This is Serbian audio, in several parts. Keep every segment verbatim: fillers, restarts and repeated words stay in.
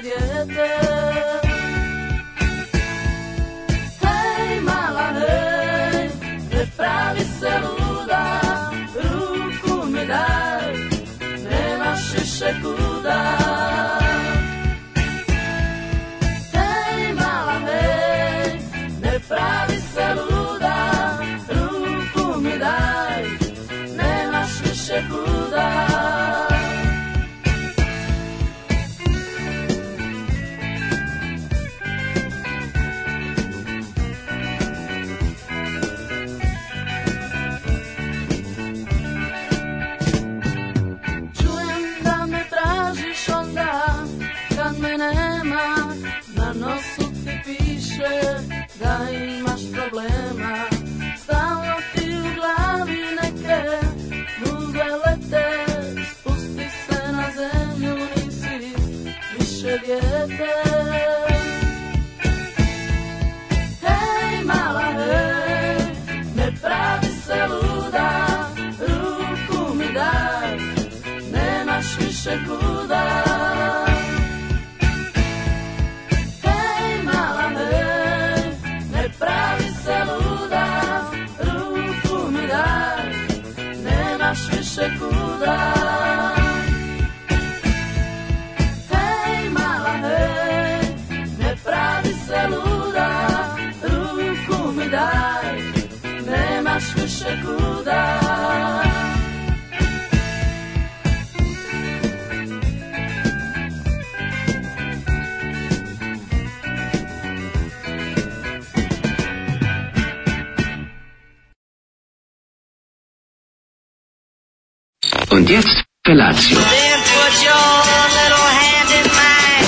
dijete. Hej mala hej, ne pravi se luda, ruku mi daj, nemaš više kuda. Hej mala hej, ne pravi se luda, ruku mi daj, nemaš više kuda. Da imaš problema, stalno ti u glavi neke muze lete, spusti se na zemlju, nisi više dijete. Hej mala hej, ne pravi se luda, ruku mi daj, nemaš više kuda. Pravi se luda, ruku mi daj, nemaš više kuda. Hej mala hej, ne pravi se luda, ruku mi daj, nemaš više kuda. Und jetzt Felatio. Then put your little hand in mine.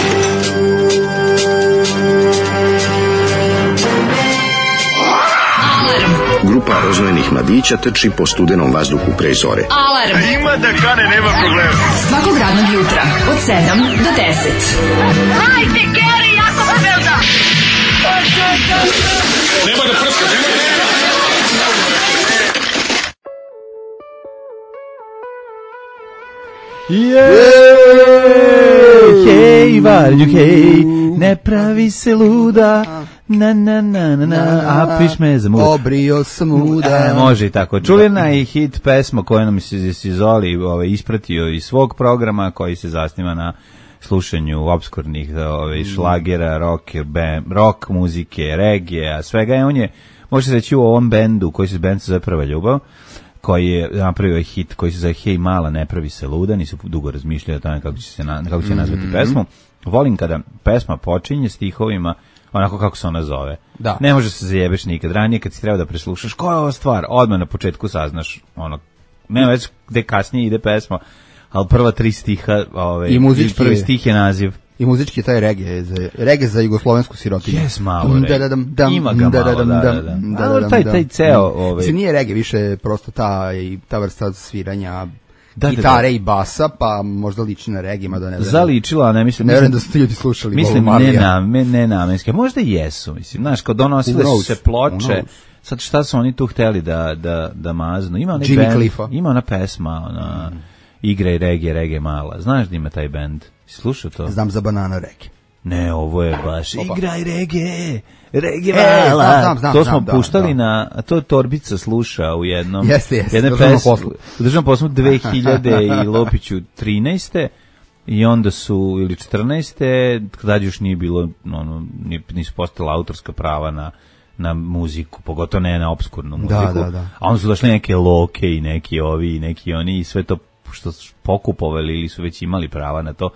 Grupa rozvojenih mladića trči po studenom vazduhu pre zore. Alarm! Ima da kane, nema problema. Svakog radnog jutra, od sedam do deset. Hajde, Geri, jako se velda! Nema da prska, nema da prska! Hej, varđu, hej, ne pravi se luda, na, na, na, na, na, a piš me za muda. Obrio sam muda. E, može i tako. Čuvena i hit pesma koja nam se Sizoli ovaj, ispratio iz svog programa, koji se zasniva na slušanju obskurnih ovaj, šlagera, rock, band, rock muzike, regije, svega je. On je, može se reći, u ovom bendu, koji se bend se zove Prva ljubav, koji je napravio hit koji se zove Hej mala, ne pravi se luda, nisu dugo razmišljali o tome kako će se na, kako će nazvati mm-hmm. pesmu. Volim kada pesma počinje stihovima onako kako se ona zove. Da. Ne može se zajebeš nikad. Ranije kad si treba da preslušaš koja je ova stvar, odmah na početku saznaš ono, nema već gde kasnije ide pesma, ali prva tri stiha, ovaj, i muzički prvi stih je naziv. I muzički taj reggae, za, reggae za jugoslovensku sirotinju. Jes, malo reggae. Ima ga malo, da, da, da. Ali taj, taj ceo... Ovaj... Se nije reggae, više prosto ta, ta vrsta sviranja da, gitare da, da. I basa, pa možda liči na reggae, mada ne znam. Zaličila, ne mislim... Ne vjerujem da su ti ljudi slušali. Mislim, ne, na, ne namenske. Možda i jesu, mislim. Znaš, kao donosile su se ploče, sad šta su oni tu hteli da, da, da maznu. Ima onaj band, ima ona pesma, ona... Mm. Igra i reggae, reggae mala. Znaš da ima taj bend? Slušao to? Znam za Banana reggae. Ne, ovo je baš Opa. Igraj reggae, reggae mala. E, znam, znam, to smo znam, puštali da, na, a to Torbica sluša u jednom. Jeste, jeste. Državnom poslu. U državnom poslu dve hiljade i Lopiću trinaeste i onda su, ili četrnaeste kada još nije bilo, ono, nisu postala autorska prava na na muziku, pogotovo ne na obskurnu muziku. Da, da, da. A onda su došli neke loke i neki ovi i neki oni i sve to što su pokupovali ili su već imali prava na to.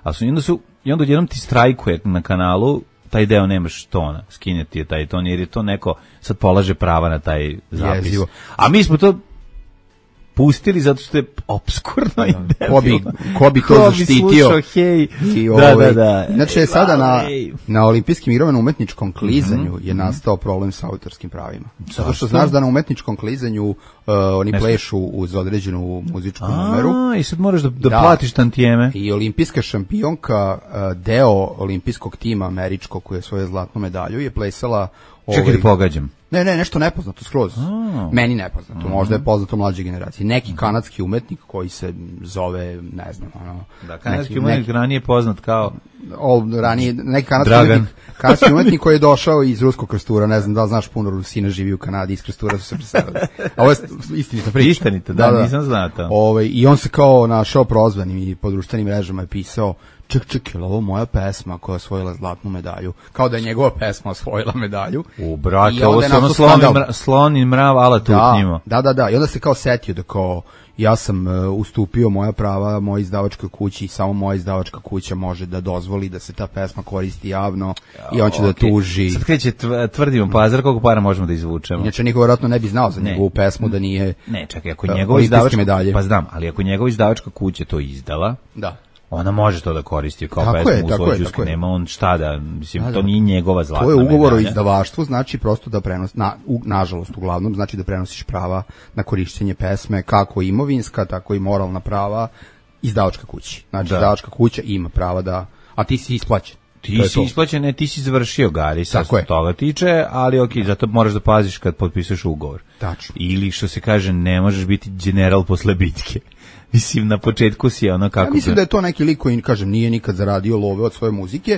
A su, i onda su, i onda odjednom ti strajkuje na kanalu, taj deo nemaš tona, skinjati je taj ton, jer je to neko sad polaže prava na taj zapis. Jezivo. A mi smo to pustili zato što je obskurno i debilno. Ko bi, ko bi to ko zaštitio? Bi slušao, hej. I da, da, da. Znači, sada na, na olimpijskim igrama na umetničkom klizanju mm-hmm. je nastao problem sa autorskim pravima. Zato što znaš da na umetničkom klizanju uh, oni Nešto. plešu uz određenu muzičku A, numeru. I sad moraš da, da, da platiš tantijeme. I olimpijska šampionka, uh, deo olimpijskog tima američkog koji je svoju zlatnu medalju, je plesala... Čekaj ovaj, da pogađam. Ne, ne, nešto nepoznato skroz. Oh. Meni nepoznato, mm-hmm. možda je poznato mlađe generacije. Neki kanadski umetnik koji se zove, ne znam, ono... Da, kanadski neki, umetnik neki, ranije poznat kao... o, ranije, neki kanadski umetnik, kanadski umetnik koji je došao iz ruskog Krstura, ne znam da li znaš, puno Rusina živi u Kanadi, iz Krstura su se preselili. A ovo je istinita priča. Istinita, da, da, da, nisam znao to. Ove, I on se kao našao prozvanim i po društvenim mrežama je pisao, ček, ček, je ovo moja pesma koja je osvojila zlatnu medalju? Kao da je njegova pesma osvojila medalju. U, brate, ovo se ono slon i mrav, ala tu da, njima. Da, da, da, i onda se kao setio da kao, ja sam uh, ustupio moja prava mojoj izdavačkoj kući i samo moja izdavačka kuća može da dozvoli da se ta pesma koristi javno i on će okay. da tuži. Sad kreće tvrdimo pazar, koliko para možemo da izvučemo. Inače niko vjerojatno ne bi znao za ne. njegovu pesmu da nije. Ne, čekaj, ako njegova izdavačka medalje. Pa znam, ali ako njegova izdavačka kuća to izdala. Da. Ona može to da koristi kao tako pesmu je, u svojoj džuski, nema on šta da, mislim, da, da. To nije njegova zlatna medalja. To je ugovor o izdavaštvu, znači prosto da prenos, na, u, nažalost uglavnom, znači da prenosiš prava na korišćenje pesme, kako imovinska, tako i moralna prava, izdavačka kući. Znači, da. Izdavačka kuća ima prava da, a ti si isplaćen. Ti si isplaćen, ne, ti si završio Gari, sa toga tiče, ali ok, zato moraš da paziš kad potpisuješ ugovor. Tačno. Ili što se kaže, ne možeš biti general posle bitke. Mislim, na početku si ono kako... Ja mislim da je to neki lik koji, kažem, nije nikad zaradio love od svoje muzike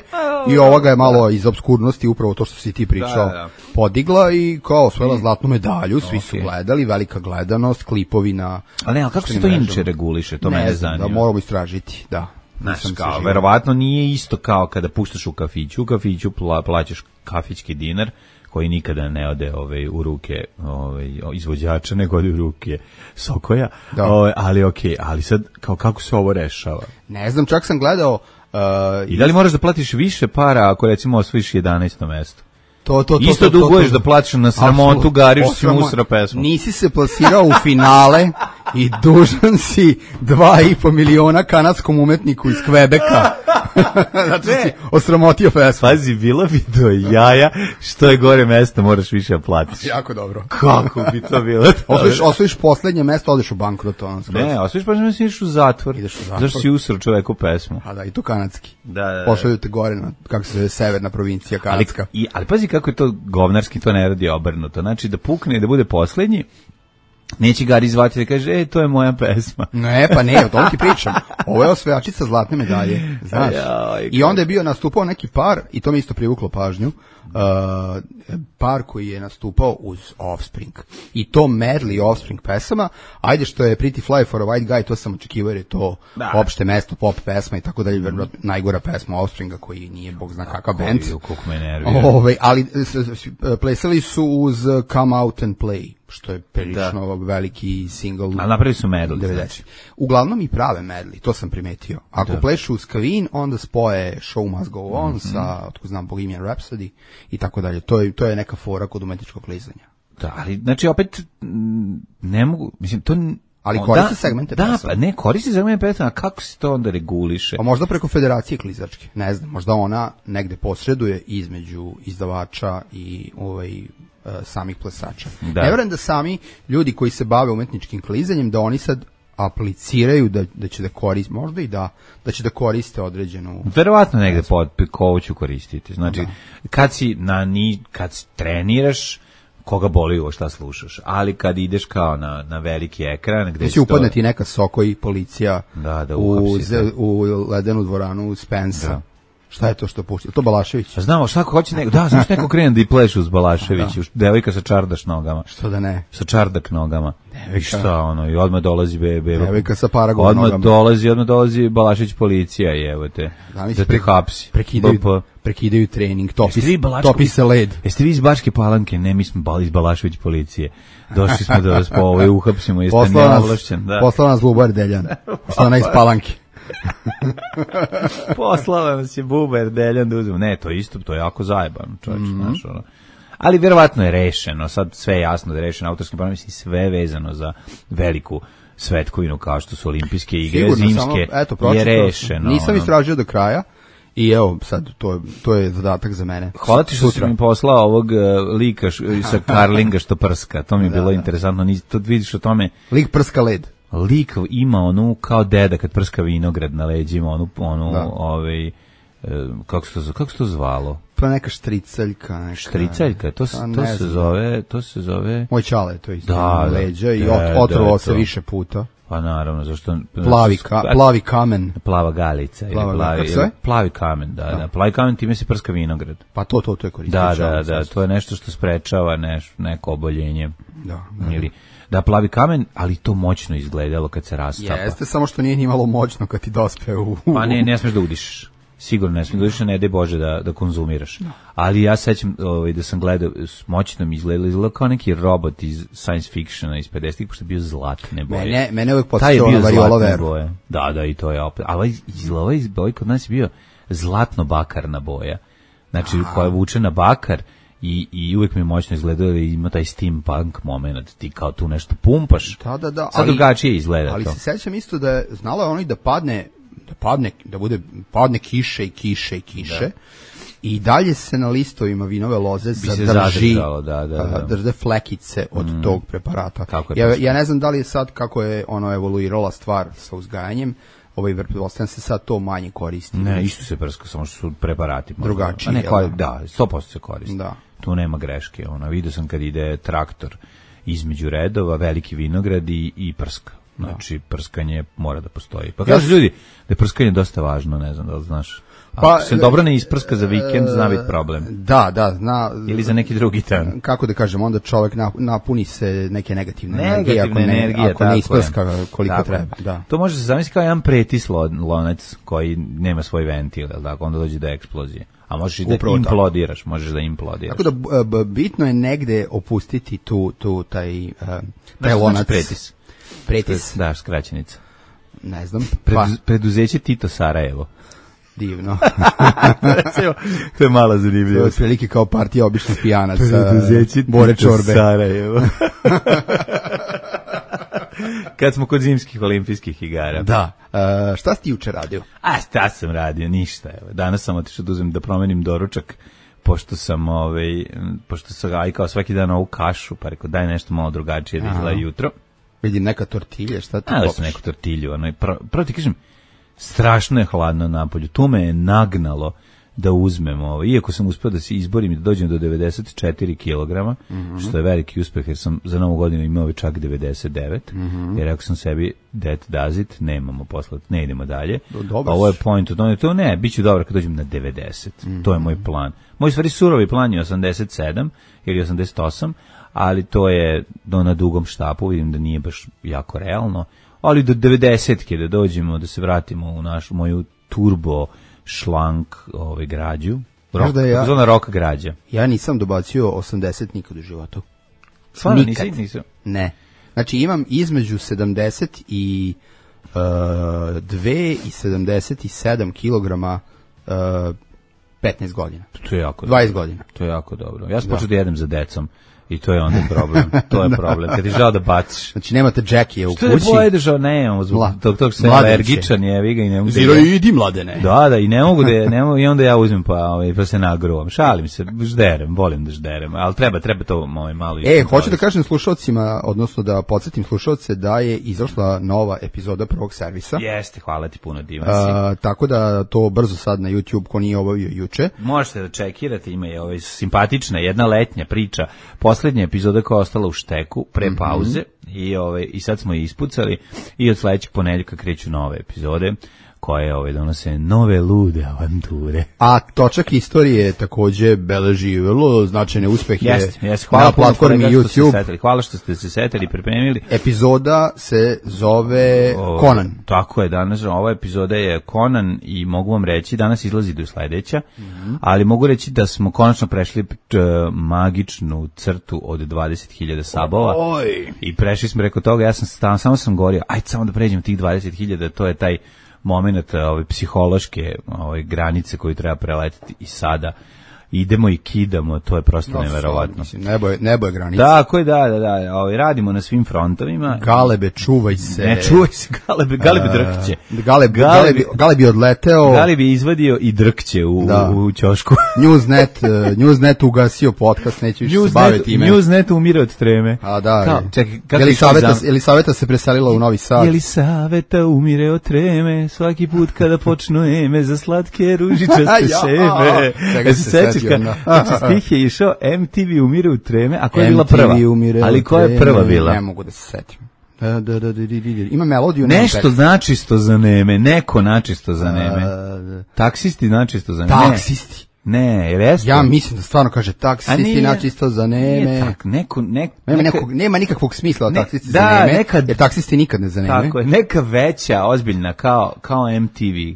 i ovoga je malo iz obskurnosti, upravo to što si ti pričao, da, da. podigla i kao osvojila zlatnu medalju, svi okay. su gledali, velika gledanost, klipovi na... Ali ne, ali kako se to inače reguliše, to ne mene zanima. Da moramo istražiti, da. Znaš, kao, verovatno nije isto kao kada puštaš u kafiću, u kafiću pla, plaćaš kafićki dinar, koji nikada ne ode ovaj, u ruke ovaj, izvođača, nego ode u ruke Sokoja, ovaj, ali ok, ali sad kao, kako se ovo rešava? Ne znam, čak sam gledao... Uh, I da li moraš da platiš više para ako recimo osvojiš jedanaesto mesto? To, to, to, isto to, to, duguješ to, to. da platiš na sramotu Gariš si musra pesmu. Nisi se plasirao u finale i dužan si dva i po miliona kanadskom umetniku iz Kvebeka. Znači si osramotio pesmu. Pazi, bilo bi do jaja, što je gore mesto, moraš više da platiš. Jako dobro. Kako bi to bilo? Osvojiš, osvojiš poslednje mesto, odeš u bankrot. Ono, ne, osvojiš pa što ideš u zatvor. Ideš u zatvor. Zašto si usro čoveku pesmu. A da, i to kanadski. Da, da, da. Pošalju te gore, na, kako se zove, severna provincija kanadska. Ali, i, ali pazi kako je to govnarski, to ne radi obrnuto. Znači da pukne i da bude poslednji, neće Gari zvati da kaže, ej, to je moja pesma. Ne, pa ne, o tom ti pričam. Ovo je osvajačica zlatne medalje, znaš. I onda je bio nastupao neki par, i to mi isto privuklo pažnju, uh, par koji je nastupao uz Offspring. I to medley Offspring pesama, ajde što je Pretty Fly for a White Guy, to sam očekivao jer je to da. opšte mesto, pop pesma i tako dalje, mm. najgora pesma Offspringa koji nije bog zna kakav band. Ove, ali plesali su uz Come Out and Play, što je prilično da. veliki single. A napravi su medley. Znači. Uglavnom i prave medley, to sam primetio. Ako da. plešu uz Kavin, onda spoje Show Must Go On mm-hmm. sa, otko znam, Bohemian Rhapsody i tako dalje. To je, to je neka fora kod umetničkog klizanja. Da, ali, znači, opet, ne mogu, mislim, to... Ali koristi da, segmente da, pesma. Da, pa ne, koristi segmente pesma, a kako se to onda reguliše? Pa možda preko federacije klizačke, ne znam, možda ona negde posreduje između izdavača i ovaj... samih plesača. Da. Ne vjerujem da sami ljudi koji se bave umetničkim klizanjem, da oni sad apliciraju da, da će da koriste, možda i da, da će da koriste određenu... Verovatno negde pod kovo ću koristiti. Znači, da. kad si na ni, kad treniraš, koga boli ovo šta slušaš, ali kad ideš kao na, na veliki ekran... Gde da će upadneti to... neka Soko i policija da, da, u, z, u ledenu dvoranu Spensa. Da. Šta je to što pušta? To Balašević? A znamo, šta hoće neko, da, znaš neko krene da i pleše uz Balašević, da. devojka sa čardaš nogama. Što da ne? Sa čardak nogama. Devojka. I šta ono, i odmah dolazi bebe. Devojka sa paragon odmah nogama. dolazi, odmah dolazi Balašević policija, i evo te, da, da te hapsi. Prekidaju, prekidaju trening, topi, topi se led. Jeste vi iz Bačke Palanke? Ne, mi smo iz Balašević policije. Došli smo da vas po ovoj uhapsimo, jeste neovlašćen. Da. Poslao nas Bubar Deljan, što ona iz Palanke. Poslala nas je Buber Deljan da uzmemo. Ne, to je isto, to je jako zajebano, čovječ, mm-hmm. znaš, ono. Ali vjerovatno je rešeno, sad sve je jasno da je rešeno autorski pravo, mislim, sve vezano za veliku svetkovinu kao što su olimpijske igre, sigurno, zimske, samo, eto, je rešeno. Nisam ono. istražio do kraja i evo, sad, to je, to je zadatak za mene. Hvala ti što si mi poslao ovog uh, lika š, sa Karlinga što prska, to mi je da, bilo da. interesantno, Nis, to vidiš o tome. Lik prska led. Lik ima onu kao deda kad prska vinograd na leđima, onu, onu ovaj, kako se to, kako se to zvalo? Pa neka štriceljka. Neka, štriceljka, to, se, to se zove, to se zove... Moj čale, to isto, da, leđa da, i ot, otrovao se više puta. Pa naravno, zašto... Plavi, ka, plavi kamen. Plava galica. Plava, ili plavi, ili, plavi kamen, da, da, da. Plavi kamen, time se prska vinograd. Pa to, to, to je koristio. Da, da, da, to je nešto što sprečava neš, neko oboljenje. Da, da. Ili, da, plavi kamen, ali to moćno izgledalo kad se rastapa. Jeste, samo što nije ni malo moćno kad ti dospe u... Pa ne, ne smeš da udišeš. Sigurno ne smiješ da udišeš, ne daj Bože da, da konzumiraš. No. Ali ja sećam ovaj, da sam gledao, moćno mi izgledalo, izgledalo kao neki robot iz science fictiona iz pedesetih, pošto je bio zlatne boje. Mene, mene uvijek podsjetio na Variola Veru. Da, da, i to je opet. Ali ovaj boj kod nas je bio zlatno-bakarna boja. Znači, aha, koja vuče na bakar i, i uvijek mi je moćno izgledalo da ima taj steampunk moment. Ti kao tu nešto pumpaš. Da, da, da. Sad ali, drugačije izgleda ali to. Ali se sećam isto da je znala ono i da padne da padne, da bude, padne kiše i kiše i kiše, da. I dalje se na listovima vinove loze zadrži, da, da, da. drže flekice od mm. tog preparata. Ja, ja ne znam da li je sad, kako je ono evoluirala stvar sa uzgajanjem, ovaj pretpostavljam se sad to manje koristi. Ne, isto se prska, samo što su preparati. Drugačiji. Ne, ko, da, sto posto se koristi. Da. Tu nema greške. Ono, vidio sam kad ide traktor između redova, veliki vinograd i, i prska. Znači, prskanje mora da postoji. Pa kažu ljudi da je prskanje dosta važno, ne znam da li znaš. Ako pa, se dobro ne isprska za vikend, zna biti problem. Da, da, zna. Ili za neki drugi dan. Kako da kažem, onda čovjek napuni se neke negativne, negativne energije, ako ne, energije, ako ne isprska koliko tako treba. Da. To može se zamisliti kao jedan pretis lonac koji nema svoj ventil, tako, onda dođe do eksplozije. A možeš i da upravo implodiraš, tako. Možeš da implodiraš. Tako da b, bitno je negde opustiti tu, tu taj, uh, taj lonac. Pretis. Pretis. Da, skraćenica. Ne znam. Preduz, preduzeće Tito Sarajevo. Divno. To je malo zanimljivo. To je prilike kao partija običnih pijanaca. Preduzeće Bore Čorbe. Sarajevo. Kad smo kod zimskih olimpijskih igara. Da. Uh, šta si ti juče radio? A šta sam radio? Ništa. Evo. Danas sam otišao da uzem da promenim doručak, pošto sam, ovaj, pošto sam ajkao svaki dan ovu kašu, pa rekao daj nešto malo drugačije da izgleda jutro. Vidim neka tortilja, šta ti popiš? Sam neku tortilju. Ono, prvo, prvo ti kažem, strašno je hladno napolju. Tu me je nagnalo da uzmem ovo. Iako sam uspio da se izborim i da dođem do devedeset četiri kilograma, mm-hmm. što je veliki uspeh, jer sam za novu godinu imao čak devedeset devet, mm-hmm. jer rekao sam sebi, that does it, nemamo posla, ne idemo dalje. Dobar. Ovo je point, to, to ne, bit ću dobro kad dođem na devedeset. Mm-hmm. To je moj plan. Moj stvari surovi plan je osamdeset sedam ili osamdeset osam, ali to je do na dugom štapu, vidim da nije baš jako realno, ali do devedesetke da dođemo, da se vratimo u našu moju turbo šlank ovaj građu. Rok, ja, zona rock građa. Ja nisam dobacio osamdeset nikad u životu. Stvarno nisi, nisam? Ne. Znači imam između sedamdeset i dve i sedamdeset sedam kilograma uh, petnaest godina. To je jako dvadeset dobro. godina. To je jako dobro. Ja sam počeo da jedem za decom. I to je onda problem. To je problem. Kad ti žao da baciš. Znači nemate Jackie u kući. Što je boje žao? Ne, imamo zbog tog, tog se alergičan je, vi ga i ne mogu. Ziro idi mladene. Da, da, i ne mogu da je, ne mogu, i onda ja uzmem pa, ovaj, pa se nagruvam. Šalim se, žderem, volim da žderem, ali treba, treba to ovaj, malo. E, hoću da kažem slušalcima, odnosno da podsjetim slušalce da je izašla nova epizoda Prvog servisa. Jeste, hvala ti puno, divan si. A, tako da to brzo sad na YouTube, ko nije obavio juče. Možete da čekirate, ima je ovaj simpatična, jedna letnja priča, poslednja epizoda koja je ostala u šteku pre pauze, mm-hmm. i ovaj i sad smo je ispucali i od sledećeg ponedeljka kreću nove epizode koje ovaj donose nove lude avanture. A točak istorije takođe beleži vrlo značajne uspehe yes, yes, hvala na platformi YouTube. Hvala što ste se setili i pripremili. Epizoda se zove o, Conan. Tako je, danas ova epizoda je Conan i mogu vam reći, danas izlazi do sledeća, mm-hmm. ali mogu reći da smo konačno prešli t, magičnu crtu od dvadeset hiljada sabova. Oj. I prešli smo preko toga, ja sam stan, samo sam govorio, ajde samo da pređemo tih dvadeset hiljada, to je taj moment ove psihološke ove granice koju treba preletiti i sada idemo i kidamo, to je prosto no, neverovatno. Mislim, nebo je, nebo je granica. Tako je, da, da, da, ovaj, radimo na svim frontovima. Galebe, čuvaj se. Ne, čuvaj se, Galebe, Galebe drkće. Galeb, Galeb, Galeb je odleteo. Galeb je izvadio i drkće u, da. u, u ćošku. Newsnet, uh, Newsnet ugasio podcast, neće više se baviti time. Newsnet umire od treme. A da, Kao, čekaj, kako Elisaveta, Elisaveta se preselila u Novi Sad. Elisaveta umire od treme, svaki put kada počnu eme za slatke ružičaste šeme. Čega se setio, Znači, stih je išao, M T V umire u treme, a koja je bila prva? Ali koja je prva bila? Ne mogu da se setim. Da, da, da, da, da. Ima melodiju. Nešto načisto za neme, neko načisto za neme. Taksisti načisto za neme. Taksisti. Ne, jer jeste? Ja mislim da stvarno kaže taksisti načisto za neme. Nije tak, neko, nek, nema, neka, nekog, nema nikakvog smisla ne, taksisti da, za neme, nekad, jer taksisti nikad ne zaneme. Tako je, neka veća, ozbiljna, kao, kao M T V.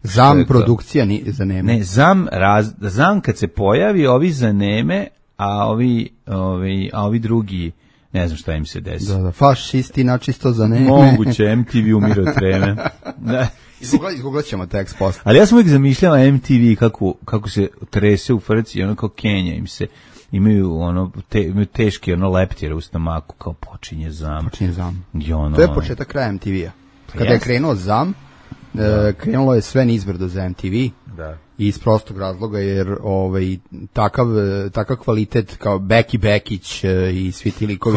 Zam produkcija ni za neme. Ne, zam, raz, zam kad se pojavi, ovi za neme, a ovi, ovi, a ovi drugi, ne znam šta im se desi. Da, da, fašisti načisto za neme. Moguće, M T V umire od treme. Da. Izgooglat ćemo tekst posle. Ali ja sam uvijek zamišljala M T V kako, kako se trese u frci, ono kao Kenja im se, imaju ono, te, imaju teški ono leptire u stomaku, kao počinje zam. Počinje zam. I ono, to je početak kraja M T V-a. Kada yes. je krenuo zam, da. krenulo je sve nizbrdo za M T V. Da. Iz prostog razloga jer ovaj takav takav kvalitet kao Beki Bekić i svi ti likovi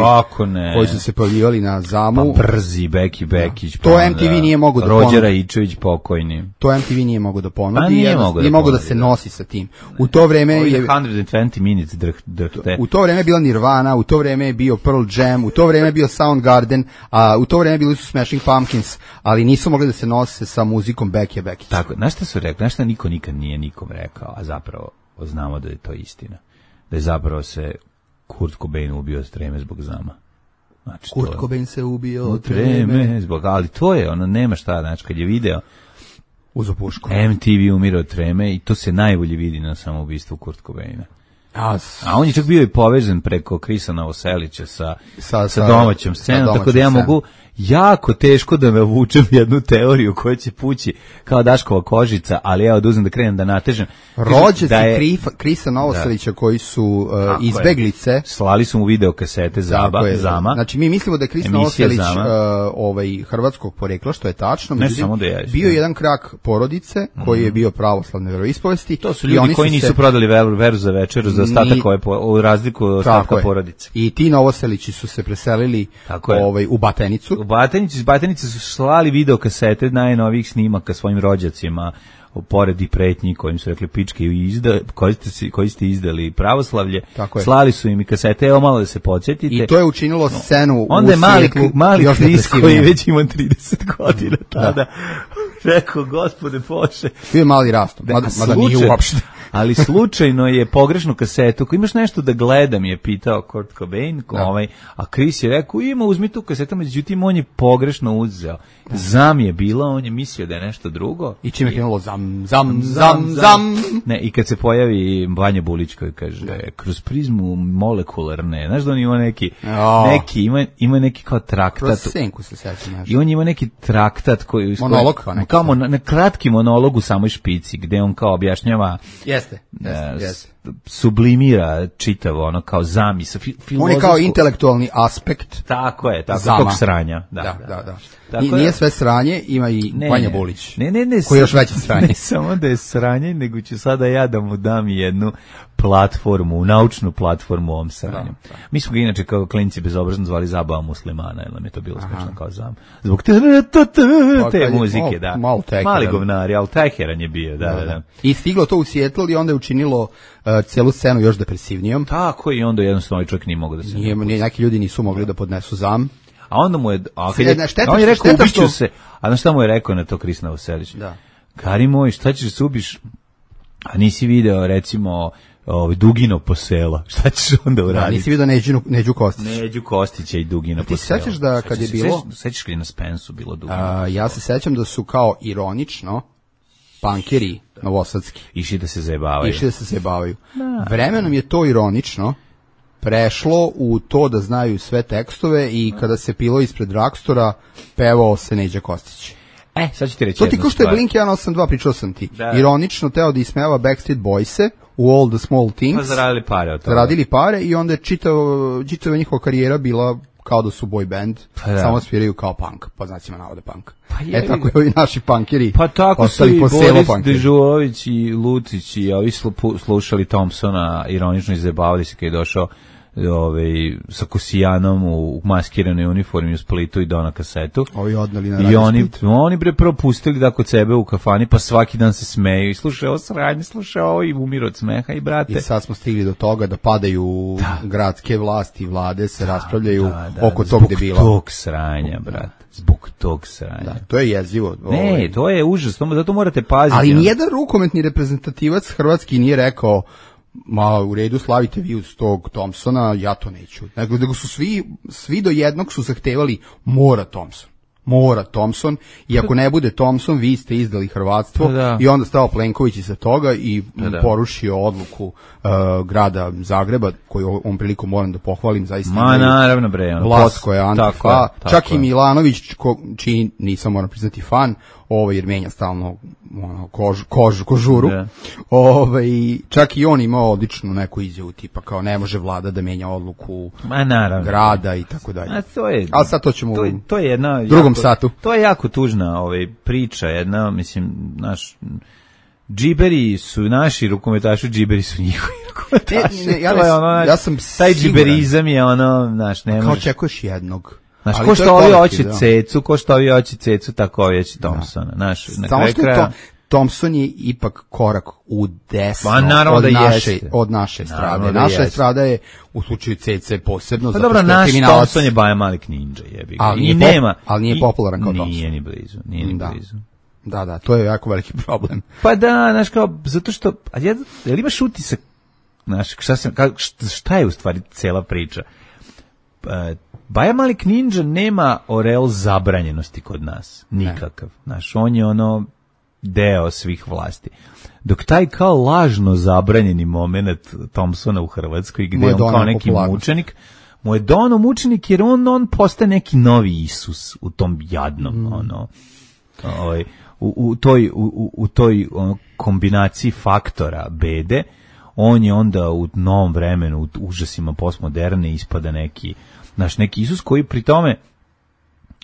koji su se pojavljivali na zamu, pa brzi Beki Bekić, to pa M T V da, nije mogao da Rođer Ičević pokojni. To M T V nije mogao da ponudi, pa nije mogao da, mogo da se nosi sa tim. U to vreme je sto dvadeset minutes drhte. U to vreme je bila Nirvana, u to vreme je bio Pearl Jam, u to vreme je bio Soundgarden, a u to vreme bili su Smashing Pumpkins, ali nisu mogli da se nose sa muzikom Beki Bekić. Tako, znaš šta su rekli, znaš šta niko nikad nije nikom rekao, a zapravo znamo da je to istina. Da je zapravo se Kurt Cobain ubio od treme zbog zama. Znači, Kurt Cobain se ubio od treme zbog, ali to je, ono, nema šta, znači, kad je video uzo pušku. M T V umire od treme i to se najbolje vidi na samoubistvu Kurt Cobaina. A, a on je čak bio i povezan preko Krisa Novoselića sa, sa, sa domaćom scenom, domaćom tako da ja scenu. Mogu jako teško da me vučem jednu teoriju koja će pući kao Daškova kožica, ali ja oduzem da krenem da natežem. Rođaci da je, Krisa Novoselića da. koji su uh, izbeglice. Je. Slali su mu video kasete Zaba, je, Zama. Znači mi mislimo da je Kris Novoselić uh, ovaj, hrvatskog porekla, što je tačno. Ne samo da je. Bio je jedan krak porodice koji mm. je bio pravoslavne veroispovesti. To su ljudi koji nisu se... prodali veru, veru za večeru za ostatak ove po, u razliku od ostatka porodice. I ti Novoselići su se preselili ovaj, u Batenicu. U Batenici, iz Batenice su slali video kasete najnovijih snimaka svojim rođacima, pored i pretnji kojim su rekli pičke izda, koji, ste, koji ste izdali pravoslavlje, slali su im i kasete, evo malo da se podsjetite. I to je učinilo scenu onda u svijetlu. Onda je mali, mali Kris koji već ima trideset godina tada, da. Rekao, gospode Bože. Bio je mali rastom, mada, mada nije uopšte. Ali slučajno je pogrešnu kasetu, ako imaš nešto da gledam, je pitao Kurt Cobain, da. ovaj, a Chris je rekao, ima, uzmi tu kasetu, međutim on je pogrešno uzeo. Zam je bila, on je mislio da je nešto drugo. I čime je krenulo zam, zam, zam, zam. Ne, i kad se pojavi Vanja Bulić koji kaže, da. kroz prizmu molekularne, znaš da on ima neki, oh. neki ima, ima neki kao traktat. Kroz senku se sećam nešto. I on ima neki traktat koji... Monolog kao neki. Kao mon, na kratki monolog u samoj špici, gde on kao objašnjava... Jeste, jeste, uh, jeste. Sublimira čitavo, ono kao zamisa. Fi, on je kao intelektualni aspekt. Tako je, tako tog sranja. Da, da, da. da. Tako nije je, sve sranje, ima i ne, Vanja Bulić. Ne, ne, ne. Koji je još veće sranje. Ne samo da je sranje, nego ću sada ja da mu dam jednu platformu, naučnu platformu u ovom sranju. Da, da. Mi smo ga inače kao klinci bezobrazno zvali Zabava muslimana, jer nam je to bilo smešno kao zam. Zbog te, te, te, te muzike, da. Malo Mali govnari, ali teheran je bio, da, da, da. I stiglo to u Seattle i onda je učinilo uh, celu scenu još depresivnijom. Tako, i onda jednostavno ovaj čovjek nije mogao da se... Nije, nije, neki ljudi nisu mogli da podnesu zam. A onda mu je, a kad je, šteta, on je rekao, šteta ubiću što... se, a znaš šta mu je rekao na to Kris Novoselić? Da. Kari moj, šta ćeš da se ubiš, a nisi video, recimo, ovaj, Dugino posela, šta ćeš onda uraditi? Da, nisi video Neđu, Neđu Kostića. Neđu Kostića i Dugino posela. Ti se sećaš da kad je bilo... Sećaš kad je na Spensu bilo Dugino a, ja se sećam da su kao ironično pankeri novosadski. Išli da se zajebavaju. Išli da se zajebavaju. Da. Vremenom je to ironično prešlo u to da znaju sve tekstove i kada se pilo ispred Dragstora, pevao se Neđa Kostić. E, sad ću ti reći to ti ko što je Blink jedan osam dva, pričao sam ti. Da. Ironično teo da ismeva Backstreet Boyse u All the Small Things. Pa zaradili pare od toga. Zaradili pare i onda je čitava, čitava njihova karijera bila kao da su boy band, pa da. Samo sviraju kao punk, po znacima navode punk. Pa e tako je ovi naši punkeri. Pa tako su i Boris Dežulović i Lucić i ovi slušali Thompsona, ironično izjebavali se kad je došao ovaj, sa Kosijanom u maskiranoj uniformi u Splitu i Dona kasetu. Ovi odnali na I radio oni, Split. oni bre prvo pustili da kod sebe u kafani, pa svaki dan se smeju i slušaju ovo sranje, slušaju ovo i umiru od smeha i brate. I sad smo stigli do toga da padaju Da. gradske vlasti i vlade, se raspravljaju Da, da, oko zbog tog debila. tog sranja, brate. Zbog tog sranja. Da, to je jezivo. Ne, ovaj. to je užasno, zato morate paziti. Ali ono. nijedan rukometni reprezentativac hrvatski nije rekao ma u redu slavite vi uz tog Thompsona, ja to neću. Nego, nego su svi, svi do jednog su zahtevali mora Thompson. Mora Thompson i ako ne bude Thompson vi ste izdali hrvatstvo. Da, da. I onda stao Plenković iza toga i Da, da. porušio odluku uh, grada Zagreba koju ovom prilikom moram da pohvalim zaista. Ma imaju naravno bre, ono, vlast pos- koja je tako antifa, je, tako čak i je. Milanović ko, čiji nisam moram priznati fan, ovaj jer menja stalno ono kož, kož, kožuru. Da. Ovaj čak i on imao odličnu neku izjavu tipa kao ne može vlada da menja odluku Ma naravno. grada i tako dalje. A to je, Ali sad to ćemo to u je, to je jedna drugom jako, satu. To je jako tužna ovaj priča, jedna, mislim, naš džiberi su naši rukometaši, džiberi su njihovi rukometaši. Ne, ne, ja To je ne- ono, ja sam taj siguran. džiberizam je ono, znaš, ne Kao možeš. očekuješ jednog. Znaš, Ali ko to je što ovi kolektiv, hoće da. cecu, ko što ovi hoće cecu, tako ovi hoće Thompsona. Znaš, na Samo kraju što je kraja... to, Thompson je ipak korak u desno Pa, naravno od, da naše, jeste. od naše Naravno strade. da Naša jeste. strada je u slučaju C C posebno, Pa zato dobro, što je naš kriminalac. Thompson je Baja Malik Ninja, jebi ga. Ali I nije pop- nema. ali nije i- popularan kao Thompson. Nije ni blizu, nije ni Da. blizu. Da, da, to je jako veliki problem. Pa da, znaš kao, zato što, a ja, jel imaš utisak, znaš, šta, sam, ka, šta je u stvari cela priča? E, Baja Malik Ninja nema oreol zabranjenosti kod nas, nikakav. Znaš, on je ono deo svih vlasti. Dok taj kao lažno zabranjeni moment Thompsona u Hrvatskoj, Mu gde je je on doneo kao neki popularnost. mučenik, mu je dono mučenik jer on, on postaje neki novi Isus u tom jadnom, Mm. ono, ovaj, u, u toj, u, u toj ono, kombinaciji faktora bede, on je onda u novom vremenu, u užasima postmoderne ispada neki, naš neki Isus koji pri tome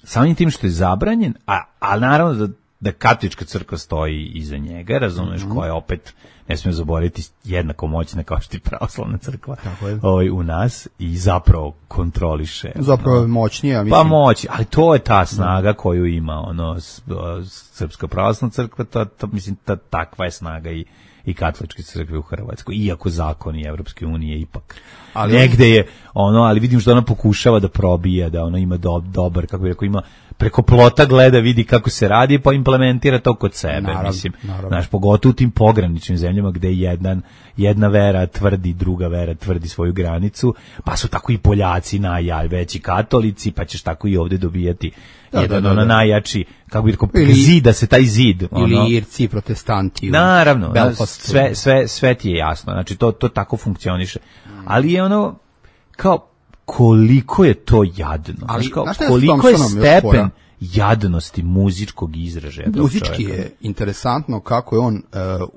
samim tim što je zabranjen, a, a naravno da, da katolička crkva stoji iza njega, razumeš, Mhm. koja je opet, ne smijem zaboraviti, jednako moćna kao što i pravoslavna crkva Tako je. ovaj, u nas i zapravo kontroliše. Zapravo je ono, moćnije, mislim. pa moći, ali to je ta snaga koju ima ono s- o, Srpska pravoslavna crkva, to, to mislim ta, takva je snaga i i katoličke crkve u Hrvatskoj, iako zakoni Evropske unije ipak Ali- negde je ono, ali vidim što ona pokušava da probija, da ona ima do, dobar, kako bi rekao, ima preko plota gleda, vidi kako se radi, pa implementira to kod sebe, Naravno, mislim, naravno. znaš, pogotovo u tim pograničnim zemljama gde jedan, jedna vera tvrdi, druga vera tvrdi svoju granicu, pa su tako i Poljaci najveći katolici, pa ćeš tako i ovde dobijati Da, jedan da, da, ono da. najjači, kako bi rekao, Ili- zida se taj zid. ono. Ili Irci, protestanti. u Naravno, Belfastu. sve, sve, sve ti je jasno, znači to, to tako funkcioniše. Ali je ono, kao, koliko je to jadno, Ali, znaš, kao, znaš šta je s koliko je Thompsonom još stepen fora? jadnosti muzičkog izražaja tog Muzički čoveka. je interesantno kako je on uh,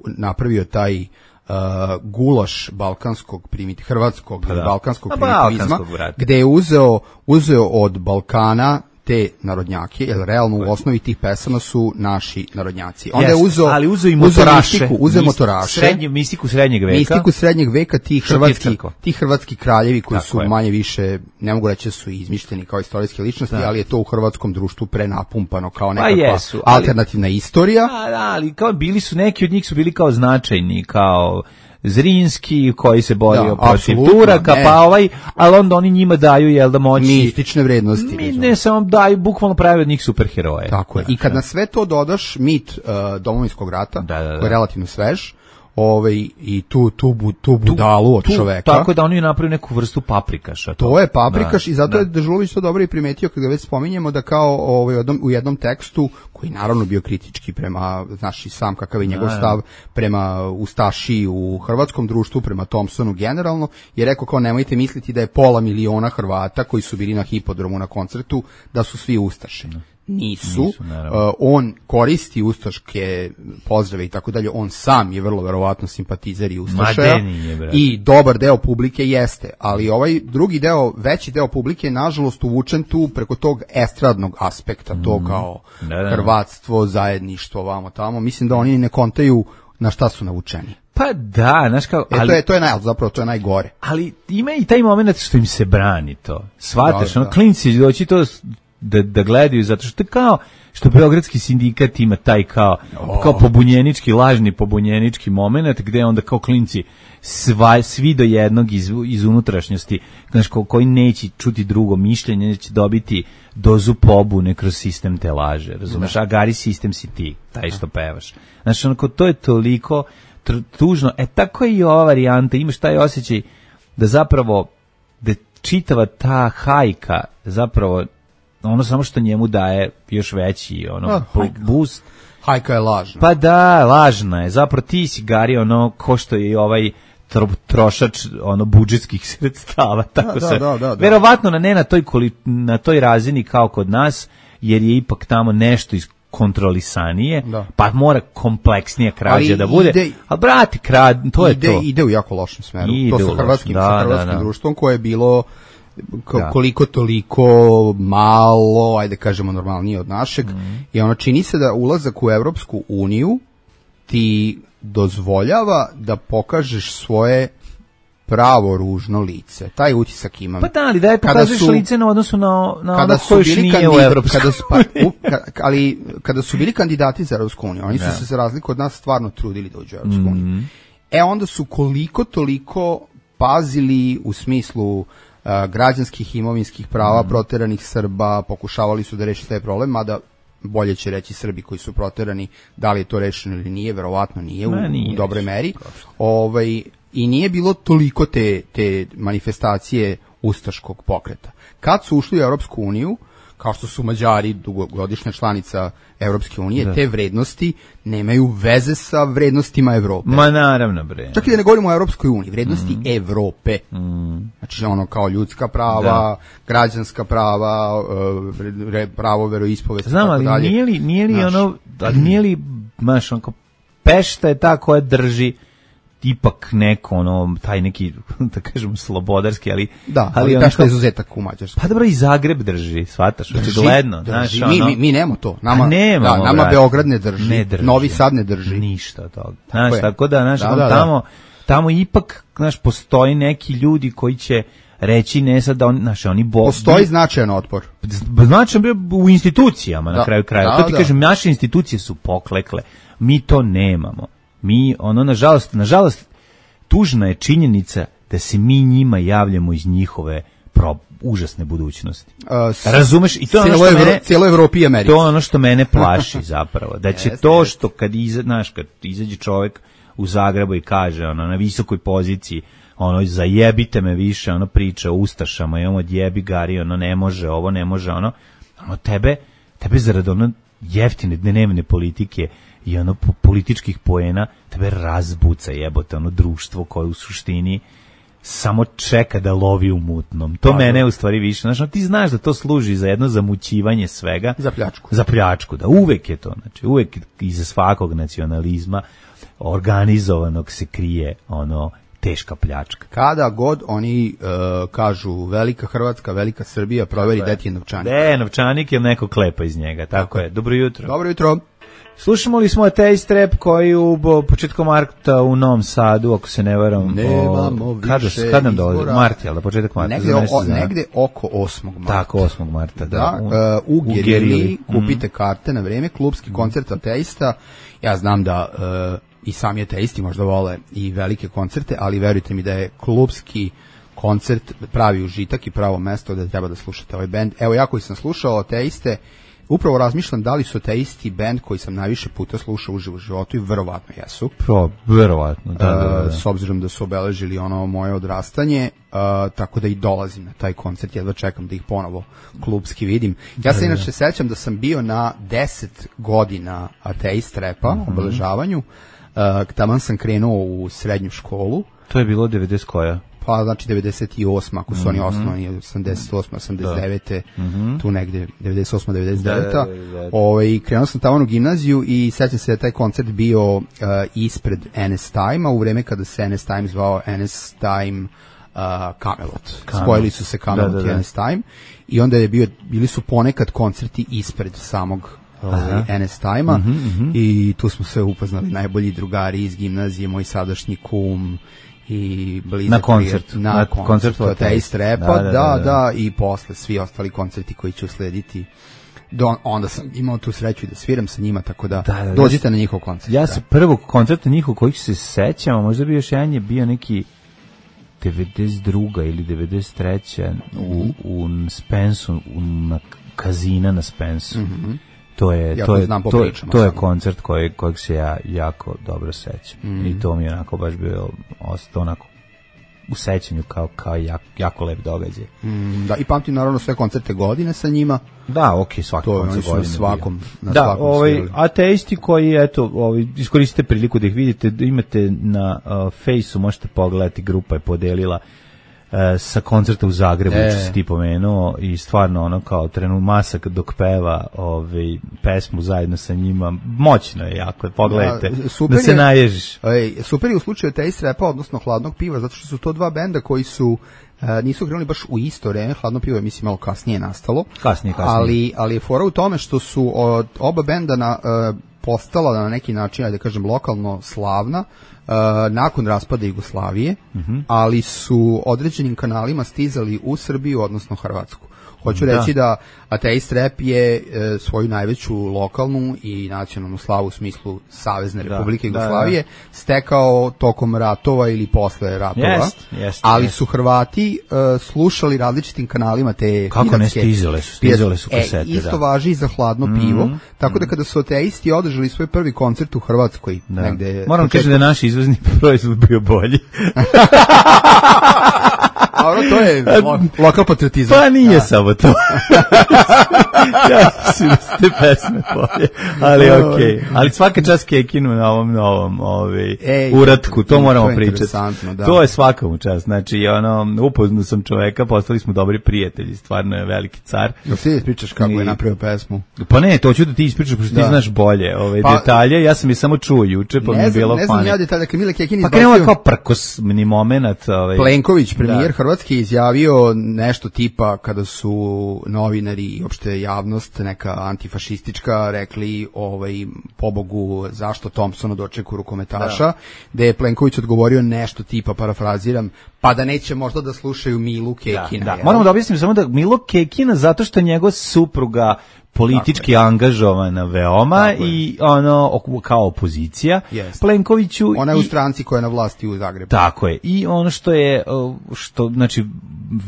napravio taj uh, gulaš balkanskog primit hrvatskog Pa da. balkanskog Pa primitivizma, balkanskog, brate. gde je uzeo uzeo od Balkana te narodnjake, jer realno u osnovi tih pesama su naši narodnjaci. Onda Jeste, je uzeo, ali uzeo i uzeo motoraše, mistiku, uzeo mis- motoraše, srednje, mistiku srednjeg veka. mistiku srednjeg veka, ti Što ti je hrvatski, crkva? ti hrvatski kraljevi koji Tako su je. manje više, ne mogu reći da su izmišljeni kao istorijske ličnosti, ali je to u hrvatskom društvu prenapumpano kao nekakva jesu, ali- alternativna istorija. Da, da, ali kao bili su, neki od njih su bili kao značajni, kao Zrinski koji se borio Da, protiv apsolutno, Turaka, ne. pa ovaj, ali onda oni njima daju, jel da moći... Mistične vrednosti. Mi razumeš. ne samo daju, bukvalno pravi od njih superheroje. Tako je. I kad na sve to dodaš mit uh, Domovinskog rata, Da, da, da. koji je relativno svež, ovaj, i tu, tu, bu- tu budalu od Tu- čoveka. Tako da oni napravili neku vrstu paprikaša. To je paprikaš Da, i zato da. je Dežulović to dobro i primetio kad ga već spominjemo da kao ovaj, u jednom, u jednom tekstu koji naravno bio kritički prema, znaš i sam kakav je njegov stav prema Ustaši u hrvatskom društvu, prema Thompsonu generalno, je rekao kao nemojte misliti da je pola miliona Hrvata koji su bili na hipodromu na koncertu da su svi Ustaše. Nisu, Nisu, naravno. Uh, on koristi ustaške pozdrave i tako dalje, on sam je vrlo verovatno simpatizer i ustašaja Ma, de nije, brate. i dobar deo publike jeste, ali ovaj drugi deo, veći deo publike je nažalost uvučen tu preko tog estradnog aspekta, to kao Da, da. hrvatstvo, zajedništvo, vamo tamo, mislim da oni ne kontaju na šta su navučeni. Pa da, znaš kao... E, ali, to je, to je naj, zapravo, to je najgore. Ali ima i taj moment što im se brani to. Shvataš, Da, ono, da. klinci doći to da, da gledaju, zato što je kao, što Beogradski sindikat ima taj kao, kao pobunjenički, lažni pobunjenički moment, gde onda kao klinci sva, svi do jednog iz, iz unutrašnjosti, znaš, ko, koji neće čuti drugo mišljenje, neće dobiti dozu pobune kroz sistem te laže, razumeš? A gari sistem si ti, taj što pevaš. Znaš, onako, to je toliko tr- tužno. E, tako je i ova varijanta, imaš taj osjećaj da zapravo, da čitava ta hajka zapravo ono samo što njemu daje još veći ono A, hajka. boost. Hajka je lažna. Pa da, lažna je. Zapravo ti si Gari ono ko što je i ovaj tro, trošač ono budžetskih sredstava, tako Da, se. da, da, da. Verovatno na ne na toj koli, na toj razini kao kod nas, jer je ipak tamo nešto iz kontrolisanije, Da. pa mora kompleksnija krađa Ali da bude. ide- A brati, krad, to je ide, to. Ide u jako lošem smeru. Ide to u sa lošem, hrvatskim, da, sa hrvatskim da, da. društvom koje je bilo ko- Da. koliko toliko malo, ajde kažemo normalnije od našeg, Mhm. i ono čini se da ulazak u Evropsku uniju ti dozvoljava da pokažeš svoje pravo ružno lice. Taj utisak imam. Pa da, ali da je Kada pokazuješ su- lice na odnosu na, na kada ono su ko još bili nije u kandida- Evropskoj kada su, pa, u, ka, ali kada su bili kandidati za Evropsku uniju, oni su Da. se za razliku od nas stvarno trudili da uđu u Evropsku uniju. Mhm. E onda su koliko toliko pazili u smislu a, građanskih i imovinskih prava Mhm. proteranih Srba, pokušavali su da reši taj problem, mada bolje će reći Srbi koji su proterani, da li je to rešeno ili nije, verovatno nije, u, Ma, nije u dobroj rešeno, meri. Ovaj, i nije bilo toliko te, te manifestacije ustaškog pokreta. Kad su ušli u Europsku uniju, kao što su Mađari, dugogodišnja članica Europske unije, Da. te vrednosti nemaju veze sa vrednostima Evrope. Ma naravno, bre. Čak i da ne govorimo o Europskoj uniji, vrednosti Evrope. Znači ono kao ljudska prava, Da. građanska prava, e, re- pravo veroispovesti, Znam, tako ali dalje. nije li, nije li Znaš. ono, ali nije li, znaš, onako, Pešta je ta koja drži ipak neko, ono, taj neki, da kažem, slobodarski, ali... Da, ali, ono Pešta kao- je izuzetak u Mađarskoj. Pa dobro, i Zagreb drži, shvataš, Drži, očigledno, drži. znaš, mi, ono... mi, mi nemamo to. Nama, A nemamo, da, nama brate. Beograd ne drži, Ne drži. Novi Sad ne drži. Ništa od toga. Znaš, je. tako da, znaš, Da, on da, da. tamo, tamo ipak, znaš, postoji neki ljudi koji će reći ne sad da on, znaš, oni bo... Postoji značajan otpor. Znači u institucijama na Da. kraju krajeva. Da, To ti da. kažem, naše institucije su poklekle. Mi to nemamo. Mi, ono, nažalost, nažalost, tužna je činjenica da se mi njima javljamo iz njihove pro, užasne budućnosti. Uh, s- Razumeš? I to je ono cijelo što Evro- mene... cijelo Evropi i Americi. To je ono što mene plaši zapravo. Da će Jeste, to jeste. što kad, iza, znaš, kad izađe čovjek u Zagrebu i kaže ono, na visokoj poziciji, ono, zajebite me više, ono, priča o ustašama i ono, odjebi Gari, ono, ne može, ovo ne može, ono, ono, tebe, tebe zarad ono jeftine dnevne politike i ono po- političkih poena, tebe razbuca jebote, ono, društvo koje u suštini samo čeka da lovi u mutnom. To Pa, mene da. u stvari više, znači, ono, ti znaš da to služi za jedno zamućivanje svega. Za pljačku. Za pljačku, da, uvek je to, znači, uvek iza svakog nacionalizma organizovanog se krije, ono, teška pljačka. Kada god oni uh, kažu velika Hrvatska, velika Srbija, proveri da ti je novčanik. De, novčanik je neko klepa iz njega, tako je. Dobro jutro. Dobro jutro. Slušamo li smo Ateist Rap koji u bo, početkom marta u Novom Sadu, ako se ne varam, Nemamo o, kada, više kad nam dolazi? izbora. Mart, jel da, početak marta? Negde, za mesec o, dana. negde oko osmog marta. Tako, osmog marta, da. Da, U- uh, u Gerili Gerili. kupite karte na vreme, klubski koncert Ateista. Ja znam da uh, i sami ateisti možda vole i velike koncerte, ali verujte mi da je klubski koncert pravi užitak i pravo mesto da treba da slušate ovaj bend. Evo, ja koji sam slušao Ateiste, upravo razmišljam da li su Ateisti bend koji sam najviše puta slušao uživo u životu i verovatno jesu. Pro, verovatno, da, da, da, Uh, da. s obzirom da su obeležili ono moje odrastanje, uh, tako da i dolazim na taj koncert, jedva čekam da ih ponovo klubski vidim. Ja se inače sećam da sam bio na deset godina Ateist repa, Mhm. obeležavanju, uh, taman sam krenuo u srednju školu, To je bilo devedeset koja? pa znači devedeset osma ako su oni Mhm. osnovani, osamdeset osma, osamdeset devete Mhm. tu negde, devedeset osma, devedeset deveta Da, da, devedeset deveta. Ovaj, krenuo sam tamo u gimnaziju i sećam se da je taj koncert bio uh, ispred N S Time-a, u vreme kada se N S Time zvao N S Time uh, Camelot. Camelot. Spojili su se Camelot Da, da, i da. N S Time i onda je bio, bili su ponekad koncerti ispred samog ovaj, en es Time-a mm-hmm, mm-hmm. i tu smo se upoznali najbolji drugari iz gimnazije, moj sadašnji kum i blizak na koncert, na, na koncertu Taste Rapa, da da, da, da, da, i posle svi ostali koncerti koji će uslediti. Do, onda sam imao tu sreću da sviram sa njima, tako da, da, da dođite ja, na njihov koncert. Ja se prvog koncerta njihov kojih se sećam, a možda bi još jedan je bio neki devedeset druga ili devedeset treća u, u Spensu, u, na Kazina na Spensu. Mm-hmm. To je, ja to, je, to, to je koncert koji, kojeg se ja jako dobro sećam. Mm-hmm. I to mi je onako baš bio ostao onako u sećanju kao, kao jak, jako lep događaj. Mm, da, i pamtim naravno sve koncerte godine sa njima. Da, okej, okay, svaki koncert godine. Svakom, na da, svakom ovaj, ateisti koji, eto, ovaj, iskoristite priliku da ih vidite, imate na uh, Fejsu, možete pogledati, grupa je podelila uh, sa koncerta u Zagrebu, e. što si ti pomenuo, i stvarno ono kao trenu masak dok peva ovaj, pesmu zajedno sa njima, moćno je jako, pogledajte, da, da se je, naježiš. Ej, super je u slučaju Taste Rapa, odnosno Hladnog piva, zato što su to dva benda koji su Uh, nisu krenuli baš u isto vreme, Hladno pivo je mislim malo kasnije nastalo. Kasnije, kasnije. Ali, ali je fora u tome što su od oba benda na, uh, postala na neki način, ajde da kažem, lokalno slavna uh, nakon raspada Jugoslavije, mm-hmm. ali su određenim kanalima stizali u Srbiju, odnosno Hrvatsku. Hoću da. reći da Ateist Rap je e, svoju najveću lokalnu i nacionalnu slavu u smislu Savezne da, Republike Jugoslavije da, da. stekao tokom ratova ili posle ratova, jest, jest, ali jest. su Hrvati e, slušali različitim kanalima te kako iranske, ne stizale su, stizale su kasete. E, isto da. važi i za Hladno mm, pivo, mm, tako da kada su ateisti održali svoj prvi koncert u Hrvatskoj, da. negde... Moram kažem da je naš izvozni proizvod bio bolji. A ono, to je lo, lokal patriotizam. Pa nije da. samo to. Ja mislim da ste pesme bolje, ali okej. Okay. Ali svaka čast Kekinu na ovom novom ovaj, Ej, uratku, to moramo to pričati. Da. To je svaka mu čast. Znači, ono, upoznao sam čoveka, postali smo dobri prijatelji, stvarno je veliki car. Jel ti ispričaš kako I, je napravio pesmu? Pa ne, to ću da ti ispričaš, pošto da. ti znaš bolje ove pa, detalje, ja sam je samo čuo juče, pa mi je bilo fani. Ne znam ja detalje, dakle Mile Kekin izbacio... Pa krenuo kao prkosni moment. Ovaj, Plenković, premijer Hrvatske, izjavio nešto tipa kada su novinari i opšte javnost neka antifašistička rekli ovaj pobogu zašto Thompsonu dočeku rukometaša, da. da je Plenković odgovorio nešto tipa, parafraziram, pa da neće možda da slušaju Milu Kekina. Da, da. Moramo da objasnimo samo da Milo Kekina zato što njegova supruga politički angažovana veoma i ono kao opozicija yes. Plenkoviću. Ona je i, u stranci koja je na vlasti u Zagrebu. Tako je. I ono što je što znači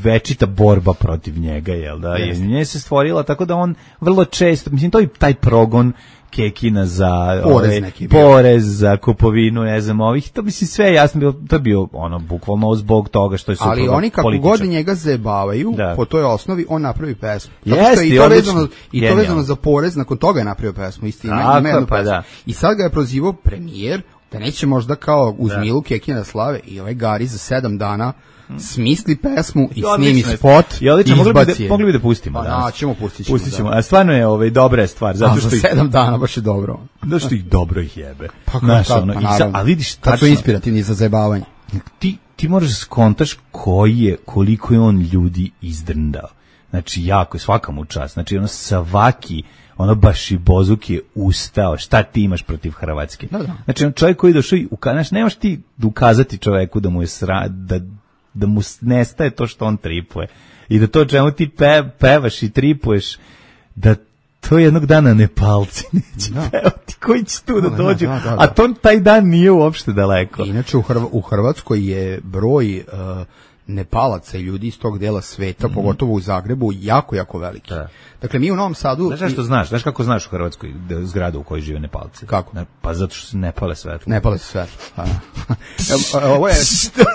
večita borba protiv njega, jel da? Yes. Je nje se stvorila tako da on vrlo često, mislim to je taj progon Kekina za porez, ove, porez za kupovinu, ne znam, ovih, to mislim sve jasno bilo, to je bio ono bukvalno zbog toga što je supruga ali oni kako političar. God njega zajebavaju, da. po toj osnovi on napravi pesmu. Jeste, i to vezano i to vezano za porez, nakon toga je napravio pesmu, isti ima, ima jednu pa pesmu. Da. I sad ga je prozivao premijer da neće možda kao uz da. Milu Kekina slave i ovaj Gari za sedam dana smisli pesmu i snimi spot i izbaci. Mogli bi da pustimo. Da, ćemo pustiti. Pustit ćemo. A stvarno je ovaj dobra stvar, zato što za sedam dana baš je dobro. Zato što ih dobro ih jebe. Pa kako, ono, pa, sa, a vidiš tačno, kad su inspirativni za zajebavanje. Ti ti možeš skontaš koji je, koliko je on ljudi izdrndao. Znači jako, svaka mu čast. Znači ono svaki ono baš i Bozuk je ustao, šta ti imaš protiv Hrvatske? Da, da. Znači on čovjek koji došao i ukazati, nemaš ti ukazati čovjeku da mu je sra, da da mu nestaje to što on tripuje i da to čemu ti pe, pevaš i tripuješ da to jednog dana Nepalci neće da. pevati koji će tu da, da dođu da, da, da, da. a to taj dan nije uopšte daleko. Inače u, Hrv- u Hrvatskoj je broj uh, Nepalaca i ljudi iz tog dela sveta, mm-hmm. pogotovo u Zagrebu, jako, jako veliki. Da. Dakle, mi u Novom Sadu... Znaš što znaš? Znaš kako znaš u Hrvatskoj zgradu u kojoj žive Nepalci? Kako? Ne, pa zato što se ne pale svetlo. Ne pale svetlo. Ovo je...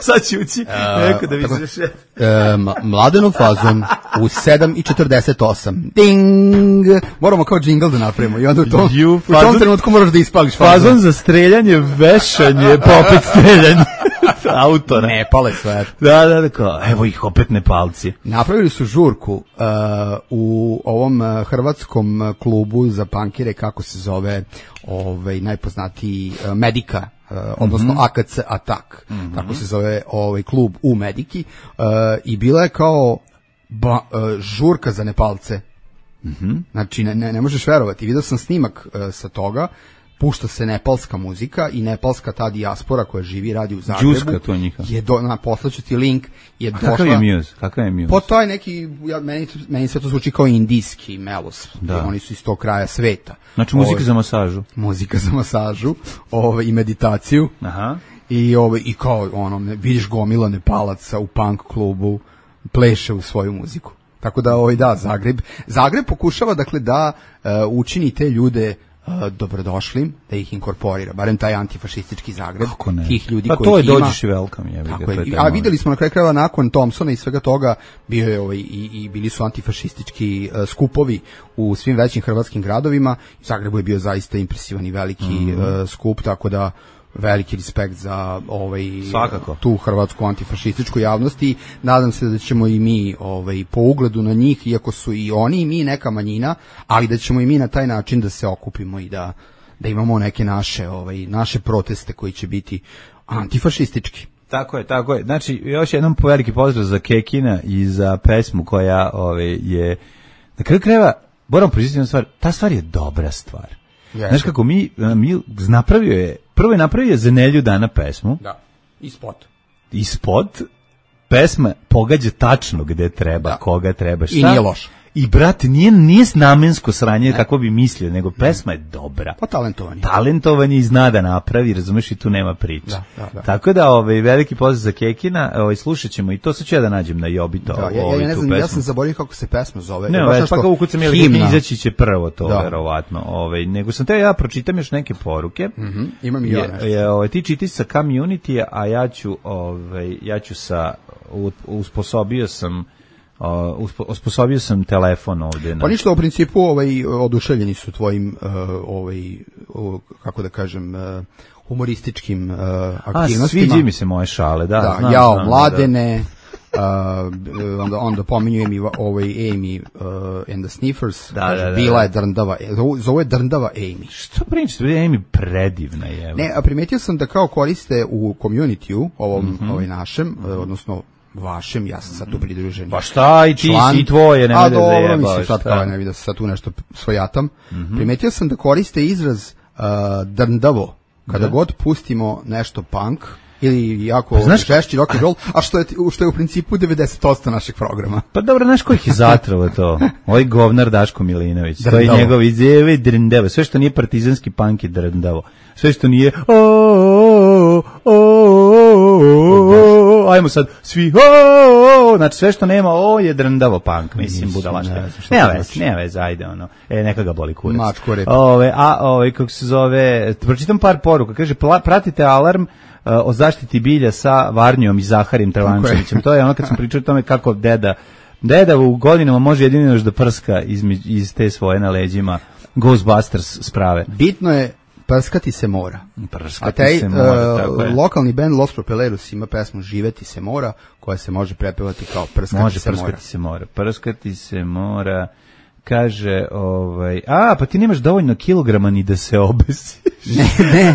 Sad ću ući, neko da vidiš. Mladenov fazon u sedam i četrdeset osam. Ding! Moramo kao džingl da napravimo i onda u tom, you, u tom trenutku moraš da ispališ fazon. Fazon za streljanje, vešanje, pa opet streljanje. Autora. Ne pale sve. Da, da, da, kao, evo ih opet Nepalci. Napravili su žurku uh, u ovom uh, hrvatskom klubu za pankire, kako se zove, ovaj najpoznatiji uh, Medika, uh, odnosno mm-hmm. A K C Atak. Mm-hmm. Tako se zove ovaj klub u Mediki uh, i bila je kao ba, uh, žurka za Nepalce. Mm-hmm. Znači, ne, ne, ne možeš verovati. Vidio sam snimak uh, sa toga, pušta se nepalska muzika i nepalska ta dijaspora koja živi, radi u Zagrebu. Džuska to njiha. Je do, na, poslaću ti link. Je A kakav je Muse? Kakav je Muse? Po taj neki, ja, meni, meni sve to zvuči kao indijski melos. Da. Oni su iz tog kraja sveta. Znači muzika Ove, za masažu. Muzika za masažu ove, i meditaciju. Aha. I, ove, i kao ono, ne, vidiš gomila Nepalaca u punk klubu, pleše u svoju muziku. Tako da, ovaj, da, Zagreb, Zagreb pokušava, dakle, da uh, učini te ljude uh, dobrodošlim, da ih inkorporira, barem taj antifašistički Zagreb, tih ljudi pa koji to je ima. Dođeš i welcome, jebi ga. Je, a videli smo na kraju krajeva nakon Thompsona i svega toga, bio je ovaj, i, i bili su antifašistički uh, skupovi u svim većim hrvatskim gradovima. U Zagrebu je bio zaista impresivan i veliki mm. uh, skup, tako da veliki respekt za ovaj Svakako. Tu hrvatsku antifašističku javnost i nadam se da ćemo i mi ovaj po ugledu na njih, iako su i oni i mi neka manjina, ali da ćemo i mi na taj način da se okupimo i da da imamo neke naše ovaj naše proteste koji će biti antifašistički. Tako je, tako je. Znači, još jednom veliki pozdrav za Kekina i za pesmu koja ovaj je na kraju krajeva, moram priznati jednu stvar, ta stvar je dobra stvar. Yes. Znaš kako mi, mi napravio je, prvo je napravio za Nelju dana pesmu. Da, i spot. I spot, pesma pogađa tačno gde treba, da. Koga treba, šta. I nije loš. I, brate, nije, nije namensko sranje ne. Kako bi mislio, nego pesma je dobra. Pa talentovan je. Talentovan je i zna da napravi, razumeš, i tu nema priče. Da, da, da. Tako da, ovaj, veliki pozdrav za Kekina, ovaj, slušat ćemo i to, sad ću ja da nađem na Jobito. Da, ja, ja, ja ne znam, ja sam zaboravio kako se pesma zove. Ne, već, pa kao ukucam je li izaći će prvo to, da. Verovatno. Ovaj, nego sam te ja pročitam još neke poruke. Mm-hmm. Imam i ja nešto. Je, ovaj, ti čiti sa community, a ja ću, ovaj, ja ću sa, usposobio sam Uh, osposobio sam telefon ovdje. Pa ništa, u principu ovaj, oduševljeni su tvojim uh, ovaj, uh, kako da kažem uh, humorističkim uh, aktivnostima. A, sviđi mi se moje šale, da. Da, znam, jao, znam, mladene, da. uh, onda, onda pominju Amy, ovaj, Amy uh, and the Sniffers, da, kaže, da, da, bila da. je drndava, zove je drndava Amy. Što pričate, Amy predivna je. Ne, a primetio sam da kao koriste u community-u, ovom, mm-hmm. ovaj našem, mm-hmm. odnosno vašem, ja sam sad tu pridružen. Pa šta i ti član, i tvoje, nema da zajebaš. A dobro, mislim sad kao ne vidim da se sad tu nešto svojatam. Mm-hmm. Primetio sam da koriste izraz uh, drndavo, kada da. God pustimo nešto punk, ili jako pa, žešći rock and roll, a što je, što je u principu devedeset posto našeg programa. Pa dobro, znaš kojih je zatravo to? Ovaj govnar Daško Milinović, to je njegov izjeve drndavo, sve što nije partizanski punk je drndavo, sve što nije o, o, o, ajmo sad svi o, znači sve što nema o je drndavo punk, mislim budalaška. Nema vez, nema vez, ajde ono, e, neka ga boli kurac. Mačko rep. Ove, a ovaj kako se zove, pročitam par poruka, kaže pratite Alarm o zaštiti bilja sa Varnjom i Zaharim Travančevićem. To je ono kad smo pričali o tome kako deda deda u godinama može jedino još da prska iz, iz te svoje na leđima Ghostbusters sprave. Bitno je prskati se mora. Prskati A taj se mora, tako uh, je. Lokalni band Los Propeleros ima pesmu Živeti se mora, koja se može prepevati kao prskati može se prskati mora. se mora. Prskati se mora. Kaže, ovaj, a, pa ti nemaš dovoljno kilograma ni da se obesiš. Ne, ne,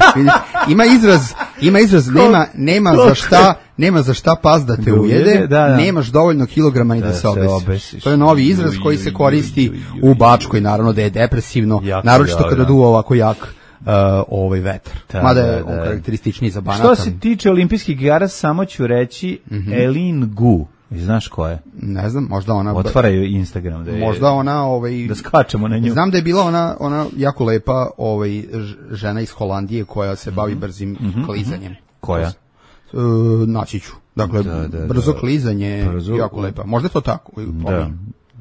ima izraz, ima izraz, nema, nema za šta, nema za šta pas da te ujede, da, da. Nemaš dovoljno kilograma ni da, da se obesiš. obesiš. To je novi izraz koji se koristi u Bačkoj, naravno da je depresivno, jako, naročito kada duva ovako jak uh, ovaj vetar. Da, mada je on karakterističniji za Banatan. Što se tiče olimpijskih igara, samo ću reći mm-hmm. Elin Gu. Znaš ko je? Ne znam, možda ona otvaraju Instagram da je, možda ona ovaj da skačemo na nju. Znam da je bila ona ona jako lepa ovaj žena iz Holandije koja se bavi brzim mm-hmm. klizanjem. Koja? E, naći ću. Dakle, da, da, brzo da. klizanje, brzo, jako lepa. Možda je to tako. Da.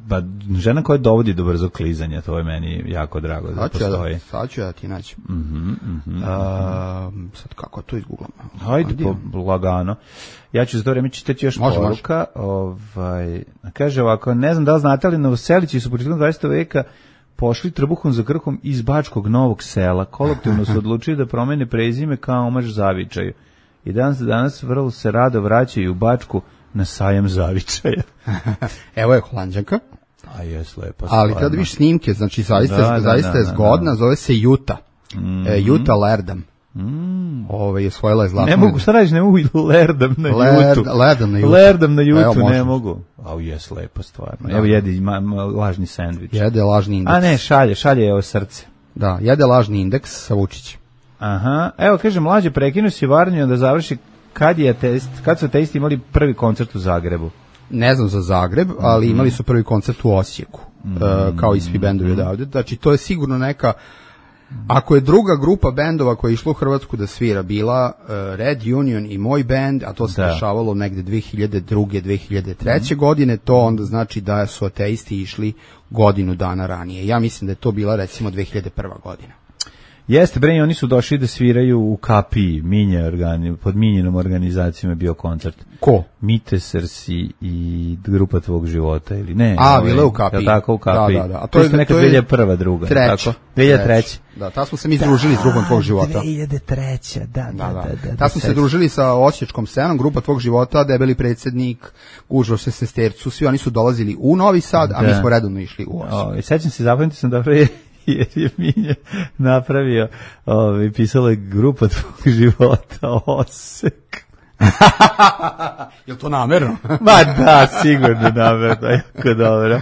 Pa žena koja dovodi do brzog klizanja, to je meni jako drago da sad postoji. Ja, sad ću ja ti naći. Mm-hmm, mm-hmm. A, sad kako to izgooglam? Hajde, po, lagano. Ja ću za to vreme čitati još može, poruka. Može. Ovaj, kaže ovako, ne znam da li znate, ali Novoselići su početkom dvadesetog veka pošli trbuhom za krhom iz Bačkog Novog Sela. Kolektivno su odlučili da promene prezime kao omaž zavičaju. I danas danas vrlo se rado vraćaju u Bačku na sajam zavičaja. Evo je Holanđanka. A jes lepa. Ali kada viš snimke, znači zaista, da, zaista da, da, je zgodna, da, da. Zove se Juta. Mm-hmm. E, Juta Lerdam. Mm. Ove, osvojila je zlatnu. Ne mogu, šta radiš, ne mogu lerdam na Lerd, jutu. Lerdam na jutu. Lerdam na jutu, Evo, ne mogu. Au, jes, lepo stvarno. Da. Evo jedi ima, ima lažni sendvič. Jede lažni indeks. A ne, šalje, šalje je ovo srce. Da, jede lažni indeks sa Vučićem. Aha, evo kaže, mlađe, prekinu si Varnju da završi kad je test, kad su testi imali prvi koncert u Zagrebu. Ne znam za Zagreb, ali mm-hmm. imali su prvi koncert u Osijeku, mm-hmm. uh, kao i svi bendovi odavde. Znači, to je sigurno neka, ako je druga grupa bendova koja je išla u Hrvatsku da svira, bila uh, Red Union i moj bend, a to se da. dešavalo negde dve hiljade druge. dve hiljade treće Mm-hmm. godine, to onda znači da su ateisti išli godinu dana ranije. Ja mislim da je to bila recimo dve hiljade prva godina. Jeste, bre, oni su došli da sviraju u Kapiji, Minje organi, pod Minjenom organizacijom je bio koncert. Ko? Mite Srsi i grupa tvog života, ili ne? A, ovaj, bile u Kapiji. Tako, u Kapiji. Da, da, da. A to je neka dve hiljade prva, druga. Treća. Tako? dve hiljade treće. Da, ta smo se mi združili s grupom tvog života. dve hiljade treće, da, da, da. da, da ta smo se družili sa osječkom scenom, grupa tvog života, debeli predsjednik, gužvo se sestercu, svi oni su dolazili u Novi Sad, a da. mi smo redovno išli u Osijek. O, sećam se, zapamtio sam dobro je jer je Minje napravio, ovaj, pisala je grupa tvog života Osek. Je li to namerno? Ma da, sigurno namerno, jako dobro.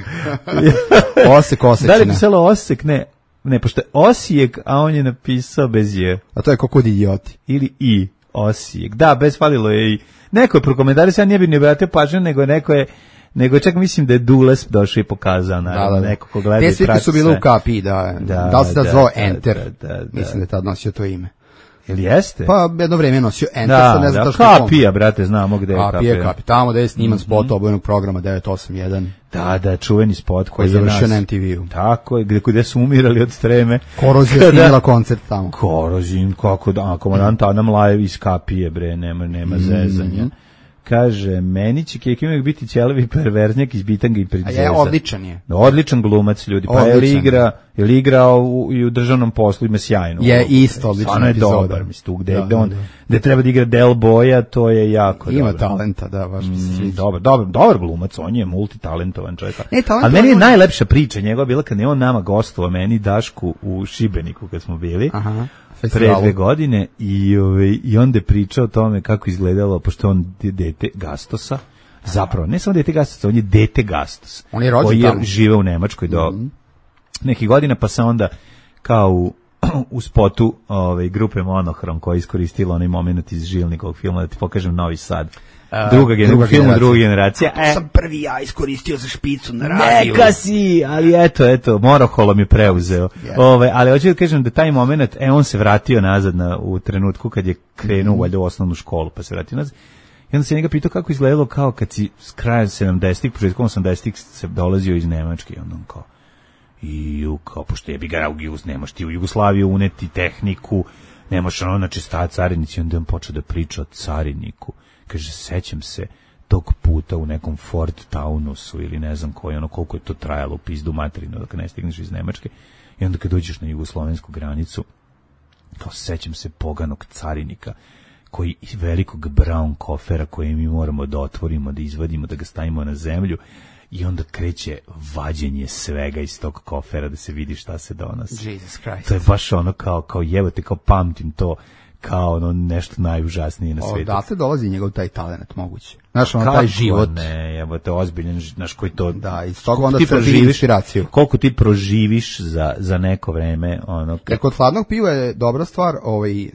Osek, Osečina. Da li je pisalo Osek? Ne, ne, pošto je Osijek, a on je napisao bez je. A to je kako kod idioti. Ili i, Osijek. Da, bez falilo je i. Neko je prokomentario, sad nije bi ne vratio pažnju, nego neko je nego čak mislim da je Dules došao i pokazao, naravno, da, da, da. Neko ko gleda. Te svirke su bile u Kapiji, da. Da, da li se da, da zvao Enter? Da, da, da, mislim da je tad nosio to ime. Ili jeste? Pa jedno vrijeme je nosio Enter, da, sad ne znam da, što je Kapija, brate, znamo gde je Kapija. Kapija, Kapija, tamo da je sniman mm-hmm. spot obojenog programa devet osam jedan. Da, da, čuveni spot koji je završio na M T V-u. Tako je, gde, gde su umirali od streme. Korozija snimila koncert tamo. Korozin, kako da, komandant Adam Lajev iz Kapije, bre, nema, nema mm-hmm. zezanja. Kaže, meni će Keki uvijek biti ćelavi perverznjak iz Bitanga i Princeza. A je, odličan je. Odličan glumac, ljudi. Pa je li igra, je li igrao u, i u državnom poslu, ima sjajno. Je isto odličan. Stvarno je dobar, mislim, tu gde, da, gde on, da. Gde treba da igra Del Boya, to je jako ima dobro. Talenta, da, baš mi se sviđa. Mm, dobar, dobar, dobar glumac, on je multitalentovan čovjek. Ne, ali meni je on... najlepša priča njegova bila kad je on nama gostovao, meni Dašku u Šibeniku kad smo bili. Aha. Pre dve godine i, ove, i onda je pričao o tome kako izgledalo, pošto on dete Gastosa, zapravo, ne samo dete Gastosa, on je dete Gastos. On je rođen koji tamo. je žive u Nemačkoj do mm-hmm. nekih godina, pa se onda kao u, u spotu ove, grupe Monohrom koja je iskoristila onaj moment iz Žilnikovog filma, da ti pokažem Novi Sad. Uh, druga, gen, druga film druga generacija. To sam prvi ja iskoristio za špicu na radiju. Neka si, ali eto, eto, Moroholom je preuzeo. Yeah. Ove, ali hoću da kažem da taj moment, e, on se vratio nazad na, u trenutku kad je krenuo mm. valjda u osnovnu školu, pa se vratio nazad. I onda se njega pitao kako izgledalo kao kad si s kraja sedamdesetih, početkom osamdesetih se dolazio iz Nemačke i onda on kao i kao, pošto je bi ga Jugos, nemaš ti u Jugoslaviju uneti tehniku, nemaš ono, znači sta carinici, onda on počeo da priča o cariniku. Kaže, sećam se tog puta u nekom Ford Taunusu ili ne znam koji, ono koliko je to trajalo u pizdu materinu dok ne stigneš iz Nemačke i onda kad dođeš na jugoslovensku granicu, kao sećam se poganog carinika koji velikog brown kofera koji mi moramo da otvorimo, da izvadimo, da ga stavimo na zemlju i onda kreće vađenje svega iz tog kofera da se vidi šta se donosi. Jesus Christ. To je baš ono kao, kao jebote, kao pamtim to kao ono nešto najužasnije na svijetu. Odatle dolazi njegov taj talent moguće. Znaš, ono taj život. Ne, jebote, ozbiljan, znaš koji to... Da, iz toga onda crpi inspiraciju. Koliko ti proživiš za, za neko vreme, ono... Jer kod hladnog piva je dobra stvar, ovaj,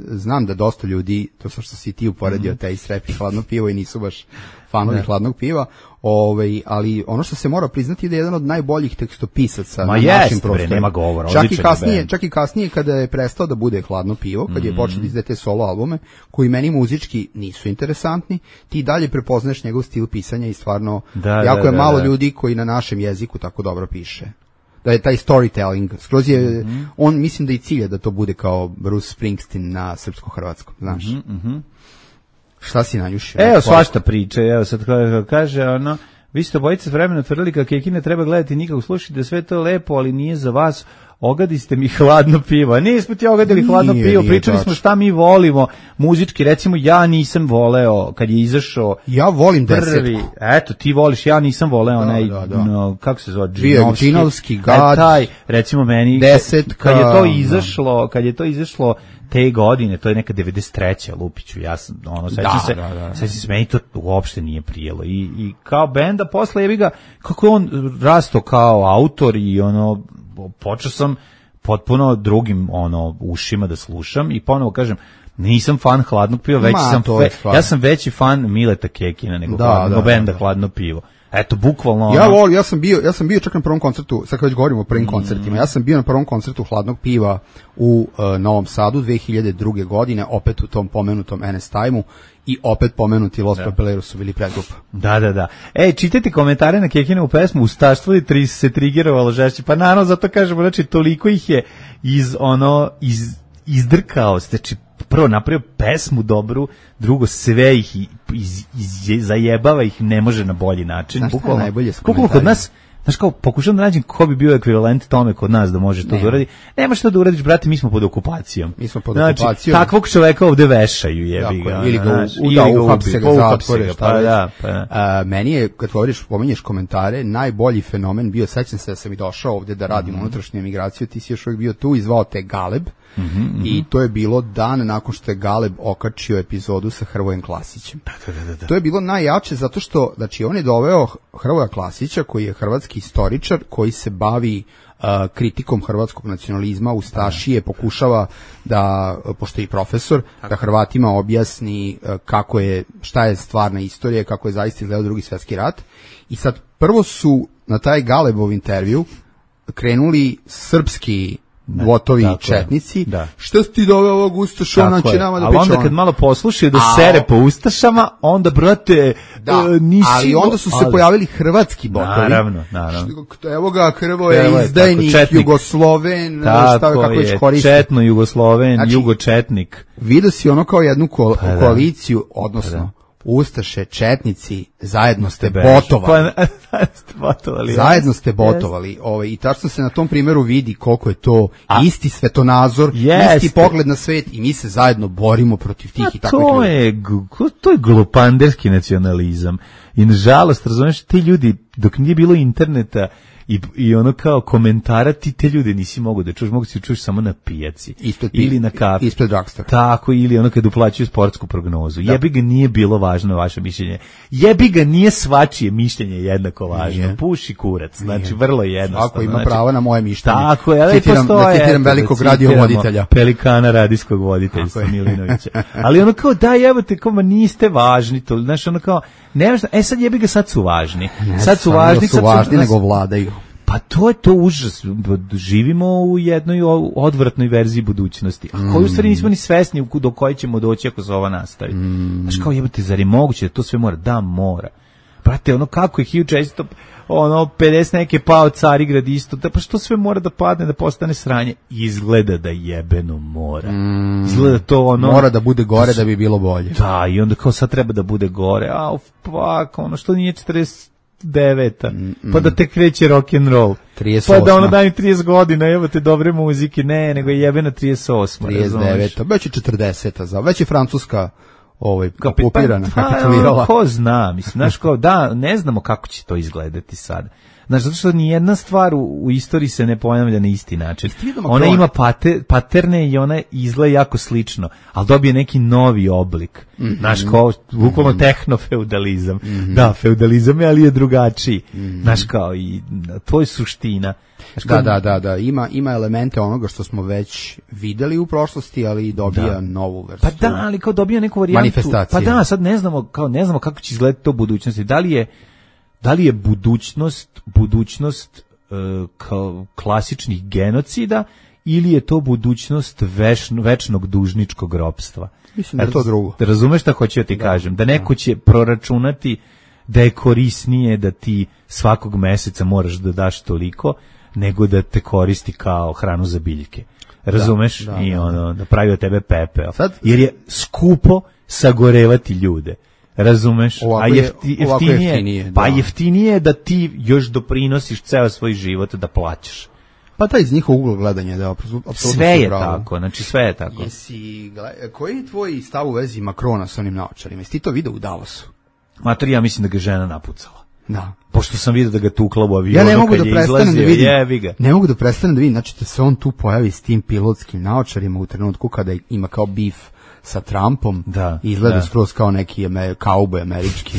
znam da dosta ljudi, to što si ti uporedio, mm-hmm. taj srep i hladno pivo i nisu baš fanovi hladnog piva, ovaj, ali ono što se mora priznati da je jedan od najboljih tekstopisaca Ma na jest, našim prostorima. Bre, nema govora, čak i kasnije, čak i kasnije kada je prestao da bude hladno pivo, kad je mm-hmm. počeo da izdaje te solo albume, koji meni muzički nisu interesantni, ti dalje prepoznaješ njegov stil pisanja i stvarno da, jako da, je malo da, da. ljudi koji na našem jeziku tako dobro piše. Da je taj storytelling, skroz je, mm-hmm. on mislim da i cilja da to bude kao Bruce Springsteen na srpsko-hrvatskom, znaš. Mm-hmm. Šta si nanjušio? Evo svašta priče, evo sad kaže ono, vi ste obojice s vremena tvrdili kako Keki ne treba gledati nikako, slušajte da sve to lepo, ali nije za vas, ogadi ste mi hladno pivo. Nismo ti ogadili nije, hladno pivo, pričali smo šta mi volimo, muzički, recimo ja nisam voleo kad je izašao ja volim prvi, desetku. Eto, ti voliš, ja nisam voleo onaj, da, da. no, kako se zove, Džinovski, Gad, e, taj, recimo meni, desetka, kad je to izašlo, kad je to izašlo, te godine, to je neka devedeset treća Lupiću, ja sam, ono, sećam Da, se, da, da. sećam se, meni to uopšte nije prijelo. I, i kao benda, posle jebi ga, kako je on rasto kao autor i ono, počeo sam potpuno drugim ono ušima da slušam i ponovo kažem, nisam fan Hladnog piva, već Ma, sam to je fe, stvar. ja sam veći fan Mileta Kekina nego Da, hladno, da, benda da. Hladno pivo. Eto, bukvalno Ja ono, volim, ja sam bio, ja sam bio čak na prvom koncertu, sad kad već govorimo o prvim Mm. koncertima, ja sam bio na prvom koncertu Hladnog piva u uh, Novom Sadu dve hiljade druge. godine, opet u tom pomenutom N S Time-u i opet pomenuti Los Papeleros su bili predgrupa. Da, da, da. Ej, čitajte komentare na Kekinovu pesmu, ustaštvo je tri se trigerovalo žešće. Pa naravno, zato kažemo, znači, toliko ih je iz, ono, iz, izdrkao, znači, prvo napravio pesmu dobru, drugo sve ih iz, iz, zajebava ih, ne može na bolji način. Znaš šta je Bukvalno, najbolje s bukvalno kod komentarima? nas, znaš kao, pokušam da nađem ko bi bio ekvivalent tome kod nas da može to Nema. da uradi. Nemaš to da uradiš, brate, mi smo pod okupacijom. Mi smo pod znači, okupacijom. takvog čoveka ovde vešaju, jebi Tako ga. je, ili ga, znaš, u, ili da, ga uhapse ubi, ga, uhapse zatvore, ga, šta pa već. da, pa da. A, meni je, kad govoriš, pominješ komentare, najbolji fenomen bio, sećam se da sam i došao ovde da radim Mhm. unutrašnju emigraciju, ti si još uvijek bio tu i zvao te Galeb, Mhm, i to je bilo dan nakon što je Galeb okačio epizodu sa Hrvojem Klasićem. Da, da, da, da. To je bilo najjače zato što, znači, on je doveo Hrvoja Klasića, koji je hrvatski istoričar, koji se bavi uh, kritikom hrvatskog nacionalizma, ustašije, pokušava da, pošto je i profesor, da Hrvatima objasni uh, kako je, šta je stvarna istorija, kako je zaista izgledao Drugi svjetski rat. I sad, prvo su na taj Galebov intervju krenuli srpski votovi tako je. četnici. Da. Što si ti doveo ovog Ustaša, on Tako će je. nama da Ali priča onda ono. kad malo poslušaju da A, sere po ustašama, onda, brate, Da, e, nisi... ali onda su se ali- pojavili hrvatski botovi. Naravno, naravno. Što- Evo ga, Hrvo Evo je, je tako, izdajnik, četnik. Jugosloven, šta Tako kako već je, koriste. četno Jugosloven, Znači, Jugočetnik. Vidio si ono kao jednu ko- Pa da. koaliciju, odnosno Ustaše, četnici, zajedno ste Bež. botovali. Pa, ste botovali. Zajedno ste botovali. Ovaj, i tačno se na tom primjeru vidi koliko je to A- isti svetonazor, Jeste. isti pogled na svet i mi se zajedno borimo protiv tih i A takvih to ljudi. je, gu- to je glupanderski nacionalizam. I nažalost, razumiješ, ti ljudi, dok nije bilo interneta i, i ono kao komentara, ti te ljude nisi mogu da čuš, mogu si čuš samo na pijaci. Ispred pi- ili na kafi. ispred drugstore. Tako, ili ono kad uplaćuju sportsku prognozu. Jebi ga, nije bilo važno vaše mišljenje. Jebi ga, nije svačije mišljenje jednako važno. Nije. Puši kurac, znači vrlo jednostavno. Svako ima znači, pravo na moje mišljenje. Tako je, ali Citiram- postoje, da citiram eto, velikog da radiovoditelja. citiramo Pelikana radijskog voditeljstva Tako je. Milinovića. Ali ono kao, da, evo te, kao, ma niste važni, to, znaš, ono kao, nemaš, e sad jebi ga, sad su važni. Ne, Sad su samo važni, su sad važni, su, nego vladaju. Pa to je to užas. Živimo u jednoj o- odvratnoj verziji budućnosti. A koju u stvari nismo ni svesni u- do koje ćemo doći ako se ova nastavi. Znaš kao, jebote, zar je moguće da to sve mora? Da, mora. Brate, ono kako je hiljadu četiristo ono pedeset neke pao Carigrad isto, da pa što sve mora da padne, da postane sranje? Izgleda da jebeno mora. Izgleda to ono... Mora da bude gore da bi bilo bolje. Da, i onda kao sad treba da bude gore. Au, fuck, ono što nije četrdeset deveta pa da te kreće rock and roll. trideset Pa da osma. ono daj mi trideset godina, evo te dobre muzike. Ne, nego je jebena trideset osma. trideset deveta, već je četrdeseta, za, već je Francuska ovaj, Kapi- okupirana, pa, kapitulirala. pa, ko zna, mislim, znaš kao, da, ne znamo kako će to izgledati sad. Znaš, zato što ni jedna stvar u, u istoriji se ne ponavlja na isti način. vidio Ona Macron? ima pate, paterne i ona izgleda jako slično, ali dobije neki novi oblik. Mhm. Znaš, kao, bukvalno tehnofeudalizam. Da, feudalizam je, ali je drugačiji. Znaš, kao, i to je suština. Znaš, kao, Da, da, da, da, ima, ima elemente onoga što smo već videli u prošlosti, ali i dobija Da. novu vrstu. Pa da, ali kao dobija neku varijantu. Manifestacije. Pa da, sad ne znamo, kao ne znamo kako će izgledati to u budućnosti. Da li je da li je budućnost budućnost e, kao klasičnih genocida ili je to budućnost vešno, večnog dužničkog ropstva? Mislim da je to drugo. Da razumeš šta hoću da ti kažem? Da neko će proračunati da je korisnije da ti svakog meseca moraš da daš toliko nego da te koristi kao hranu za biljke. Razumeš? da, I da. ono, da pravi od tebe pepeo. Sad- Jer je skupo sagorevati ljude. Razumeš? Ovako A je- jefti, ovako jeftinije, jeftinije, pa da. jeftinije je da ti još doprinosiš ceo svoj život da plaćaš. Pa taj iz njihovog ugla gledanja, da, apsolutno Sve su je pravo. tako, znači sve je tako. Jesi, gle- koji je tvoj stav u vezi Makrona sa onim naočarima? Jesi ti to video u Dallasu? Mater, ja mislim da ga žena napucala. Da. Pošto sam vidio da ga tukla u avionu, Ja ne mogu kad da je prestanem da izlazio, vidim. jebi ga. Ne mogu da prestanem da vidim, znači da se on tu pojavi s tim pilotskim naočarima u trenutku kada ima kao bif sa Trumpom. Da, i izgleda da. skroz kao neki amer, kauboj američki.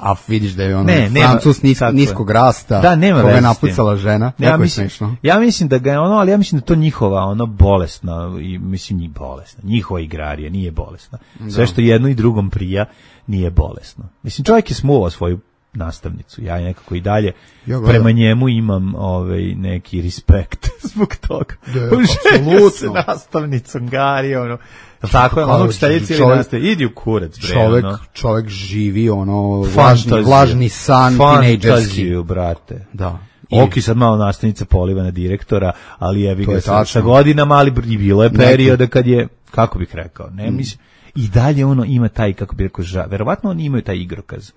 A vidiš da je on Ne, nema- Francus nis, tako je. niskog rasta, Da, nema koga je veze s tim. napucala žena. Ja Jako je mislim, smešno. ja mislim da ga je ono, ali ja mislim da je to njihova ono bolesna, i mislim njih bolesna, njihova igrarija nije bolesna. Sve što jedno i drugom prija nije bolesno. Mislim, čovjek je smuvao svoju nastavnicu, ja nekako i dalje Ja gledam. prema njemu imam ovaj neki respekt zbog toga. Da, Ženio apsolutno. se nastavnicom Gari, ono, jel tako je, Kao onog šta je cijeli čovjek- nastav, idi u kurac, bre, Čovek, ono. čovek živi ono vlažni, Fantaziju. vlažni san tinejdžerski. Fantaziju, brate. Da. I- Oki sad malo nastavnica poliva na direktora, ali jebi To ga je sa, tačno. sa godinama, ali i bilo je perioda kad je, kako bih rekao, ne Mm. mislim, i dalje ono ima taj, kako bih rekao, ža, verovatno oni imaju taj igrokaz.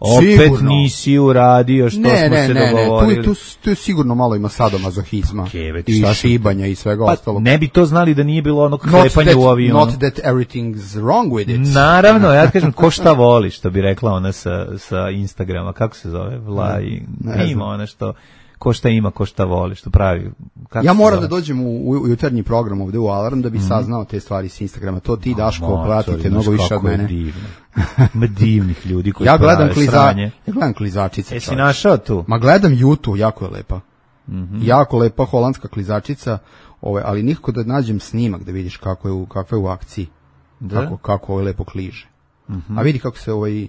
Opet Sigurno. nisi uradio što Ne, smo ne, se ne, ne, tu, dogovorili. tu, tu je sigurno malo ima sadomazohizma Okej, već i šta si- šibanja i svega Pa, ostalog. ne bi to znali da nije bilo onog Not klepanja that, u avionu. not that everything's wrong with it. Naravno, ja ti kažem, ko šta voli, što bi rekla ona sa, sa Instagrama, kako se zove, Vla i ne ima znam. ona što, ko šta ima, ko šta voli, što pravi. Kako Ja se moram zove? da dođem u, u jutarnji program ovde u Alarm da bi saznao te stvari s Instagrama. To ti, Daško, Maco, pratite znaš mnogo više kako od je mene. divno. Ima divnih ljudi koji Ja gledam, prave kliza, sranje. ja gledam klizačice. Jesi čoveče. našao tu? Ma gledam YouTube, jako je lepa. Mhm. Jako lepa holandska klizačica, ovaj, ali nikako da nađem snimak da vidiš kako je u, kakva je u akciji. Da? Kako, kako ovaj lepo kliže. A vidi kako se ovaj,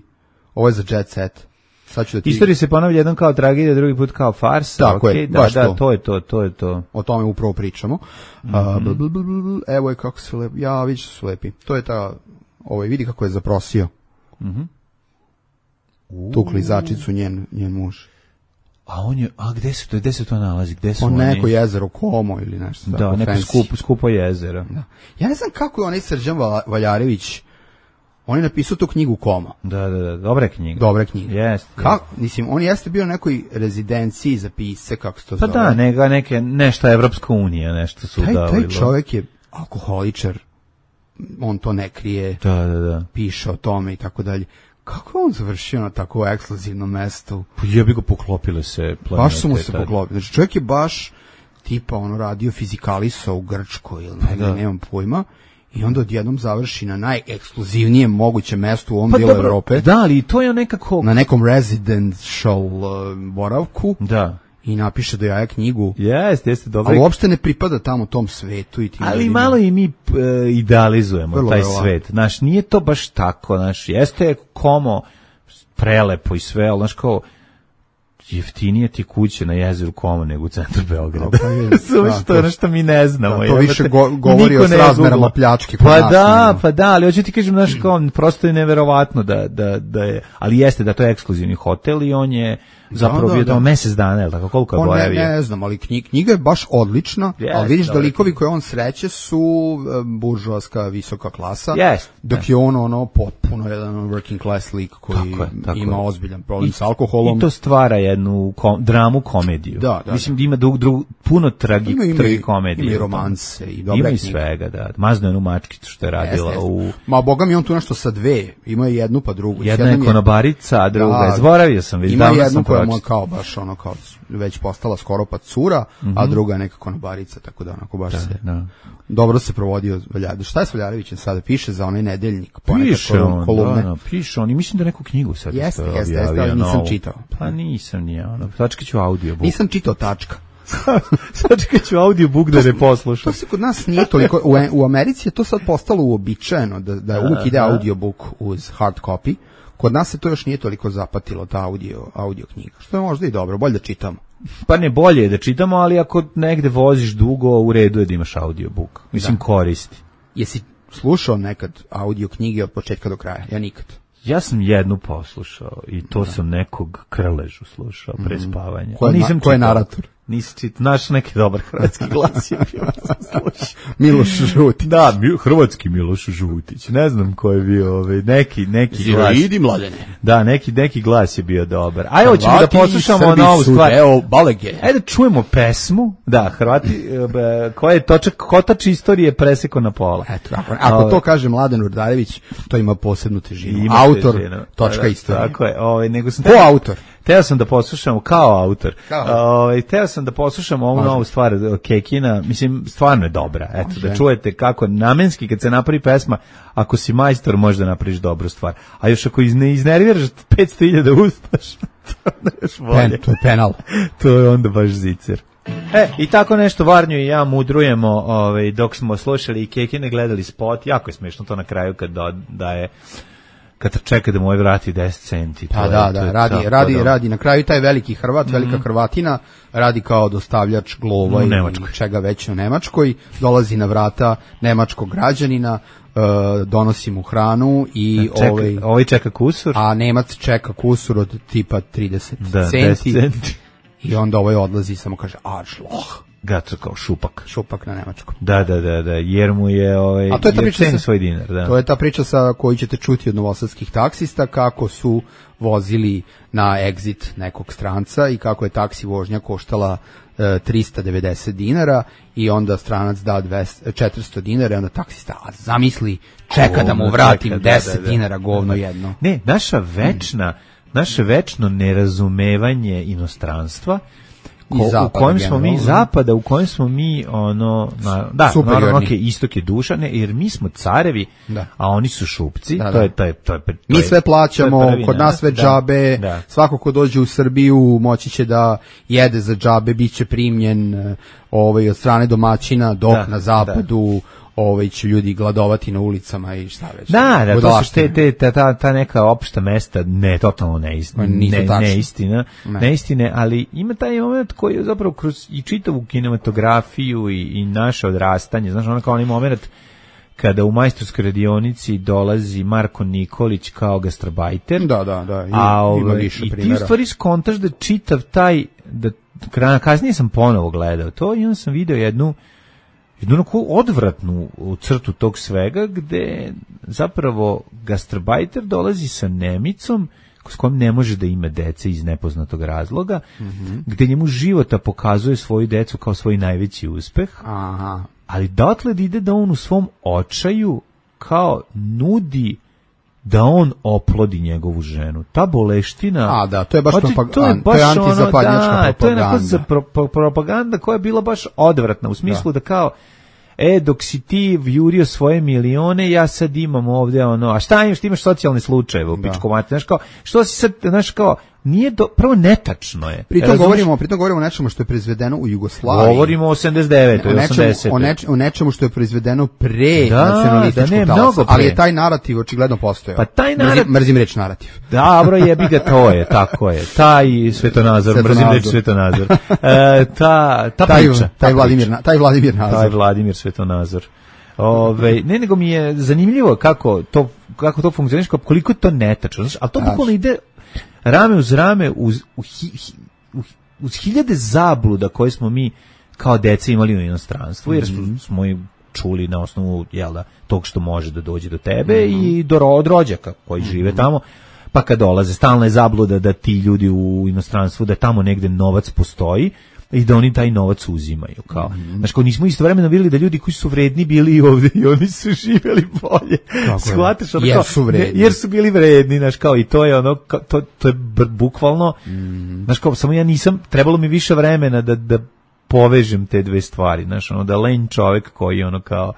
ovo je za jet set. Sad ću da ti... Istorija se ponavlja jednom kao tragedija, drugi put kao farsa. Tako je, okej, da, baš da, to. to je to, to je to. O tome upravo pričamo. A, bl, bl, bl, bl, bl, evo je kako su lepi. Ja, vidi su lepi. To je ta, ovaj, vidi kako je zaprosio. Tu klizačicu njen, njen muž. A on je, a gde se to, gde se to nalazi, gde su On oni? neko jezero Komo ili nešto. Da, tako neko fancy. skupo, skupo jezero. Da. Ja ne znam kako je onaj Srđan Val- Valjarević, on je napisao tu knjigu Koma. Da, da, da, dobra je knjiga. Dobra knjiga. Jeste. Kako, mislim, on jeste bio na nekoj rezidenciji za pisce, kako se to Pa zove. da, neka, neke, nešto Evropska unija, nešto su taj, davali. taj čovjek je alkoholičar, on to ne krije, Da, da, da. piše o tome i tako dalje. Kako je on završio na tako ekskluzivnom mestu? Pa jebi ga poklopile se planete. Baš su mu se tad. poklopili. Znači, čovjek je baš tipa ono radio fizikaliso u Grčkoj ili negdje, da. nemam pojma. I onda odjednom završi na najekskluzivnijem mogućem mestu u ovom Pa dijelu dobro, Evrope. da, ali to je nekako... Na nekom residential uh, boravku Da. i napiše do jaja knjigu. Jeste, jeste dobro. Ali uopšte ne pripada tamo tom svetu i tim Ali ljudima. malo i mi e, idealizujemo Vrlo taj verovatno. svet. Znaš, nije to baš tako, znaš, jeste Komo prelepo i sve, ali znaš kao, jeftinije ti kuće na jezeru Komo nego u centru Beograda. Pa je, Razumeš, da, to je to- ono što mi ne znamo. da, to jebote. više go- govori Niko o ne srazmerama googla. pljačke kod Pa nas, da, nego. pa da, ali hoću ti kažem, znaš, kao, prosto je neverovatno da, da, da je, ali jeste da to je ekskluzivni hotel i on je zapravo da, bio da. tamo mesec dana, jel tako, koliko je On ne, boravio? ne znam, ali knjiga, knjiga je baš odlična, Jeste, ali vidiš da dobra likovi knjiga. koje on sreće su e, buržoaska visoka klasa, Jeste, dok je on ono potpuno jedan working class lik koji Tako je, tako ima je. ozbiljan problem s alkoholom. I to stvara jednu kom, dramu komediju. Da, da, Mislim da ima drug, drug, puno tragi, Ima- ima i- tragikomedije. ima i u tome. romanse i dobre Ima i knjige. svega, da. Mazno je jednu mačkicu što je radila Jeste, jeste. u... Ma boga mi on tu nešto sa dve, ima je jednu pa drugu. S Jedna je jednom konobarica, a druga je... Da, Zaboravio sam, već ima davno jednu sam koja mu je pročitao. kao baš ono kao već postala skoro pa cura, a druga je neka konobarica, tako da onako baš se Da. dobro se provodio Valjarević. Šta je s Valjarevićem sada? Piše za onaj nedeljnik, ponekad Piše kolum- on, kolumne. da, da, piše on i mislim da neku knjigu sad Jeste, isto jeste, jeste, objavio ali nisam novu. čitao. Pa nisam ni ja, ono, sačekat ću audiobook. Nisam čitao tačka. Sačekat ću audiobook da ne poslušam. To se kod nas nije toliko, u, u Americi je to sad postalo uobičajeno, da, da uvijek ide audiobook uz hard copy. Kod nas se to još nije toliko zapatilo, ta audio, audio knjiga, što je možda i dobro, bolje da čitamo. Pa ne, bolje je da čitamo, ali ako negde voziš dugo, u redu je da imaš audiobook. Mislim, koristi. Jesi slušao nekad audio knjige od početka do kraja? Ja nikad. Ja sam jednu poslušao i to sam nekog Krležu slušao pre spavanja. Ko je A nisam na- ko je čitao. narator? Nisi čitao, naš neki dobar hrvatski glas je bio, sam slušao. Miloš Žuti. Da, mi- hrvatski Miloš Žutić, ne znam ko je bio, ovaj, neki, neki glas. Idi mladene. Da, neki, neki glas je bio dobar. Ajde, hoćemo da Hrvati i poslušamo Srbi novu su stvar. deo Balege. Ajde da čujemo pesmu, da, Hrvati, e, b- koja je točak, kotač istorije preseko na pola. Eto, ako, ako Ovaj, to kaže Mladen Urdarević, to ima posebnu težinu. ima Autor, težinu. točka Da, istorije. Tako je, ovaj, nego sam... Ko autor? teo sam da poslušam kao autor. Kao. Ovaj teo sam da poslušam ovu novu stvar Kekina, mislim stvarno je dobra. Eto Može. da čujete kako namenski kad se napravi pesma, ako si majstor možda napraviš dobru stvar. A još ako izne iznerviraš petsto hiljada uspaš. To je još bolje. Pen, to je penal. To je onda baš zicer. E, i tako nešto Varnju i ja mudrujemo, ovaj, dok smo slušali i Kekine, gledali spot, jako je smiješno to na kraju kad da, da je, kad čeka da mu ovaj vrati deset centi. Pa da, da, radi, radi, radi, na kraju taj veliki Hrvat, mm-hmm. velika Hrvatina, radi kao dostavljač glova i čega već u Nemačkoj, dolazi na vrata nemačkog građanina, Uh, donosi mu hranu i čeka, ovaj, ovaj čeka kusur, a Nemac čeka kusur od tipa trideset da, centi, centi i onda ovaj odlazi i samo kaže Arschloch. Gato kao šupak. Šupak na nemačkom. Da, da, da, da, jer mu je ovaj, a to je ta priča sa, svoj dinar. Da. To je ta priča sa koju ćete čuti od novosadskih taksista, kako su vozili na exit nekog stranca i kako je taksi vožnja koštala e, trista devedeset dinara i onda stranac da dvesta, četiristo dinara i onda taksista, a zamisli, čeka govno, da mu vratim čeka, deset da, da, da. dinara govno jedno. Ne, naša večna, mm. naše večno nerazumevanje inostranstva, Ko, zapada, u kojem smo mi zapada, u kojem smo mi ono na, da, naravno okay, istok je duša, ne, jer mi smo carevi, da. A oni su šupci, da, da. to je to je to je, to je mi sve plaćamo, prvina, kod nas sve džabe, da, da. Svako ko dođe u Srbiju moći će da jede za džabe, biće primljen ovaj od strane domaćina, dok da, na zapadu da. Ovaj će ljudi gladovati na ulicama i šta već. Da, da, to su te, te, ta, ta, ta neka opšta mesta, ne, totalno neistina, ne, neistina, ne. neistine, ali ima taj moment koji je zapravo kroz i čitavu kinematografiju i, i naše odrastanje, znaš, ono kao onaj moment kada u majstorskoj radionici dolazi Marko Nikolić kao gastarbajter. Da, da, da, i, a, ove, ima više i primjera. ti u stvari skontaš da čitav taj, da kasnije sam ponovo gledao to i onda sam video jednu jednu onako odvratnu crtu tog svega, gde zapravo gastarbajter dolazi sa Nemicom s kojom ne može da ima dece iz nepoznatog razloga, mm-hmm. gde njemu života pokazuje svoju decu kao svoj najveći uspeh, aha. ali dotle ide da on u svom očaju kao nudi da on oplodi njegovu ženu. Ta boleština... A, da, to je baš, znači, propag- to je baš to je antizapadnjačka ono, da, propaganda. To je neko za pro, pro, propaganda koja je bila baš odvratna, u smislu da, da kao, e, dok si ti jurio svoje milione, ja sad imam ovdje ono, a šta imaš, ti imaš socijalne slučajeve u pičkomati, znaš kao, što si sad, znaš kao, nije do, prvo netačno je. Pritom govorimo, pritom govorimo o nečemu što je proizvedeno u Jugoslaviji. Govorimo o osamdeset devetoj, osamdesetoj. O, neč, o nečemu što je proizvedeno pre da, nacionalističkog da, talasa, ali je taj narativ očigledno postojao. Pa taj narativ... Mrzim, mrzim reč narativ. Dobro, jebi ga, to je, tako je. Taj svetonazor, svetonazor. mrzim reč svetonazor. E, ta, ta taj, priča. Taj Vladimir, taj Vladimir nazor. Taj Vladimir svetonazor. Ove, ne, nego mi je zanimljivo kako to, kako to funkcioniš, koliko je to netačno, znaš, ali to bukvalno ide rame uz rame uz, uz, uz, uz hiljade zabluda koje smo mi kao deca imali u inostranstvu, jer smo, smo i čuli na osnovu jel da, tog što može da dođe do tebe mm-hmm. i do od rođaka koji žive mm-hmm. tamo, pa kad dolaze, stalna je zabluda da ti ljudi u inostranstvu, da tamo negde novac postoji i da oni taj novac uzimaju. Kao. Mm-hmm. Znači, kao nismo istovremeno vidjeli da ljudi koji su vredni bili i ovdje i oni su živjeli bolje. Shvataš, ono, jer kao, su vredni. Jer su bili vredni, znaš, kao, i to je ono, kao, to, to je bukvalno, mm-hmm. znaš, kao, samo ja nisam, trebalo mi više vremena da, da povežem te dve stvari, znaš, ono, da len čovek koji, ono, kao,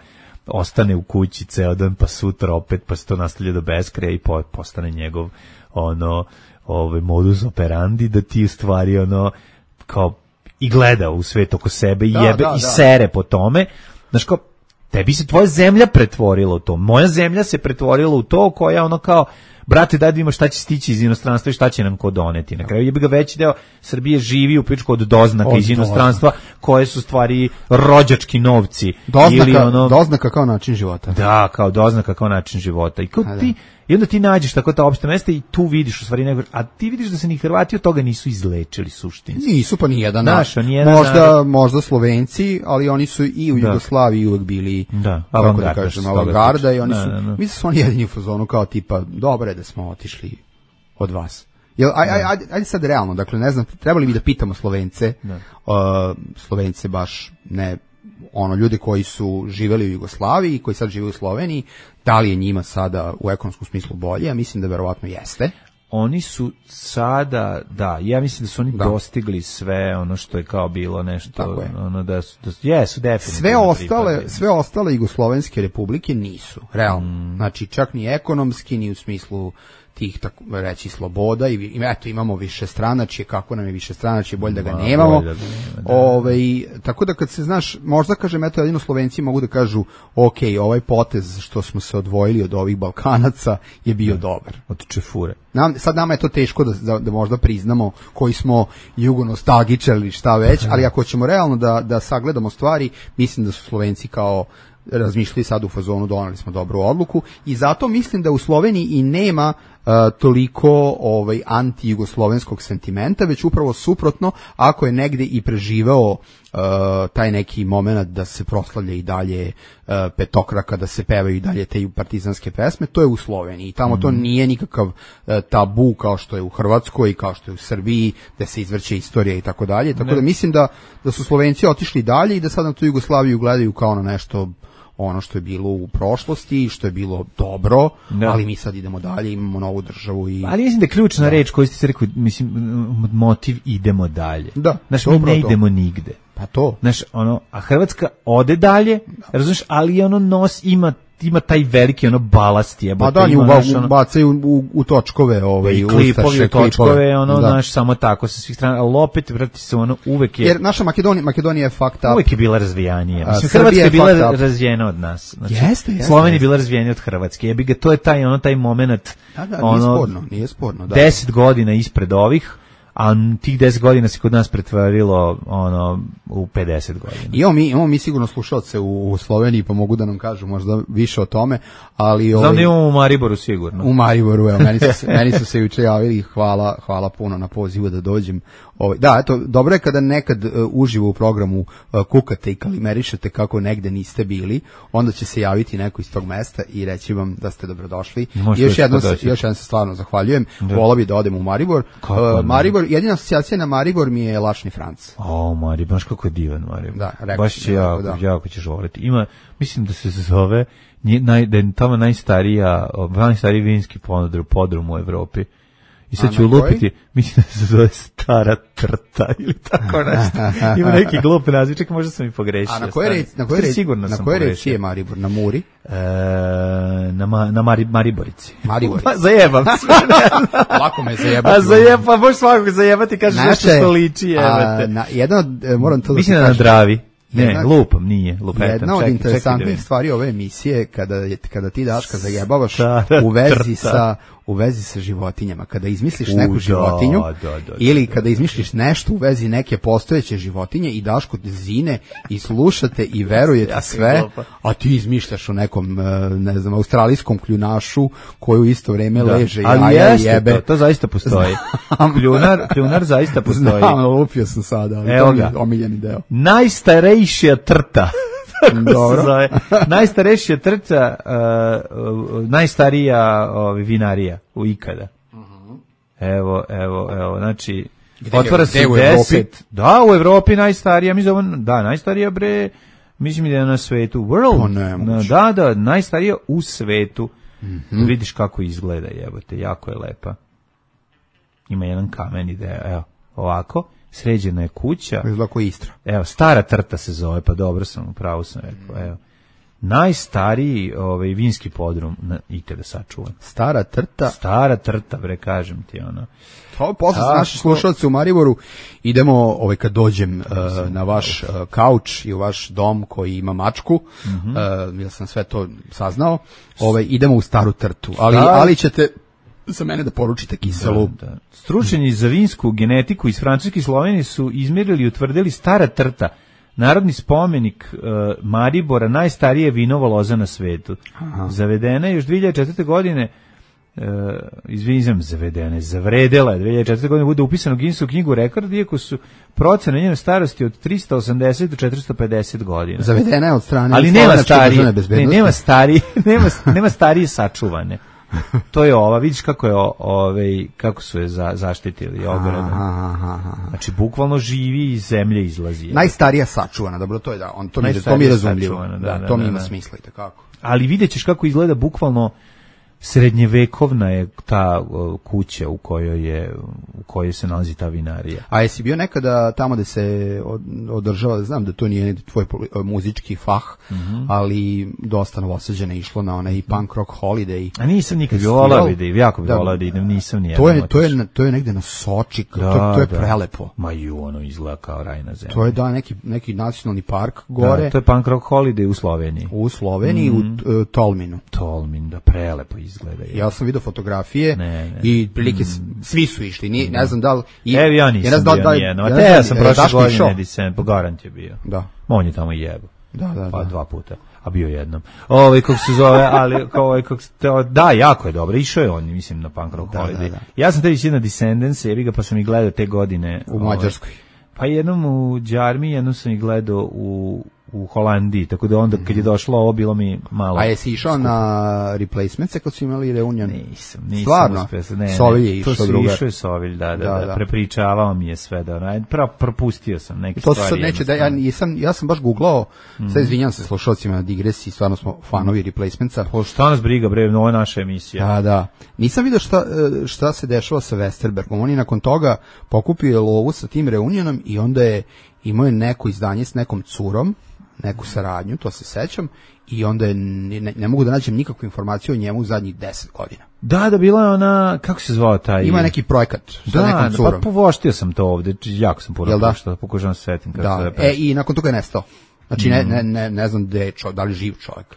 ostane u kući ceo dan, pa sutra opet, pa se to nastavlja do beskraja i po, postane njegov, ono, ovaj modus operandi, da ti u stvari, ono, kao, i gleda u svet oko sebe i da, jebe da, i da. sere po tome. Znaš kao, tebi se tvoja zemlja pretvorila u to. Moja zemlja se pretvorila u to koja ono kao, brate, daj da vidimo šta će stići iz inostranstva i šta će nam ko doneti. Na kraju jebi ga veći deo Srbije živi u pičku od doznaka od iz inostranstva doznaka. Koje su stvari rođački novci. Doznaka, ili ono, doznaka kao način života. Da, kao doznaka kao način života. I kao ti, i onda ti nađeš tako ta opšta mesta i tu vidiš u stvari nego, a ti vidiš da se ni Hrvati od toga nisu izlečili suštinski. Nisu pa ni jedan. Naš, ni jedan možda narod. Možda Slovenci, ali oni su i u da. Jugoslaviji uvek bili da, kako da kažem, avangarda i oni da, su da, da. mislim su oni jedini u fazonu kao tipa dobro je da smo otišli od vas. Jel, aj, aj, aj, ajde sad realno, dakle ne znam, trebali bi da pitamo Slovence, uh, Slovence baš ne ono ljude koji su živeli u Jugoslaviji, koji sad žive u Sloveniji, da li je njima sada u ekonomskom smislu bolje? Ja mislim da verovatno jeste. oni su sada, da, ja mislim da su oni Da. dostigli sve ono što je kao bilo nešto, Tako je. ono da su, da su, jesu definitivno. Sve ostale, pripadali. sve ostale jugoslovenske republike nisu, realno. Mm. Znači, čak ni ekonomski, ni u smislu tih, tako reći, sloboda i, i eto, imamo više stranačje, kako nam je više stranačje, bolje da ga Ma, nemamo. bolje da ga nema, da. Ovaj, tako da kad se, znaš, možda kažem, eto, jedino Slovenci mogu da kažu, ok, ovaj potez što smo se odvojili od ovih Balkanaca je bio dobar. Od čefure. Nam, sad nama je to teško da, da, da možda priznamo koji smo jugonostalgičari ili šta već, ali ako ćemo realno da, da sagledamo stvari, mislim da su Slovenci kao razmišljali sad u fazonu, doneli smo dobru odluku i zato mislim da u Sloveniji i nema uh, toliko ovaj anti-jugoslovenskog sentimenta, već upravo suprotno, ako je negde i preživeo uh, taj neki moment da se proslavlja i dalje uh, petokraka, da se pevaju i dalje te partizanske pesme, to je u Sloveniji. Tamo mm. to nije nikakav uh, tabu kao što je u Hrvatskoj i kao što je u Srbiji, da se izvrće istorija i tako dalje. Tako da mislim da, da su Slovenci otišli dalje i da sad na tu Jugoslaviju gledaju kao na nešto ono što je bilo u prošlosti, što je bilo dobro, da. Ali mi sad idemo dalje, imamo novu državu i... Ali mislim da je ključna da. reč koju ste se rekli, mislim, motiv idemo dalje. Da. Znaš, mi ne idemo nigde. Pa to. Znaš, ono, a Hrvatska ode dalje, da. razumiješ, ali ono nos ima ima taj veliki ono balast je. Pa da, oni ono, bacaju u, u točkove ove i klipovi, točkove, ono, da. Znaš, samo tako sa svih strana, ali opet, vrati se, ono, uvek je... Jer naša Makedonija, Makedonija je fucked up. Uvek je bila razvijanija. Mislim, Hrvatska je bila razvijena od nas. Znači, jeste, jeste. Slovenija je bila razvijenija od Hrvatske. Jebi ga, to je taj, ono, taj moment, da, da, ono, nije sporno, nije sporno, da. deset godina ispred ovih, a tih deset godina se kod nas pretvorilo ono u pedeset godina. I mi imamo mi sigurno slušalce u, u Sloveniji, pa mogu da nam kažu možda više o tome, ali znam ovaj, da imamo u Mariboru sigurno. U Mariboru, evo, meni su, meni su se juče javili, hvala, hvala puno na pozivu da dođem. Ovaj, da, eto, dobro je kada nekad uh, uživo u programu uh, kukate i kalimerišete kako negde niste bili, onda će se javiti neko iz tog mesta i reći vam da ste dobrodošli. I još jednom se, još jednom se stvarno zahvaljujem. Volao bi da odem u Maribor. Uh, Maribor, jedina asocijacija na Maribor mi je Lašni Franc. O, Maribor, baš kako je divan Maribor. Da, rekao baš će jako, da. jako ćeš voliti. Ima, mislim da se zove, naj, da je tamo najstarija, najstariji vinski podrum, podrum u Evropi. I sad ću lupiti, mislim da se zove Stara Trta ili tako nešto. Ima neki glup naziv, čekaj, možda sam i pogrešio. A na koje reci, na koje reci, na koje reci je Maribor? Na Muri? E, na ma, na Mari, Mariborici. Mariborici. Pa, zajebam se. Lako me zajebati. A zajeb, pa možeš svakog zajebati, kažeš nešto što liči, jebate. Na, jedan od, moram to da mislim da na Dravi. Ne, jedna, lupam, nije, lupetam. Jedna od čekaj, interesantnih čekaj stvari ove emisije, kada, je, kada ti, Daška, zajebavaš u vezi, sa, u vezi sa životinjama. Kada izmisliš u, neku životinju, da, da, da, ili kada izmisliš nešto u vezi neke postojeće životinje i Daško zine i slušate i verujete sve, a ti izmišljaš o nekom, ne znam, australijskom kljunašu koji u isto vreme da. leže i jaja i jebe. To, to zaista postoji. Kljunar, kljunar zaista postoji. Znam, lupio sam sada, ali evo to ga. je omiljeni deo. Najstarejšija trta. Dobro. Najstarejšija trta, uh, uh, najstarija uh, vinarija u ikada. Uh-huh. Evo, evo, evo, znači, gde otvara se u deset. Da, u Evropi najstarija, mi zovemo, da, najstarija bre, mislim da je na svetu. World. Ne, da, da, najstarija u svetu. Uh-huh. Vidiš kako izgleda, jebote, jako je lepa. Ima jedan kamen ide, evo, ovako. Sređena je kuća. Izlako Istra. Evo, Stara Trta se zove, pa dobro sam, upravo sam rekao, evo. Najstariji ovaj, vinski podrum na ikada sačuvan. Stara Trta? Stara Trta, bre, kažem ti, ono. To posle sa naši slušalci u Mariboru idemo, ovaj, kad dođem uh, na vaš uh, kauč i u vaš dom koji ima mačku, mm-hmm. uh, ja sam sve to saznao, ovaj, idemo u Staru Trtu, ali, Star... ali ćete... za mene da poručite kiselu. Da, da. Stručnjaci za vinsku genetiku iz Francuske i Slovenije su izmjerili i utvrdili Stara Trta, narodni spomenik uh, Maribora, najstarije vinovo loza na svetu. Aha. Zavedena je još dve hiljade četvrte. godine, uh, izvinjam, zavedena je, zavredela je, dve hiljade četvrte. godine bude upisano u Guinnessovu knjigu rekorda, iako su procene njene starosti od tristo osamdeset do četiristo pedeset godina. Zavedena je od strane ali nema starije, ne, nema starije, nema, nema starije sačuvane. To je ova, vidiš kako je ovaj kako su je za, zaštitili ogradom. Znači bukvalno živi iz zemlje izlazi. Najstarija sačuvana, dobro, to je da, on to mi to mi razumljivo. Da, da, da, to mi ima da, smisla i tako. Ali videćeš kako izgleda bukvalno srednjevekovna je ta uh, kuća u kojoj je u kojoj se nalazi ta vinarija. A jesi bio nekada tamo da se održava, znam da to nije tvoj muzički fah, mm-hmm. ali dosta Novosađana išlo na onaj punk rock holiday. A nisam nikad bio volao da idem, jako bi volao da idem, nisam ni to je to je to je negde na Soči, da, to, to je da. prelepo. Ma ju, ono izgleda kao raj na zemlji. To je da neki neki nacionalni park gore. Da, to je punk rock holiday u Sloveniji. U Sloveniji mm. u uh, Tolminu. Tolmin, da prelepo izgleda. Ja sam vidio fotografije ne, ne. i prilike mm. svi su išli, ni ne znam da li i evo ja nisam ja bio da, nijedno, a te ja sam prošle godine Disem, po garant je bio. Da. On je tamo jebo. Da, da, pa da. dva puta, a bio jednom. Ovaj kako se zove, ali ovaj kako da, jako je dobro. Išao je on, mislim, na punk rock holiday. Da, da. Ja sam tebi na Descendants, jebi ga, pa sam ih gledao te godine u Mađarskoj. Ovaj, pa jednom u Đarmi, jednom sam ih gledao u u Holandiji, tako da onda kad je došlo ovo bilo mi malo. A jesi išao skup. Na replacements kad su imali reunion? Nisam, nisam. Stvarno? Uspio, ne, Sovilj je išao druga. To su išao je Sovilj, da, da, da, da. Prepričavao mi je sve, da, da. Pra, propustio sam neke to stvari. To sad neće da, ja, sam, ja sam baš googlao, mm. sad izvinjam se slušalcima na digresiji, stvarno smo fanovi replacementsa. Po šta nas briga, bre, ovo je naša emisija. Da, da. Nisam vidio šta, šta se dešava sa Westerbergom, on je nakon toga pokupio lovu sa tim reunionom i onda je imao je neko izdanje s nekom curom, neku saradnju, to se sećam, i onda je, ne, ne mogu da nađem nikakvu informaciju o njemu u zadnjih deset godina. Da, da, bila je ona, kako se zvao taj? Ima neki projekat sa da, nekom curom. Da, pa povoštio sam to ovde, jako sam puno da? Što pokušavam se setim. Da, se e, i nakon toga je nestao. Znači, mm. ne, ne, ne, ne znam da je, čo, da li živ čovjek.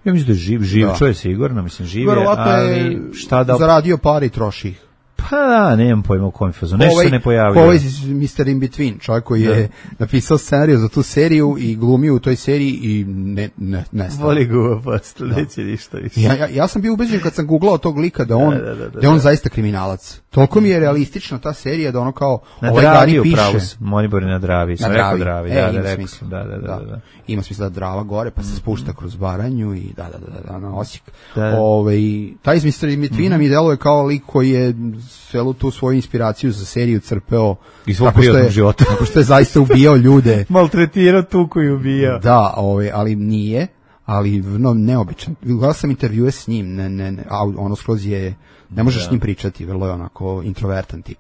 Ja mislim da je živ, živ da. Čovjek sigurno, mislim, živ je, ali šta da... Zaradio pare i troši ih. Pa da, nemam pojma u kojem fazu, nešto se ne pojavio. Ovo je mister In Between, čovjek koji da. je napisao scenariju za tu seriju i glumio u toj seriji i ne, ne, ne stao. Voli guva posto, neće ništa više. Ja, ja, ja sam bio ubeđen kad sam googlao tog lika da on, da, da, da, da, da je on da. zaista kriminalac. Toliko mi je realistična ta serija da ono kao na ovaj Dravi piše. Pravu, Monibor na Dravi, sam rekao Dravi, e, da, da, rekao sam, da, da, da, da, da. Ima smisla da Drava gore, pa se spušta kroz Baranju i da, da, da, da, na Osijek. Da. Ovaj, taj iz mister In Betweena mi deluje kao lik koji je celu tu svoju inspiraciju za seriju crpeo iz svog privatnog života. Tako što je zaista ubijao ljude. Maltretirao tu koji ubija. Da, ovaj, ali nije, ali no, neobičan. Gledao sam intervjue s njim, ne, ne, ne, a ono skroz je, ne možeš s njim pričati, vrlo je onako introvertan tip.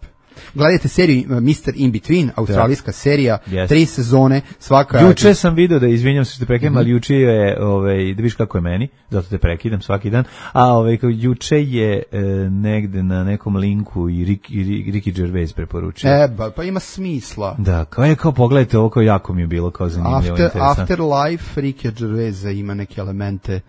Gledajte seriju mister In Between, australijska serija, yes. tri sezone, svaka... Juče sam video da, izvinjam se što te prekidam, mm-hmm. ali juče je, ovaj, da viš kako je meni, zato te prekidam svaki dan, a ovaj, juče je e, negde na nekom linku i Rick, i Ricky Gervais preporučio. E, ba, pa ima smisla. Da, kao je, kao pogledajte ovo, kao jako mi je bilo, kao zanimljivo, After, interesantno. Afterlife Ricky Gervaisa ima neke elemente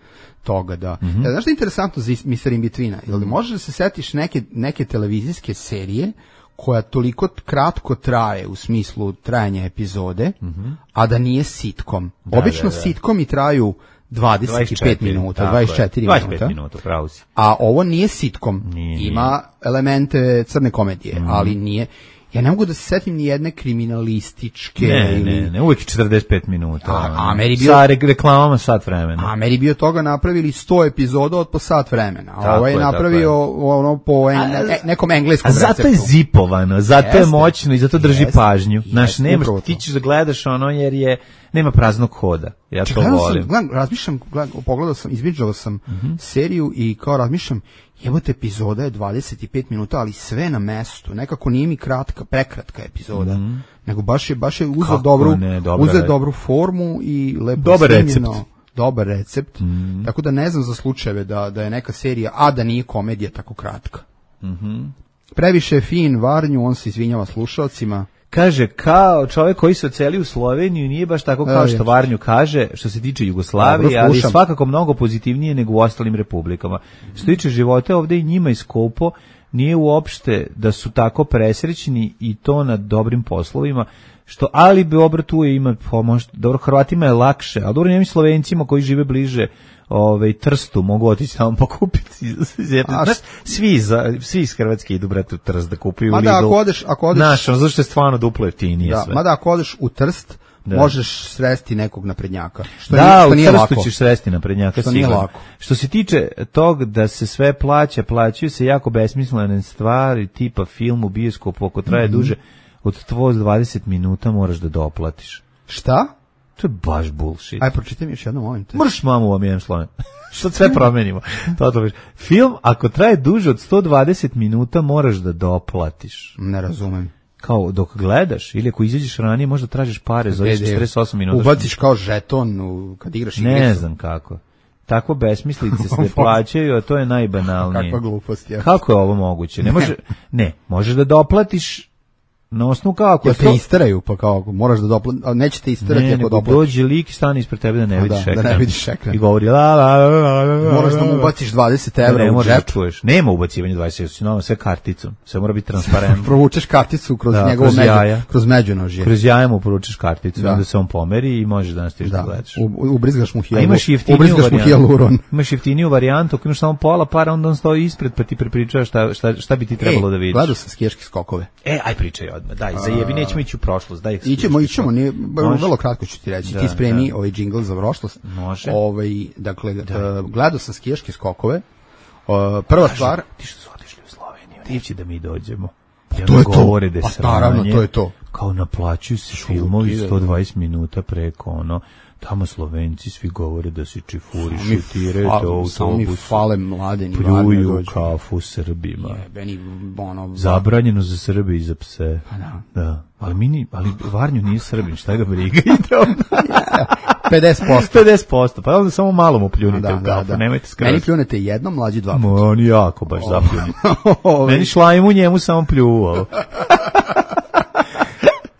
toga, da. Mm-hmm. Ja, znaš što je interesantno za mister In Betweena? Jel da možeš da se setiš neke, neke televizijske serije koja toliko kratko traje u smislu trajanja epizode, mm-hmm. a da nije sitcom. Da, obično da, da. Sitcomi traju dvadeset pet minuta, dvadeset četiri minuta. dvadeset pet minuta, pravo si. A ovo nije sitcom. Nije, ima nije. elemente crne komedije, mm-hmm. ali nije. Ja ne mogu da se setim ni jedne kriminalističke. Ne, ili... ne, ne, uvijek četrdeset pet minuta. A, a meri bio... Sa reklamama sat vremena. A meri bio toga napravili sto epizoda od po sat vremena. A ovo je, je napravio ono po en, ne, nekom engleskom receptu. A zato je zipovano, zato Jeste. je moćno i zato drži Jeste. pažnju. Znaš, nemaš, ti ćeš da gledaš ono jer je, nema praznog hoda. Ja Če, to volim. Sam, gledam, razmišljam, gledam, pogledao sam, izbidžao sam mm-hmm. seriju i kao razmišljam, jebote, epizoda je dvadeset pet minuta, ali sve na mestu. Nekako nije mi kratka, prekratka epizoda. Mm-hmm. Nego baš je, baš je uzeo dobru, uzeo dobru formu i lepo dobar recept. Dobar recept. Mm-hmm. Tako da ne znam za slučajeve da, da je neka serija, a da nije komedija tako kratka. Mm-hmm. Previše je fin Varnju, on se izvinjava slušalcima. Kaže, kao čovjek koji se oceli u Sloveniju, nije baš tako kao što Varnju kaže, što se tiče Jugoslavije, ali je svakako mnogo pozitivnije nego u ostalim republikama. Što tiče života ovdje i njima iskopo, nije uopšte da su tako presrećni i to na dobrim poslovima, što ali bi obratu ima pomoć, dobro, Hrvatima je lakše, ali dobro, njemi Slovencima koji žive bliže ovaj Trstu mogu otići tamo pokupiti. Znaš, svi za svi iz Hrvatske idu brate u Trst da kupuju Lidl. Ma da, ako odeš, ako odeš, znaš, zato što je stvarno duplo jeftinije da, sve. Ma da, ako odeš u Trst, da. možeš sresti nekog naprednjaka. Što da, nije, što u nije Trstu lako. ćeš sresti naprednjaka, što nije lako. Što se tiče tog da se sve plaća, plaćaju se jako besmislene stvari, tipa film u bioskopu, ako traje mm-hmm. duže od dvadeset minuta moraš da doplatiš. Šta? To je baš bullshit. Aj, pročitaj mi još jedno, molim te. Mrš mamu vam jem slone. Što sve promenimo. To to Film, ako traje duže od sto dvadeset minuta, moraš da doplatiš. Ne razumem. Kao dok gledaš, ili ako izađeš ranije, možda tražiš pare za četrdeset osam minuta. Ubaciš kao žeton u, kad igraš igricu. Ne znam kako. Takvo besmislice se plaćaju, a to je najbanalnije. Kakva glupost je. Kako je ovo moguće? Ne, može, ne možeš da doplatiš na osnovu kako. Ja te to... istaraju, pa kao, moraš da doplatiš, a neće te istarati ne, ako doplatiš. Dođe lik i stane ispred tebe da ne vidiš da, ekran. Da ne vidiš ekran. I govori la la la la la. Moraš da mu ubaciš dvadeset evra ne, u džep. Da čuješ. Nema ubacivanja dvadeset evra, sve karticom. Sve mora biti transparentno. Provučeš karticu kroz da, njegovo kroz među, jaja. kroz međunožje. Kroz jaja mu poručiš karticu, da. Onda se on pomeri i možeš da nastaviš da, da gledaš. U, ubrizgaš mu hijaluron. Imaš jeftiniju ubrizgaš mu hijaluron. Imaš jeftiniju varijantu, ako imaš samo pola para, onda on stoji ispred pa ti prepričava šta, šta, šta bi ti trebalo e, da vidiš. Gledao sam skijaške skokove. E, aj pričaj odmah, daj, zajebi, nećemo ići u prošlost, daj. Ićemo, ićemo, nije, vrlo kratko ću ti reći. Da, ti spremi da. ovaj džingl za prošlost. Može. Ovaj, dakle, uh, gledao sam skijaške skokove. Uh, prva Kažu, stvar... Ti što su otišli u Sloveniju, neće da mi dođemo. Pa to je govore to, pa naravno, to je to. Kao naplaćuju se filmovi sto dvadeset minuta preko ono, tamo Slovenci svi govore da se čifurišu, tiraju to autobus. Samo mi fale mladeni. Pljuju kafu Srbima. Jebeni, ono... Zabranjeno za Srbe i za pse. Pa da. Da. Ali, mi ni, ali Varnju nije Srbin, šta ga briga? pedeset posto pedeset posto Pa onda samo malo mu pljunite da, u kafu, da, da. Nemojte skroz. Meni pljunete jednom, mlađi dva puta. Oni jako baš zapljuni. Meni šlajmu njemu samo pljuo.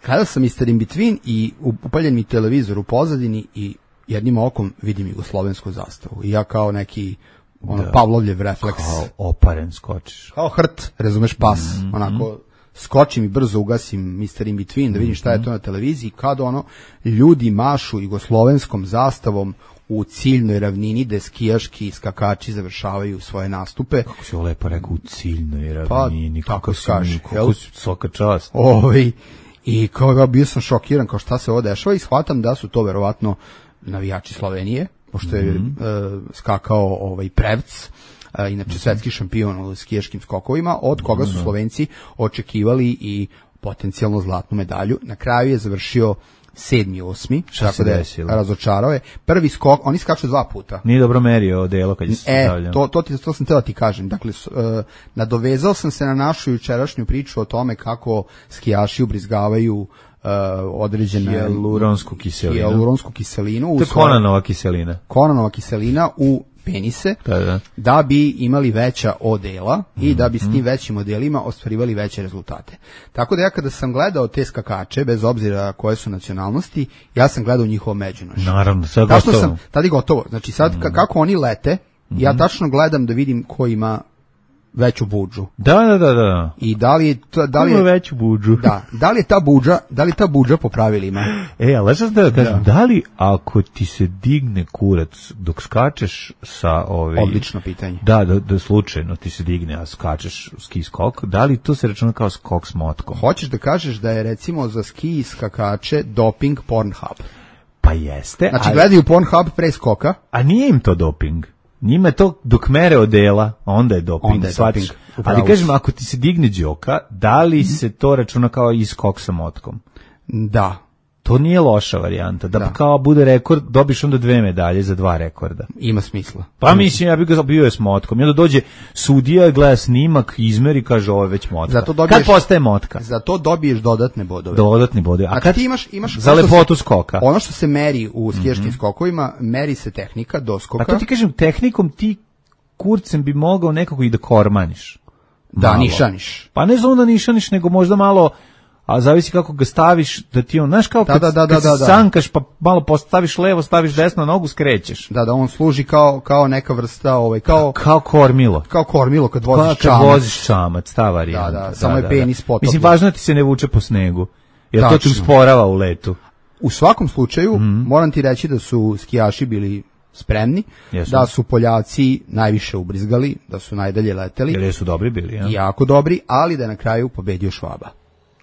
Kada sam mister In Between i upaljen mi televizor u pozadini i jednim okom vidim jugoslovensku zastavu. I ja kao neki ono, da. Pavlovljev refleks. Kao oparen skočiš. Kao hrt, razumeš, pas. Mm-hmm. Onako, skočim i brzo ugasim mister In Between da vidim šta je to na televiziji. Kad ono, ljudi mašu jugoslovenskom zastavom u ciljnoj ravnini gde skijaški skakači završavaju svoje nastupe. Kako si ovo lepo rekao, u ciljnoj ravnini. Pa, tako skaži. Kako si svaka čast. Ovaj, i kao bio sam šokiran kao šta se ovo dešava i shvatam da su to verovatno navijači Slovenije, pošto je mm-hmm. uh, skakao ovaj Prevc, uh, inače mm-hmm. svetski šampion u skijaškim skokovima, od koga su Slovenci očekivali i potencijalno zlatnu medalju. Na kraju je završio sedmi, osmi, tako da je razočarao je. Prvi skok, oni skaču dva puta. Nije dobro merio delo kad je se e, stavljao. To, to, ti, to sam teo ti kažem. Dakle, uh, nadovezao sam se na našu jučerašnju priču o tome kako skijaši ubrizgavaju uh, određenu hijaluronsku kiselinu. Hijaluronsku kiselinu. To je Konanova kiselina. Konanova kiselina u penise, da, da. da bi imali veća odela mm-hmm. i da bi s tim većim odelima ostvarivali veće rezultate. Tako da ja kada sam gledao te skakače, bez obzira koje su nacionalnosti, ja sam gledao njihovo međunošće. Naravno, sad gotovo. Sam, tada je gotovo. Znači sad mm-hmm. kako oni lete, mm-hmm. ja tačno gledam da vidim ko ima veću budžu. Da, da, da, da. I da li je to, da li je veću budžu? Da, da li je ta budža, da li ta budža po pravilima? E, ali šta da kažem, da. da li ako ti se digne kurac dok skačeš sa ovi odlično pitanje. Da, da, da slučajno ti se digne, a skačeš ski skok, da li to se računa kao skok s motkom? Hoćeš da kažeš da je recimo za ski skakače doping Pornhub? Pa jeste. Znači ali gledaju Pornhub pre skoka? A nije im to doping. Njima je to dok mere odela, onda je doping. Onda je doping. Ali kažem, ako ti se digne đoka, da li se to računa kao iskok sa motkom? Da. To nije loša varijanta. Da, da. Kao bude rekord, dobiš onda dve medalje za dva rekorda. Ima smisla. Pa mislim, ja bih ga bio je s motkom. I onda dođe sudija i gleda snimak, izmeri, kaže ovo je već motka. Zato dobiješ, kad postaje motka? Za to dobiješ dodatne bodove. Dodatne bodove. A znači, kad ti imaš, imaš za lepotu se, skoka. Ono što se meri u skijaškim mm-hmm. skokovima, meri se tehnika doskoka. A to ti kažem, tehnikom ti kurcem bi mogao nekako i da kormaniš. Da, malo. nišaniš. Pa ne znam da nišaniš, nego možda malo, a zavisi kako ga staviš, da ti on, znaš kao kad, da, da, da, kad da, da, sankaš pa malo postaviš levo, staviš desno nogu, skrećeš. Da, da, on služi kao, kao neka vrsta, ovaj, kao... Kao kormilo. Kao kormilo kad voziš pa, čamac. Kad voziš čamac, ta varijanta. Da, da, samo je penis potopljen. Mislim, važno da ti se ne vuče po snegu, jer Tačno. To ti usporava u letu. U svakom slučaju, mm-hmm. moram ti reći da su skijaši bili spremni, Jesu. Da su Poljaci najviše ubrizgali, da su najdalje leteli. Jer su dobri bili, ja? Jako dobri, ali da je na kraju pobedio Švaba.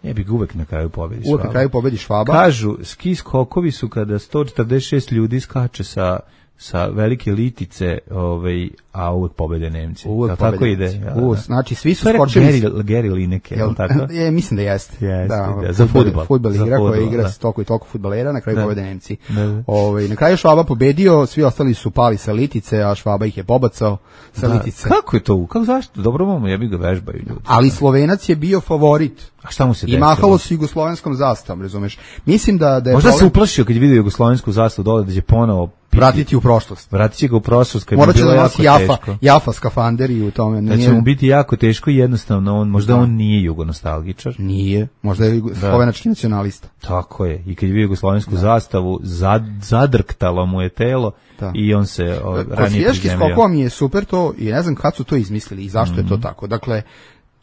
Ja bih uvek na kraju pobedi Švaba. Uvek na kraju pobedi Švaba. Kažu, ski skokovi su kada sto četrdeset šest ljudi skače sa sa velike litice, ovaj, a uvek pobede Nemci. Uvek tako pobede ide. Nemci. Ja, U, da. znači svi su To je rekao skočili. Gary, Gary Lineker, je li tako? Je, mislim da jeste. Jeste, da, da, za fudbal, fudbal. fudbal Za igra koja fudbal, igra da. s toliko i toliko fudbalera, na kraju Da. pobede Nemci. Da, da. Ovaj, na kraju Švaba pobedio, svi ostali su pali sa litice, a Švaba ih je pobacao sa Da. litice. Kako je to? Kako zašto? Dobro mamo, jebi ga vežbaju ljudi. Ali Slovenac je bio favorit. A šta mu se I desilo? mahalo se jugoslovenskom zastavom, razumeš? Mislim da da je Možda se problem uplašio kad je vidio jugoslovensku zastavu dole da će ponovo piti. vratiti u prošlost. Vratit će ga u prošlost kad Morat bi će bilo da jako nosi Jafa, teško. Jafa skafander i u tome. Da će mu biti jako teško i jednostavno, on, možda on nije jugonostalgičar. Nije, možda je jugo- slovenački nacionalista. Tako je. I kad je vidio jugoslovensku zastavu, zad, zadrktalo mu je telo Da. i on se o, Kod ranije skijaških prizemljio. skokova mi je super to i ne znam kad su to izmislili i zašto je to tako. Dakle,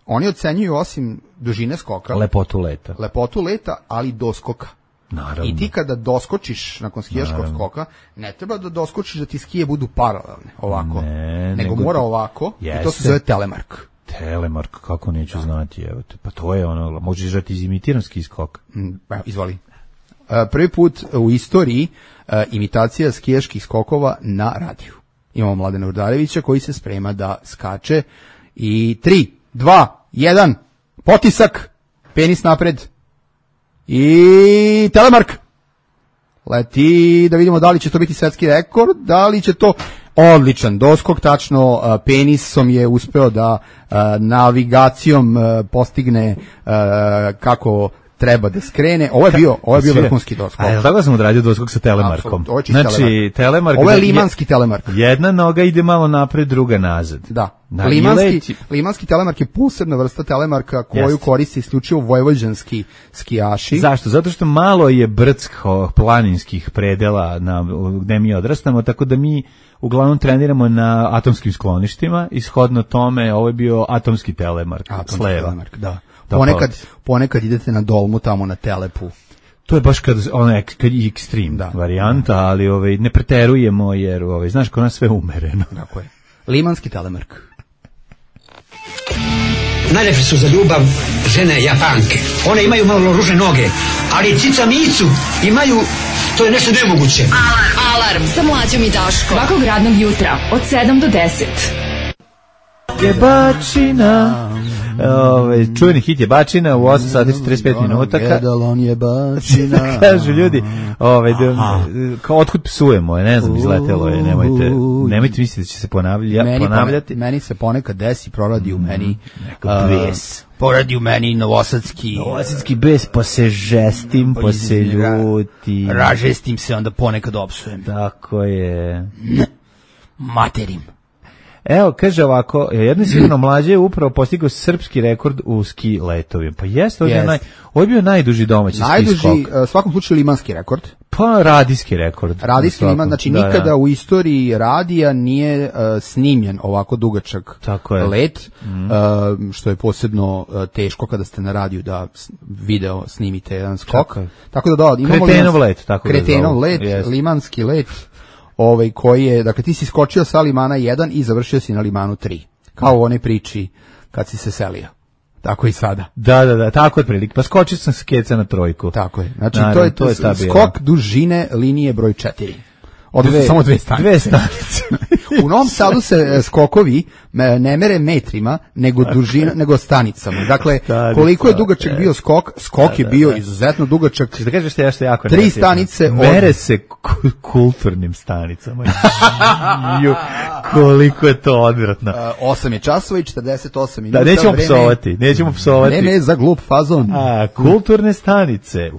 oni ocenjuju osim dužine skoka, Lepotu leta. lepotu leta, ali doskoka. Naravno. I ti kada doskočiš nakon skijaškog skoka, ne treba da doskočiš da ti skije budu paralelne, ovako. Ne, nego, nego mora ti- ovako i to Jeste. se zove telemark. Telemark, kako neću znati, evo te. Pa to je ono, možeš da ti izimitiram ski skok. Mm, evo, izvoli. E, Prvi put u istoriji e, imitacija skijaških skokova na radiju. Imamo Mladena Urdarevića koji se sprema da skače i tri, dva, jedan, potisak, penis napred i telemark. Leti, da vidimo da li će to biti svetski rekord, da li će to odličan doskok, tačno a, penisom je uspeo da a, navigacijom a, postigne a, kako treba da skrene. Ovo je bio, ovo je bio Sve- vrhunski doskok. A je li tako sam odradio doskok sa telemarkom? Apsolutno, ovo je čist Znači, telemark. telemark... Ovo je da- limanski telemark. Jedna noga ide malo napred, druga nazad. Da. Da, i limanski, leti. limanski telemark je posebna vrsta telemarka koju Jeste. koriste isključivo vojvođanski skijaši. Zašto? Zato što malo je brdsko planinskih predela na, gde mi odrastamo, tako da mi uglavnom treniramo na atomskim skloništima i shodno tome ovo je bio atomski telemark. Atomski s leva. telemark, da. Da, Ponekad, pa- ponekad idete na dolmu tamo na Telepu. To je baš kad ono ek- kad je ekstrem Da. varijanta, ali ovaj ne preterujemo jer ovaj znaš kod nas sve umereno. Tako je. Limanski telemark. Najlepše su za ljubav žene Japanke. One imaju malo ružne noge, ali cica micu imaju, to je nešto nemoguće. Alarm sa mlađom i Daškom. Svakog radnog jutra od sedam do deset. Jebačina. Ove, čuveni hit Jebačina u osam sati i četrdeset pet minuta. Ka, Gedalon je bačina. kažu ljudi, ovaj, da, kao otkud psujemo, ne znam, izletelo je, nemojte, nemojte misliti da će se ponavlja, Meni, ponavljati. pone- meni se ponekad desi, proradi u meni. Neko a, bes. Poradi u meni novosadski. Novosadski bes, pa se žestim, pa se ljutim. Ražestim se, onda ponekad opsujem. Tako je. Materim. Evo, kaže ovako, jedno je sigurno mlađe je upravo postigao srpski rekord u ski letovima. Pa jeste, ovo je, Jest. naj, ovo je bio najduži domaći ski Najduži, skok. a, u svakom slučaju limanski rekord. Pa radijski rekord. Radijski U svakom. liman, znači Da, nikada da. u istoriji radija nije uh, snimljen ovako dugačak Tako je. let, uh, što je posebno uh, teško kada ste na radiju da s- video snimite jedan skok. Tako je. Tako da da, imamo Kretenov limanski- let, tako ga Kretenov zovu. let, Jest. limanski let, ovaj koji je, dakle ti si skočio sa limana jedan i završio si na limanu tri. Kao u onoj priči kad si se selio. Tako i sada. Da, da, da, tako je prilike. Pa skočio sam s keca na trojku. Tako je. Znači Naravno, to je, to je ta bila. skok dužine linije broj četiri. Odnosno samo dve stanice. Dve stanice. U Novom Sadu se e, skokovi e, ne mere metrima, nego dužina, nego stanicama. Dakle, Stanica, koliko je dugačak e. bio skok, skok je bio izuzetno dugačak. Da kažeš što ja što je jako Tri negativno. stanice od- Mere se ku- kulturnim stanicama. Ju, koliko je to odvratno. E, osam je časova i četrdeset osam Da, minuta. nećemo vreme- psovati, nećemo psovati. Vreme je za glup fazon. A, kulturne stanice.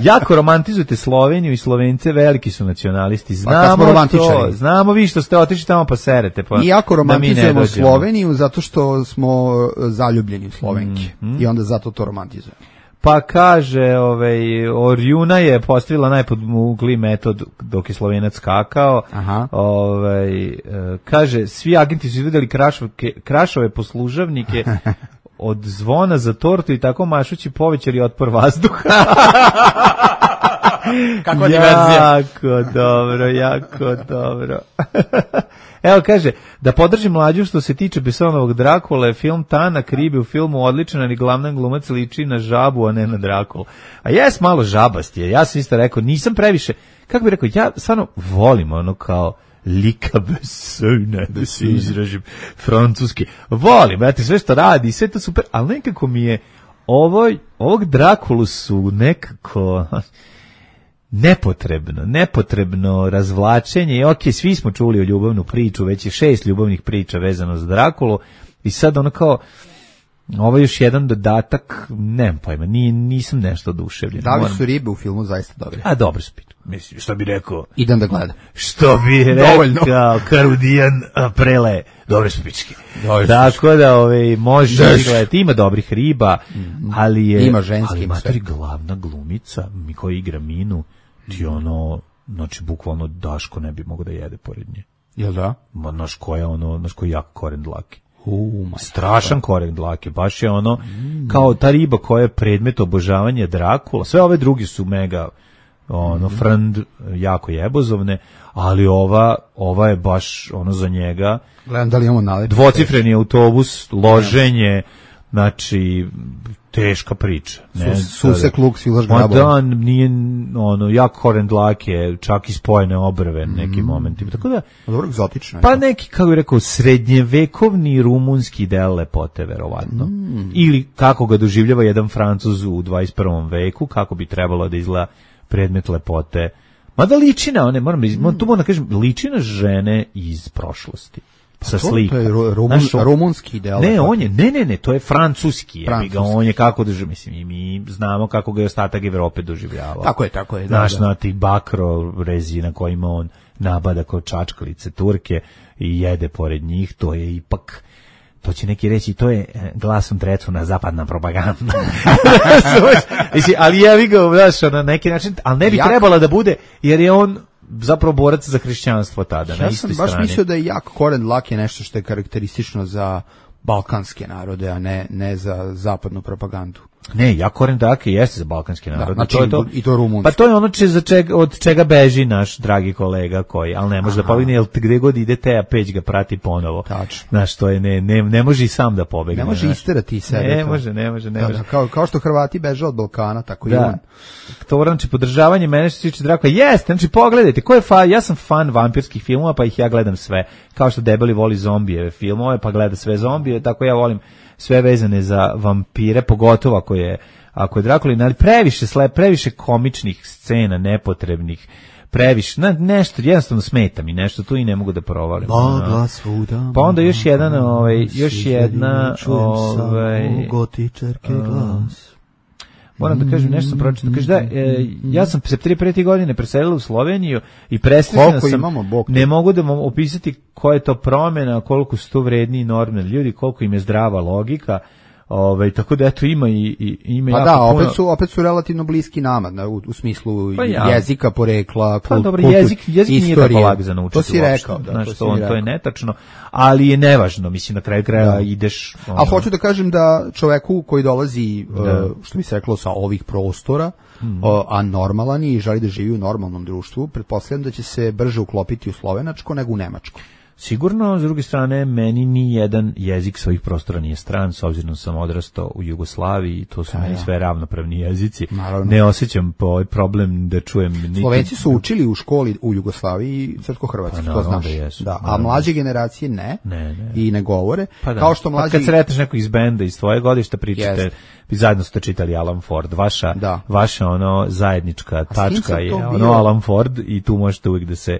Jako romantizujete Sloveniju i Slovence, veliki su nacionalisti. Pa kad smo Znamo to, romantičari. znamo vi što ste otišli tamo pa serete. Pa, Mi jako da mi ne romantizujemo dođemo. Sloveniju zato što smo e, zaljubljeni u Slovenki. Mm, I onda zato to romantizujemo. Pa kaže, ovaj, Orjuna je postavila najpodmugli metod dok je Slovenac skakao. Aha. Ovaj, e, kaže, svi agenti su izvedeli krašovke, krašove poslužavnike od zvona za tortu i tako mašući povećali otpor vazduha. Kakva diverzija. Jako dobro, jako dobro. Evo kaže, da podržim mlađu što se tiče Bessonovog Drakule, film Tanak ribe u filmu odličan, ali glavna glumac liči na žabu, a ne na Drakulu. A jes malo žabast je, ja sam isto rekao, nisam previše, kako bih rekao, ja stvarno volim ono kao lika Bessona, da se izražim francuski. Volim, brate, sve što radi, sve to super, ali nekako mi je ovo, ovog Drakulu su nekako nepotrebno, nepotrebno razvlačenje. I ok, svi smo čuli o ljubavnu priču, već je šest ljubavnih priča vezano za Drakulu i sad ono kao ovo je još jedan dodatak, nemam pojma, ni, nisam nešto oduševljen. Da li su ribe u filmu zaista dobre? A dobro su pitu. Mislim, što bi rekao? Idem da gledam. Što bi rekao Karudijan Prele? Dobre su pičke. Tako da ove, može gledati, ima dobrih riba, mm-hmm. ali je... Ima ženski. Ali matori glavna glumica, mi koji igra Minu, ti ono, znači bukvalno Daško ne bi mogao da jede pored nje. Jel da? Ma, znaš koja ono, znaš koji jak koren dlake. Uh, strašan koren dlake, baš je ono mm. kao ta riba koja je predmet obožavanja Drakula, sve ove drugi su mega ono, mm. frnd, jako jebozovne, ali ova, ova je baš ono za njega. Gledam da li imamo nalet. Dvocifreni autobus, loženje, znači teška priča. Ne, Susek luk, silaš grabom. grabom. Da, nije, ono, jak koren dlake, čak i spojene obrve nekim mm. momentima, tako da... Dobro, egzotično. Pa neki, kako bih rekao, srednjevekovni rumunski del lepote, verovatno. Mm. Ili kako ga doživljava jedan Francuz u dvadeset prvom veku, kako bi trebalo da izgleda predmet lepote. Mada liči na one, moram, mm. tu moram da kažem, liči na žene iz prošlosti. Sa slikom. To je rumun, Znaš, rumunski deo. Ne, on je, ne, ne, ne, to je francuski. francuski. Ga, on je kako doživljava, mislim, i mi znamo kako ga je ostatak Evrope doživljavao. Tako je, tako je. Znaš, da, da. na ti bakro rezi na kojima on nabada kao čačkalice Turke i jede pored njih, to je ipak... To će neki reći, to je glasom trecu na zapadna propaganda. Ali jevi ga, znaš, na neki način, ali ne bi Jak... trebala da bude, jer je on zapravo borac za hrišćanstvo tada, ja na istoj strani. Ja sam baš mislio da je jak koren dlake je nešto što je karakteristično za balkanske narode, a ne, ne za zapadnu propagandu. Ne, ja koren dlake jeste za balkanski narod. Da, znači to je to, i to rumunski. Pa to je ono če, za čega, od čega beži naš dragi kolega koji, ali ne može Aha. da pobegne, jer gde god ide Teja Peć ga prati ponovo. Tačno. Znaš, to je, ne, ne, ne može i sam da pobegne. Ne može isterati sebe. Ne to. može, ne može, ne da, može. Da, kao, kao što Hrvati beže od Balkana, tako da. i on. To znači podržavanje mene što se tiče Drakula. Jeste, znači pogledajte, ko je fan, ja sam fan vampirskih filmova, pa ih ja gledam sve. Kao što debeli voli zombijeve filmove, pa gleda sve zombije, tako ja volim sve vezane za vampire, pogotovo ako je ako je Drakulin, ali previše sle, previše komičnih scena, nepotrebnih, previše, na, nešto, jednostavno smeta mi nešto tu i ne mogu da provalim. Magla svuda. Pa onda još jedan, ovaj, još jedna, ovaj, gotičarke glas. Moram da kažem, nešto sam pročitao. Kaže da, e, ja sam se tri prete godine preselila u Sloveniju i presrećena sam, imamo, Bog ne mogu da vam opisati koja je to promjena, koliko su to vredni i normalni ljudi, koliko im je zdrava logika. Ove, tako da eto ima i, i ima pa jako da, puno... opet su, opet su relativno bliski nama, na, u, u smislu pa ja. jezika, porekla, pa, kult, dobro, kultur, jezik, jezik istorije. Nije tako lag za naučiti. To si uopšte. rekao. Da, Znaš, to, to, on, rekao. to je netačno, ali je nevažno, mislim, na kraju kraja da. ideš... Ono... Ali hoću da kažem da čoveku koji dolazi, da. što bi se reklo, sa ovih prostora, mm. a normalan je i želi da živi u normalnom društvu, pretpostavljam da će se brže uklopiti u slovenačko nego u nemačko. Sigurno, s druge strane, meni ni jedan jezik svojih prostora nije stran, s obzirom da sam odrastao u Jugoslaviji, to su da, meni ja. sve ravnopravni jezici. Naravno. Ne osjećam po ovaj problem da čujem... Niti... Slovenci su učili u školi u Jugoslaviji srpsko-hrvatski, pa, to znaš. Da jesu, da, a mlađe generacije ne, ne, ne. i ne govore. Pa da. Kao što mlađi... Pa kad sretneš nekog iz benda, iz tvoje godišta, pričate, vi zajedno ste čitali Alan Ford, vaša, da. vaša ono zajednička tačka je ono bio? Alan Ford i tu možete uvijek da se...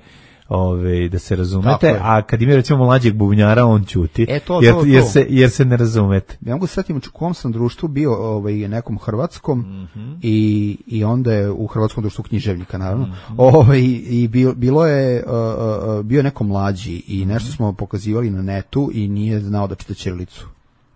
Ove, da se razumete, a kad ima recimo mlađeg bubnjara, on ćuti, e, to, jer, to, to. jer, se, jer se ne razumete. Ja mogu se setiti u kom sam društvu bio ovaj, nekom hrvatskom mm-hmm. i, i onda je u hrvatskom društvu književnika, naravno. Mm-hmm. Ovaj, i bilo, bilo je, uh, uh, bio je neko mlađi i nešto smo pokazivali na netu i nije znao da čita ćirilicu.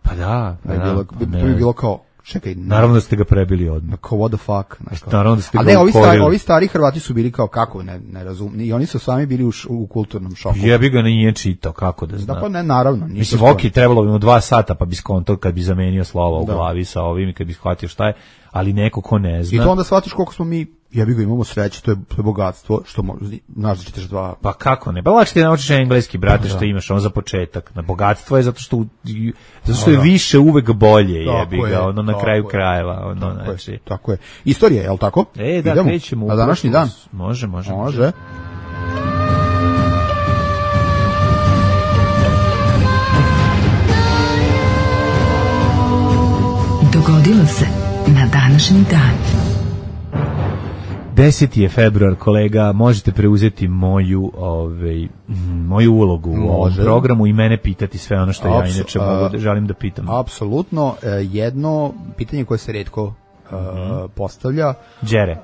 Pa da, pa da. Bilo, pa to je bilo kao, čekaj, ne. Naravno da ste ga prebili odmah. Kao what the fuck. Znači, naravno da ste ga ne, ovi stari, ovi stari Hrvati su bili kao kako, ne, ne razum, i oni su sami bili u, š, u kulturnom šoku. Jebi ga nije čitao, kako da zna. Da, pa ne, naravno. Mislim, ok, trebalo bi mu dva sata pa bi skonto kad bi zamenio slova u da. glavi sa ovim i kad bi shvatio šta je, ali neko ko ne zna. I to onda shvatiš koliko smo mi Ja bih ga imamo sreće, to je, to je bogatstvo, što možeš, znaš da čitaš dva... Pa kako ne? Pa lakše ti naučiš engleski, brate, što imaš, on za početak. Na bogatstvo je zato što, zato što je više uvek bolje, jebi ga, ono na kraju krajeva. Ono, tako, znači. je, tako je. Istorija, je li tako? E, da, idemo krećemo. Na današnji dan? Može, može. Može. Dogodilo se na današnji dan. deseti je februar, kolega, možete preuzeti moju, ovaj, moju ulogu u ovom programu i mene pitati sve ono što ja Apsu, inače mogu da, želim da pitam. Apsolutno, jedno pitanje koje se retko uh, mm-hmm. postavlja. Đere,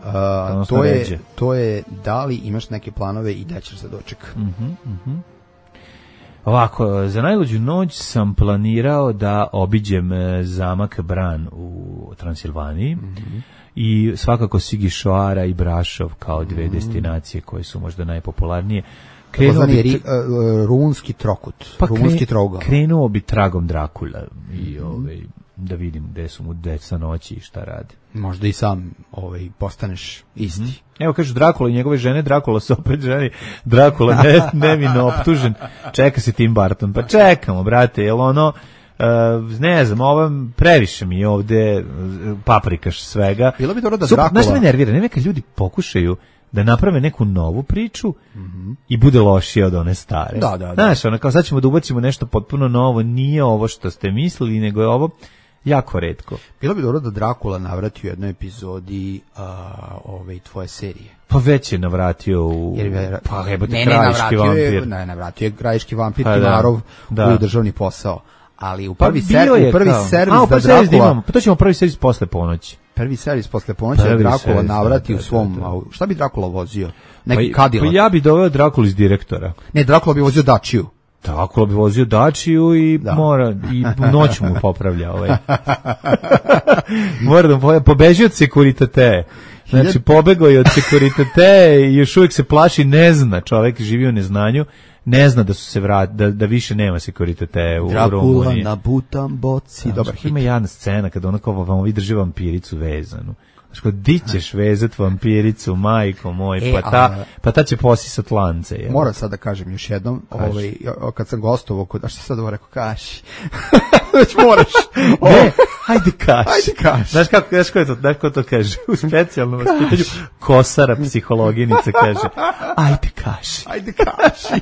uh, to, je, to je da li imaš neke planove i da ćeš za doček. Mm-hmm, mm-hmm. Ovako, za najluđu noć sam planirao da obiđem zamak Bran u Transilvaniji. Mm-hmm. I svakako Sigišoara i Brašov kao dve mm. destinacije koje su možda najpopularnije. Krenuo bi ri, uh, runski trokut, pa runski trougao. Krenuo bi tragom Drakula i mm. ovaj, da vidim gde su mu deca noći i šta rade. Možda i sam ovaj, postaneš isti. Mm. Evo kažu Drakula i njegove žene, Drakula se opet ženi, Drakula ne, nevino optužen, čeka se Tim Burton, pa čekamo, brate, jel ono... Uh, ne znam, ovo previše mi je ovde paprikaš svega. Bilo bi dobro da Drakula... Znaš me nervira, ne neka ljudi pokušaju da naprave neku novu priču mm-hmm. i bude lošije od one stare. Da, da, da. Znaš, ono kao sad ćemo da ubacimo nešto potpuno novo, nije ovo što ste mislili, nego je ovo jako retko. Bilo bi dobro da Drakula navrati u jednoj epizodi uh, ove tvoje serije. Pa već je navratio u... Jer, pa jebote, krajiški vampir. Je, ne, navratio je krajiški vampir pa, Timarov da, da. u državni posao. Ali u prvi, pa ser, u prvi servis A, u da Drakula... Imamo, pa to ćemo prvi servis posle ponoći. Prvi servis posle ponoći da Drakula servis, navrati da, da, u svom... Da, da. Šta bi Drakula vozio? Neki pa, Cadillac? Pa ja bi doveo Drakulu iz direktora. Ne, Drakula bi vozio Dačiju. Drakula bi vozio Dačiju i da. mora, i noć mu popravlja ovaj. Mora da pobeži pobeži od Securitate. Znači, pobegao je od Securitate i još uvijek se plaši, ne zna, čovjek živi u neznanju, ne zna da su se vrat, da, da više nema Securitate u Rumuniji. Drakula na butam boci. Dobar hit. Ima jedna scena kada ona kao vam vi drži vampiricu vezanu. Znači, di ćeš vezat vampiricu, majko moj, e, pa, ta, a, pa ta će posisat lance. Je. Moram sad da kažem još jednom, ovaj, kad sam gostovao kod, a što sad ovo rekao, kaši. Već moraš. O, ne, hajde kaši. Hajde kaši. Znaš kako, znaš ko, je to, znaš ko to kaže? U specijalnom vaspitanju Kosara, psihologinica, kaže, ajde kaši. Ajde kaši.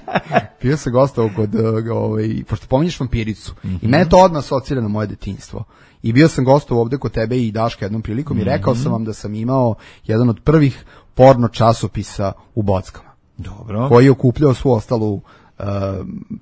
Bio sam gostovao kod, ovaj, pošto pominješ vampiricu, mm-hmm. i mene to odmah asocira na moje detinjstvo. I bio sam gostovao ovde kod tebe i Daška jednom prilikom mm-hmm. i rekao sam vam da sam imao jedan od prvih porno časopisa u Bockama. Dobro. Koji je okupljao svu ostalu uh,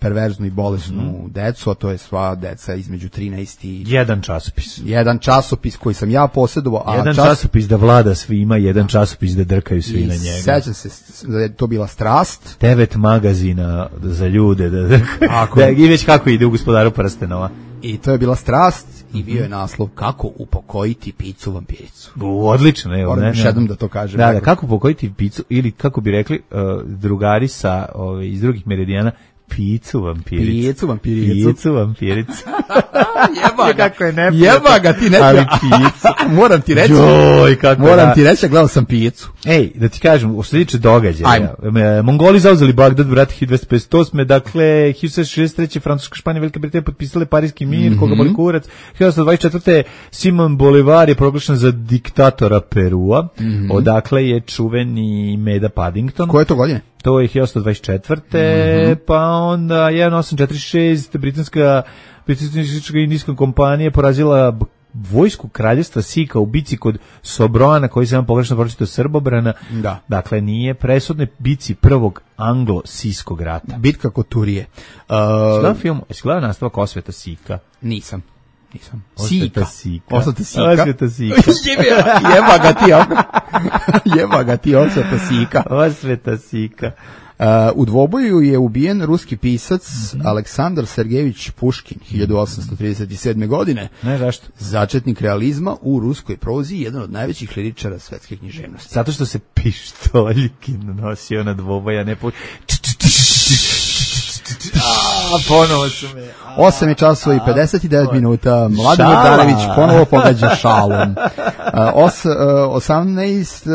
perverznu i bolesnu mm-hmm. decu, a to je sva deca između trinaest i... Jedan časopis. Jedan časopis koji sam ja posjedovao. A jedan čas... časopis da vlada svima, jedan časopis da drkaju svi I na njega. Sećam se da je to bila strast. Devet magazina za ljude. Da, da, da, I već kako ide u Gospodaru prstenova. I to je bila strast i bio je naslov kako upokojiti picu vampiricu. U, odlično, evo. Moram još jednom da to kažem. Da, da, kako upokojiti picu ili kako bi rekli uh, drugari sa ove, iz drugih meridijana, picu vampiricu. Picu vampiricu. Picu vampiricu. Jeba ga. Kako je neprijatno. Jeba ga, ti ne ali picu. Moram ti reći. Joj, kako moram da. ti reći, gledao sam picu. Ej, da ti kažem, u što se tiče događaja. Mongoli zauzeli Bagdad, brate, hiljadu dvesta pedeset osme Dakle, hiljadu sedamsto šezdeset treće Francuska, Španija, Velika Britanija potpisale Parijski mir, mm-hmm. koga boli kurac. hiljadu osamsto dvadeset četvrte Simon Bolivar je proglašen za diktatora Perua. Mm-hmm. Odakle je čuveni Meda Paddington. Koje je to godine? To je hiljadu osamsto dvadeset četvrte Mm-hmm. Pa onda hiljadu osamsto četrdeset šeste britanska britanska indijska kompanija porazila vojsku kraljevstva Sika u bici kod Sobroana, koji se vam pogrešno pročitao Srbobrana. Da. Dakle, nije presudne bici prvog anglo-siskog rata. Bitka kod Turije. Uh, Gledam film, jesi gledao nastavak Osveta Sika? Nisam. Nisam. Osveta Sika. Osveta Sika. Osveta Sika. Jeba ga ti, jeba ga ti Osveta Sika. Osveta Sika. Uh, u dvoboju je ubijen ruski pisac mm-hmm. Aleksandar Sergejević Puškin hiljadu osamsto trideset sedme godine. Ne, zašto? Začetnik realizma u ruskoj prozi, jedan od najvećih liričara svetske književnosti. Zato što se pištoljkin nosio na dvoboja, ne po... ponovo su me. osam je časova i pedeset devet minuta. Mladen Šala. Darević ponovo pogađa šalom. Os, osamnaest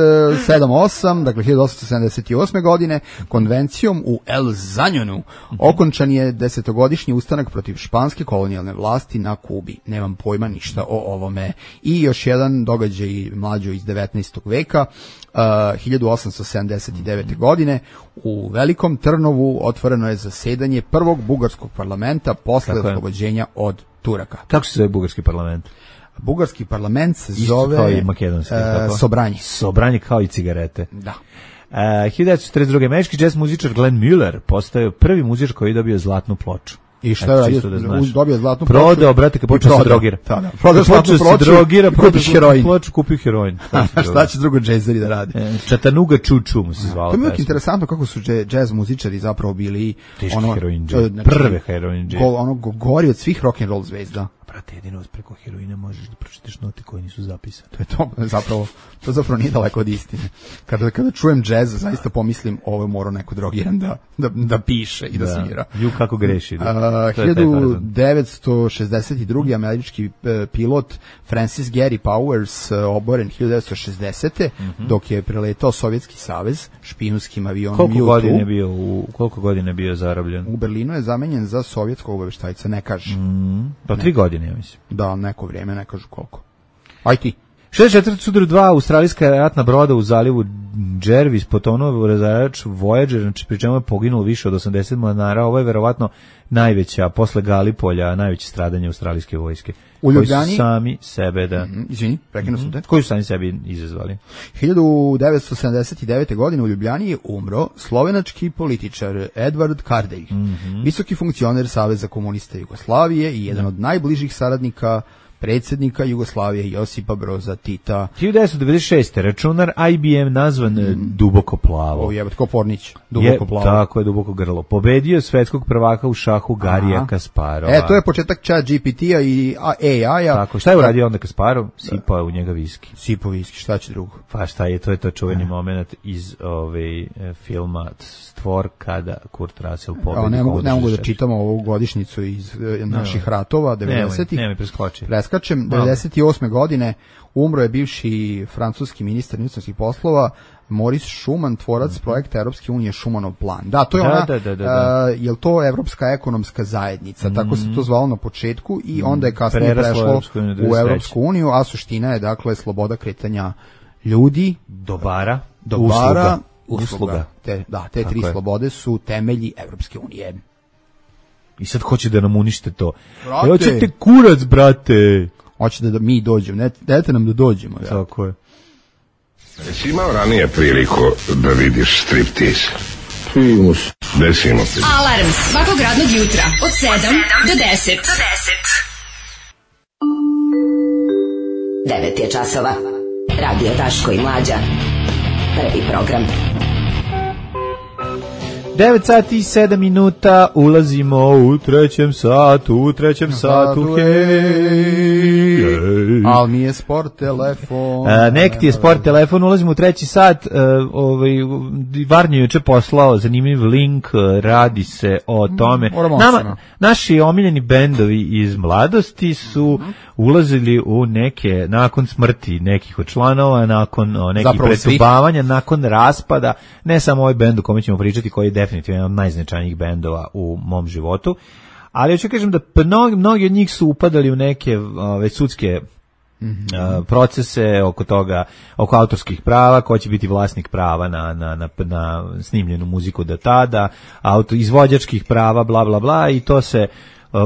sedam osam, dakle hiljadu osamsto sedamdeset osme. godine, konvencijom u El Zanjonu okončan je desetogodišnji ustanak protiv španske kolonijalne vlasti na Kubi. Nemam pojma ništa o ovome. I još jedan događaj mlađo iz devetnaestog veka. Uh, hiljadu osamsto sedamdeset devete. godine u Velikom Trnovu otvoreno je zasedanje prvog bugarskog parlamenta posle oslobođenja od Turaka. Kako se zove bugarski parlament? Bugarski parlament se Isto zove kao i makedonski, uh, Sobranje. Sobranje kao i cigarete. Da. Uh, hiljadu devetsto četrdeset druge. američki jazz muzičar Glenn Miller postao prvi muzičar koji je dobio zlatnu ploču. I šta je radio? Da dobio zlatnu ploču. Prodao, brate, kad počeo se drogira. Da, da. Prodao zlatnu ploču, drogira, kupi heroin. Ploču, kupi heroin. Šta će drugo džezeri da radi? E, Čatanuga Čuču mu se zvalo. To je interesantno kako su džez muzičari zapravo bili teški ono, heroin znači, prve heroin džez. Ono gori od svih rock and roll zvezda. Brate, jedino preko heroina možeš da pročitaš note koje nisu zapisane. To je to, zapravo, to zapravo nije daleko od istine. Kada, kada čujem džez, zaista pomislim, ovo je morao neko drogiran da, da, da piše i da, da svira. Ju kako greši. Da. Uh, hiljadu devetsto šezdeset druge. američki uh, pilot Francis Gary Powers uh, oboren hiljadu devetsto šezdesete. Mm-hmm. dok je preletao Sovjetski savez špijunskim avionom koliko U dva. Godine bio u, koliko godine bio zarobljen? U Berlinu je zamenjen za sovjetskog obaveštajca, ne kaže. Mm, pa tri godine, ja mislim. Da, neko vrijeme, ne kažu koliko. Aj ti. šezdeset četvrte. sudar dva, australijska ratna broda u zalivu Jervis potonuo u razarač Voyager, znači pri čemu je poginulo više od osamdeset mornara. Ovo je verovatno najveća, posle Galipolja, najveće stradanje australijske vojske. U Ljubljani? Koji su sami sebe, da... Mm-hmm, izvini, prekinuo sam te. Koji su sami sebi izazvali? hiljadu devetsto sedamdeset devete. godine u Ljubljani je umro slovenački političar Edvard Kardelj, mm-hmm. visoki funkcioner Saveza komunista Jugoslavije i jedan od najbližih saradnika predsjednika Jugoslavije Josipa Broza Tita. hiljadu devetsto devedeset šeste. računar I B M nazvan mm. duboko plavo. O jebate, ko Pornić, duboko je, plavo. Tako je, duboko grlo. Pobedio svetskog prvaka u šahu Garija Aha. Kasparova. E, to je početak Chat G P T-a i A I-a. Tako, šta je uradio onda Kasparov? Sipao u njega viski. Sipao viski, šta će drugo? Pa šta je, to je to čuveni ne. moment iz ove, e, filma Stvor kada Kurt Russell pobedi. Evo, ne mogu, ne mogu da čitamo ovu godišnicu iz e, naših no. ratova, devedesetih. Nemoj, nemoj preskoči. Preskačem, devedeset osme. godine umro je bivši francuski ministar inostranih poslova Maurice Schuman, tvorac mm-hmm. projekta Evropske unije Schumanov plan. Da, to je da, ona, da, da, da, da. Uh, je li to Evropska ekonomska zajednica, mm-hmm. tako se to zvalo na početku i onda je kasnije Preraslo prešlo u Evropsku uniju, a suština je dakle sloboda kretanja ljudi, dobara, dobara, usluga. usluga. Te, da, te tako tri je. slobode su temelji Evropske unije. I sad hoće da nam unište to. Brate. Hoćete kurac, brate. Hoćete da mi dođemo, ne, dajte nam da dođemo. Ja. Tako je. Jesi imao ranije priliku da vidiš striptiz? Primus. Desimo ti. Alarm svakog radnog jutra od sedam do deset. Do deset. devet je časova. Radio Daško i Mlađa. Prvi program. devet sati i sedam minuta, ulazimo u trećem satu, u trećem satu, hej, hej. Al mi je sport telefon. A, nek ti je sport telefon, ulazimo u treći sat, uh, ovaj, Varnje juče poslao zanimljiv link, radi se o tome. Nama, naši omiljeni bendovi iz mladosti su ulazili u neke, nakon smrti nekih od članova, nakon o, nekih pretubavanja, nakon raspada, ne samo ovaj bend o kome ćemo pričati, koji je definitivno jedan od najznačajnijih bendova u mom životu, ali ja ću kažem da mnogi, mnogi od njih su upadali u neke ove, sudske mm-hmm. a, procese oko toga, oko autorskih prava, ko će biti vlasnik prava na, na, na, na snimljenu muziku do tada, auto, izvođačkih prava, bla, bla, bla, i to se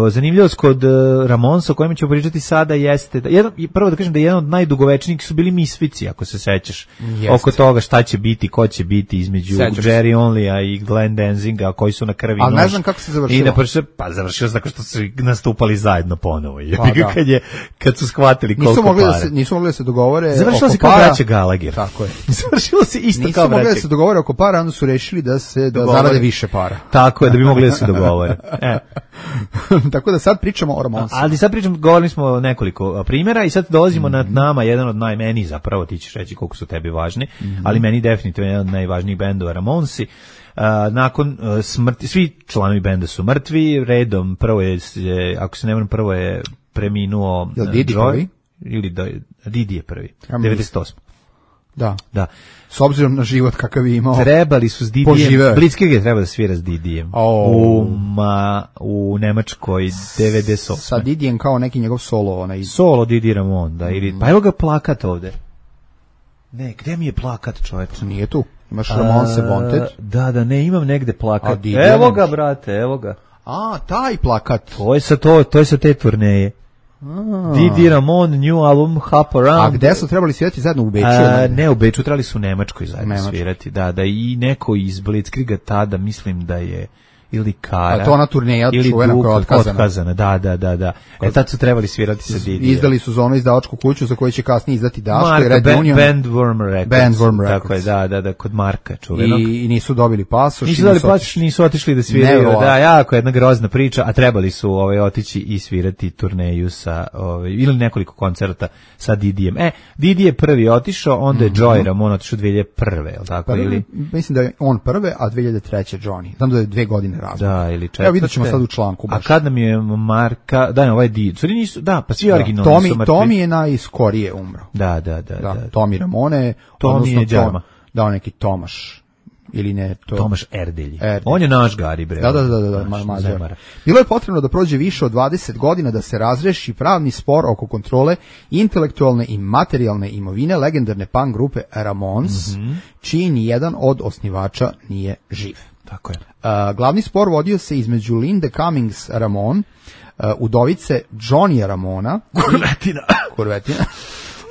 zanimljivost kod Ramonsa o kojem ćemo pričati sada jeste, da, jedan, prvo da kažem da jedan od najdugovečnijih su bili Misfici, ako se sećaš, jeste. Oko toga šta će biti, ko će biti između Sećam Jerry Onlya i Glenn Danzinga, koji su na krvi nož. Ali ne znam kako se završilo. I na prše, pa završilo se tako što su nastupali zajedno ponovo. Pa, da. kad, je, kad su shvatili koliko nisu mogli para. Da se, nisu mogli da se dogovore završilo oko se kao braća Gallagher. Tako je. Završilo se isto nisu kao braća. Nisu mogli da se dogovore oko para, onda su rešili da se da zarade više para. Tako je, da bi mogli da se dogovore. E. Tako da sad pričamo o Ramonsu. Ali sad pričamo, govorili smo o nekoliko primjera i sad dolazimo mm-hmm. na nama, jedan od najmeni zapravo, ti ćeš reći koliko su tebi važni, mm-hmm. ali meni definitivno jedan od najvažnijih bendova Ramonsi. A, nakon a, smrti, svi članovi benda su mrtvi, redom, prvo je, ako se ne varam, prvo je preminuo Jel Didi Joy, prvi? Ili da, Didi je prvi, Ja devedeset osme. Da. Da. S obzirom na život kakav je imao. Trebali su s Didijem, Blitzkrieg je treba da svira s Didijem. Oh. U, ma, u Nemačkoj devedeset osme. Sa Didijem kao neki njegov solo. Onaj... Solo Didi Ramon, da, ili, pa evo ga plakat ovde. Ne, gde mi je plakat, čoveče? Nije tu. Imaš Ramonse Wanted. Da, da, ne, imam negde plakat. Didi, Evo nemaš. ga, brate, evo ga. A, taj plakat. To je sa to, to je sa te turneje. Didi Ramon, new album, Hop Around. A gde su trebali svirati zajedno u Beču? A, ne, u Beču, trebali su u Nemačkoj zajedno Nemačkoj. svirati. Da, da, i neko iz Blitzkriega tada, mislim da je ili Kara. A to ona turneja ili čuvena koja je Duka, otkazana. otkazana. Da, da, da, da. E, tad su trebali svirati sa Didijem. Izdali su za ono izdavačku kuću za koju će kasnije izdati Daško i Marka, Red Band, Union. Bandworm Records. Bandworm Tako je, Records. da, da, da, kod Marka čuvenog. I, I nisu dobili pasoš. Nisu i dali nisu pasoš, nisu otišli da sviraju. Nevjerovatno. Da, jako jedna grozna priča, a trebali su ovaj otići i svirati turneju sa ovaj ili nekoliko koncerta sa Didijem. E, Didi je prvi otišao, onda je Mhm. Joey Ramone otišao dve hiljade prve, el tako Prve, ili mislim da je on prve, a dve hiljade treće Johnny. Znam da je dve godine razlika. da, ili četvrte. Evo vidjet ćemo sad u članku. A Baš. kad nam je Marka, da, ne, ovaj Didi, sorry, nisu, da, pa svi originalni Tomi, su mrtvi. Tomi je najskorije umro. Da, da, da, Da, da. Tomi Ramone. Tomi odnosno je Đarma. Tom- Da, on neki Tomaš. Ili ne, to... Tomaš Erdelji. Erdelji. On je naš Gari, bre. Da, da, da, da, da, Naš ma- Zemara. Mađar. Bilo je potrebno da prođe više od dvadeset godina da se razreši pravni spor oko kontrole intelektualne i materijalne imovine legendarne punk grupe Ramones, Mhm. čiji ni jedan od osnivača nije živ. Tako je. Uh, glavni spor vodio se između Linde Cummings Ramon, uh, udovice Johnny Ramona, Kurvetina. Kurvetina,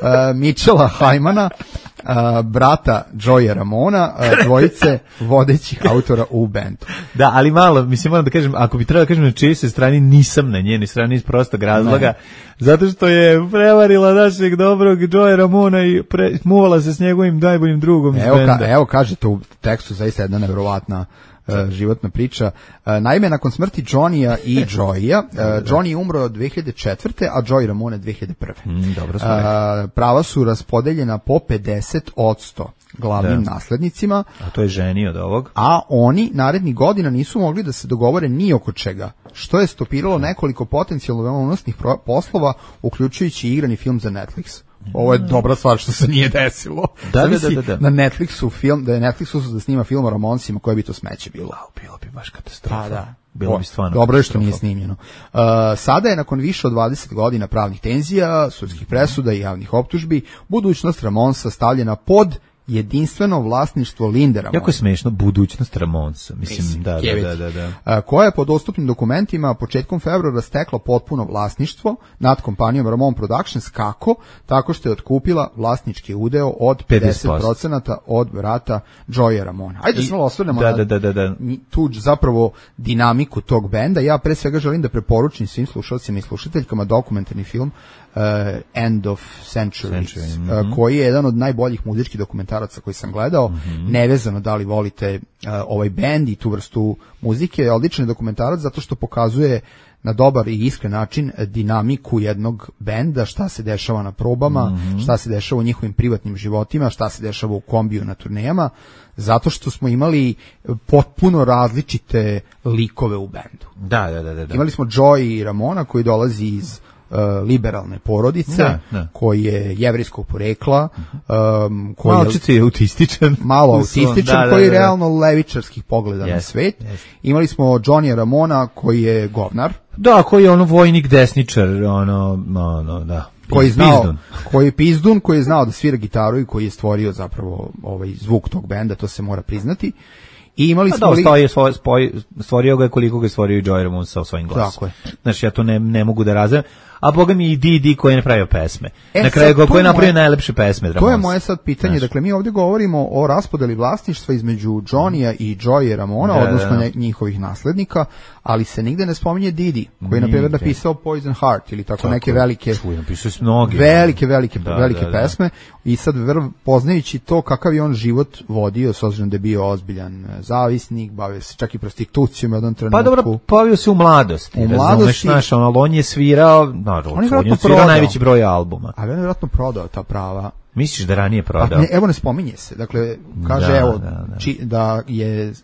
uh, Mitchella Hajmana, uh, brata Joya Ramona, uh, dvojice vodećih autora u bendu. Da, ali malo, mislim, moram da kažem, ako bi trebalo da kažem na čijoj se strani, nisam na njenoj strani iz prostog razloga, Ne. zato što je prevarila našeg dobrog Joey Ramona i pre, muvala se s njegovim najboljim drugom iz Evo, benda. ka, evo kažete u tekstu zaista jedna nevjerovatna uh, životna priča. Uh, naime, nakon smrti Johnny-a i Joya, uh, Johnny je umro dve hiljade četvrte. a Joey Ramone dve hiljade prve. Mm, dobro smo Uh, prava su raspodeljena po pedeset odsto glavnim Da. naslednicima, A to je ženi od ovog. a oni narednih godina nisu mogli da se dogovore ni oko čega, što je stopiralo nekoliko potencijalno veoma unosnih pro- poslova, uključujući i igrani film za Netflix. Ovo je dobra stvar što se nije desilo. Da, da, Zamisli da, da, da. Na Netflixu film, da je Netflixu da snima film o Ramonesima, koje bi to smeće bilo. Bilo bi baš katastrofa. Pa da. Bilo bi stvarno Dobro je što katastrofa. nije snimljeno. Uh, sada je nakon više od dvadeset godina pravnih tenzija, sudskih presuda i javnih optužbi, budućnost Ramonesa stavljena pod jedinstveno vlasništvo Linde Ramone. Jako je smešno, budućnost Ramonesa. Mislim, Mislim, da, da, jebiti. da, da, da. A, koja je po dostupnim dokumentima početkom februara stekla potpuno vlasništvo nad kompanijom Ramon Productions. Kako? Tako što je otkupila vlasnički udeo od pedeset posto od brata Joya Ramona. Ajde da se malo osvrnemo Da, na da, da, da, da. tu zapravo dinamiku tog benda. Ja pre svega želim da preporučim svim slušalcima i slušateljkama dokumentarni film uh, End of Centuries, Century, mhm. uh, koji je jedan od najboljih muzičkih dokumentaraca koji sam gledao, Mhm. nevezano da li volite uh, ovaj bend i tu vrstu muzike. Odličan je dokumentarac zato što pokazuje na dobar i iskren način dinamiku jednog benda, šta se dešava na probama, Mhm. šta se dešava u njihovim privatnim životima, šta se dešava u kombiju na turnejama, zato što smo imali potpuno različite likove u bendu. Da, da, da, da, da. Imali smo Joey Ramona koji dolazi iz uh, liberalne porodice, Da, da. koji je jevrejskog porekla, um, koji je Malčice je autističan. malo U svom- autističan, da, da, koji je da, da. realno levičarskih pogleda na Yes, svet. yes. Imali smo Johnny Ramona koji je govnar, Da, koji je ono vojnik desničar, ono, ono, da. koji je znao, Pizdun. koji je pizdun, koji je znao da svira gitaru i koji je stvorio zapravo ovaj zvuk tog benda, to se mora priznati. I imali A smo da, li... stoji, svoj, spoj, stvorio ga je koliko ga je stvorio i Joey Ramone sa svojim glasom. Tako je. Znači, ja to ne, ne mogu da razumem. A boga mi i Didi koji je napravio pesme. E, Na kraju sad, go, to koji je je napravio moje- najlepše pesme. To je Ramonesa. moje sad pitanje. Znaš. Dakle, mi ovdje govorimo o raspodeli vlasništva između Johnny-a i Joey Ramona, Da, odnosno da, da. ne- njihovih naslednika, ali se nigde ne spominje Didi, koji je, na primjer, Nigde. napisao Poison Heart ili tako, Tako neke je. velike... Čuj, napisao si mnoge. Velike, velike, Da, velike da, da. pesme i sad vrv, poznajući to kakav je on život vodio, s obzirom da je bio ozbiljan e, zavisnik, bavio se čak i prostitucijom u jednom trenutku. Pa dobro, povio se u mladosti. U razumeš, mladosti- znaš, ono, ali on je svirao, naravno, On on je je vjerojatno svirao prodao. najveći broj albuma. Ali on je vjerojatno prodao ta prava Misliš da ranije prodao? Pa ne, evo ne spominje se. Dakle, kaže Da, evo da, da. Či, da je uh,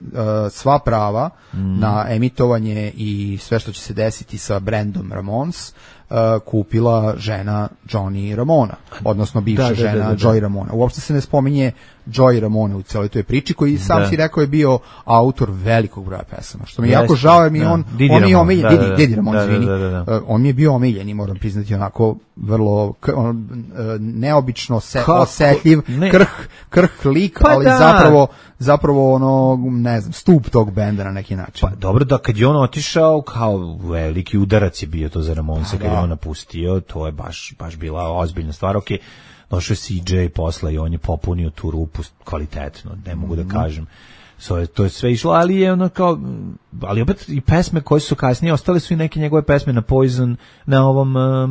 sva prava Mm. na emitovanje i sve što će se desiti sa brendom Ramones uh, kupila žena Johnny Ramona, odnosno bivša Da, da, žena da, da, da. Joy Ramona. Uopšte se ne spominje Joy Ramona u celoj toj priči, koji sam Da. si rekao je bio autor velikog broja pesama. Što mi je Jeste, jako žao, jer mi da. on, Didi on mi je Ramon, omiljen, da, Didi, da, da. Didi Ramon, Da, da, izvini. da, da, da. Uh, on mi je bio omiljen i moram priznati onako vrlo k- on, uh, neobično se, Kako? osetljiv, Ne. krh, krh lik, Pa ali da. zapravo zapravo ono, ne znam, stup tog benda na neki način. Pa dobro, da kad je on otišao, kao veliki udarac je bio to za Ramonse, kad je on napustio, to je baš, baš bila ozbiljna stvar. Ok, došao je C J posle i on je popunio tu rupu kvalitetno, ne mogu da kažem. So, to je sve išlo, ali je ono kao, ali opet i pesme koje su kasnije, ostale su i neke njegove pesme na Poison, na ovom um,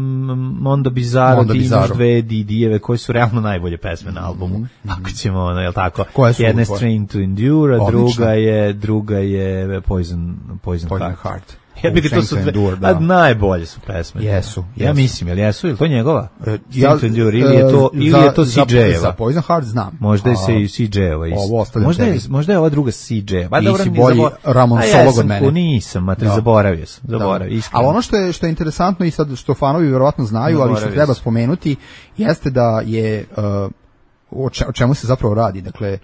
Mondo Bizarro, Mondo ti imaš Bizarro. dve Didijeve koje su realno najbolje pesme na albumu, ako ćemo, ono, jel tako? Koje su Jedna je tvoje? Strain to Endure, a Odlično. druga je, druga je Poison, Poison, Poison Heart. Heart. Ja bih to su Strength dve, to Endure, da. a najbolje su pesme. Jesu, Ja jesu. mislim, jel jesu, ili to njegova? E, Strength to Endure, ili je to, e, ili za- je to za- C J-eva? Za Poison Heart znam. Možda je A, se i C J-eva isto. ovo ostavljam Možda je, tebi. možda je ova druga C J-eva. Pa Ti dobro, si ni bolji zabor- Ramon A ja Solog sam od mene. ko nisam, matri, Da. zaboravio sam, Da. zaboravio, iskreno. Ali ono što je što je interesantno i sad što fanovi vjerovatno znaju, ali što Zaboravio treba sam. spomenuti, jeste da je uh, o, če- o čemu se zapravo radi. Dakle,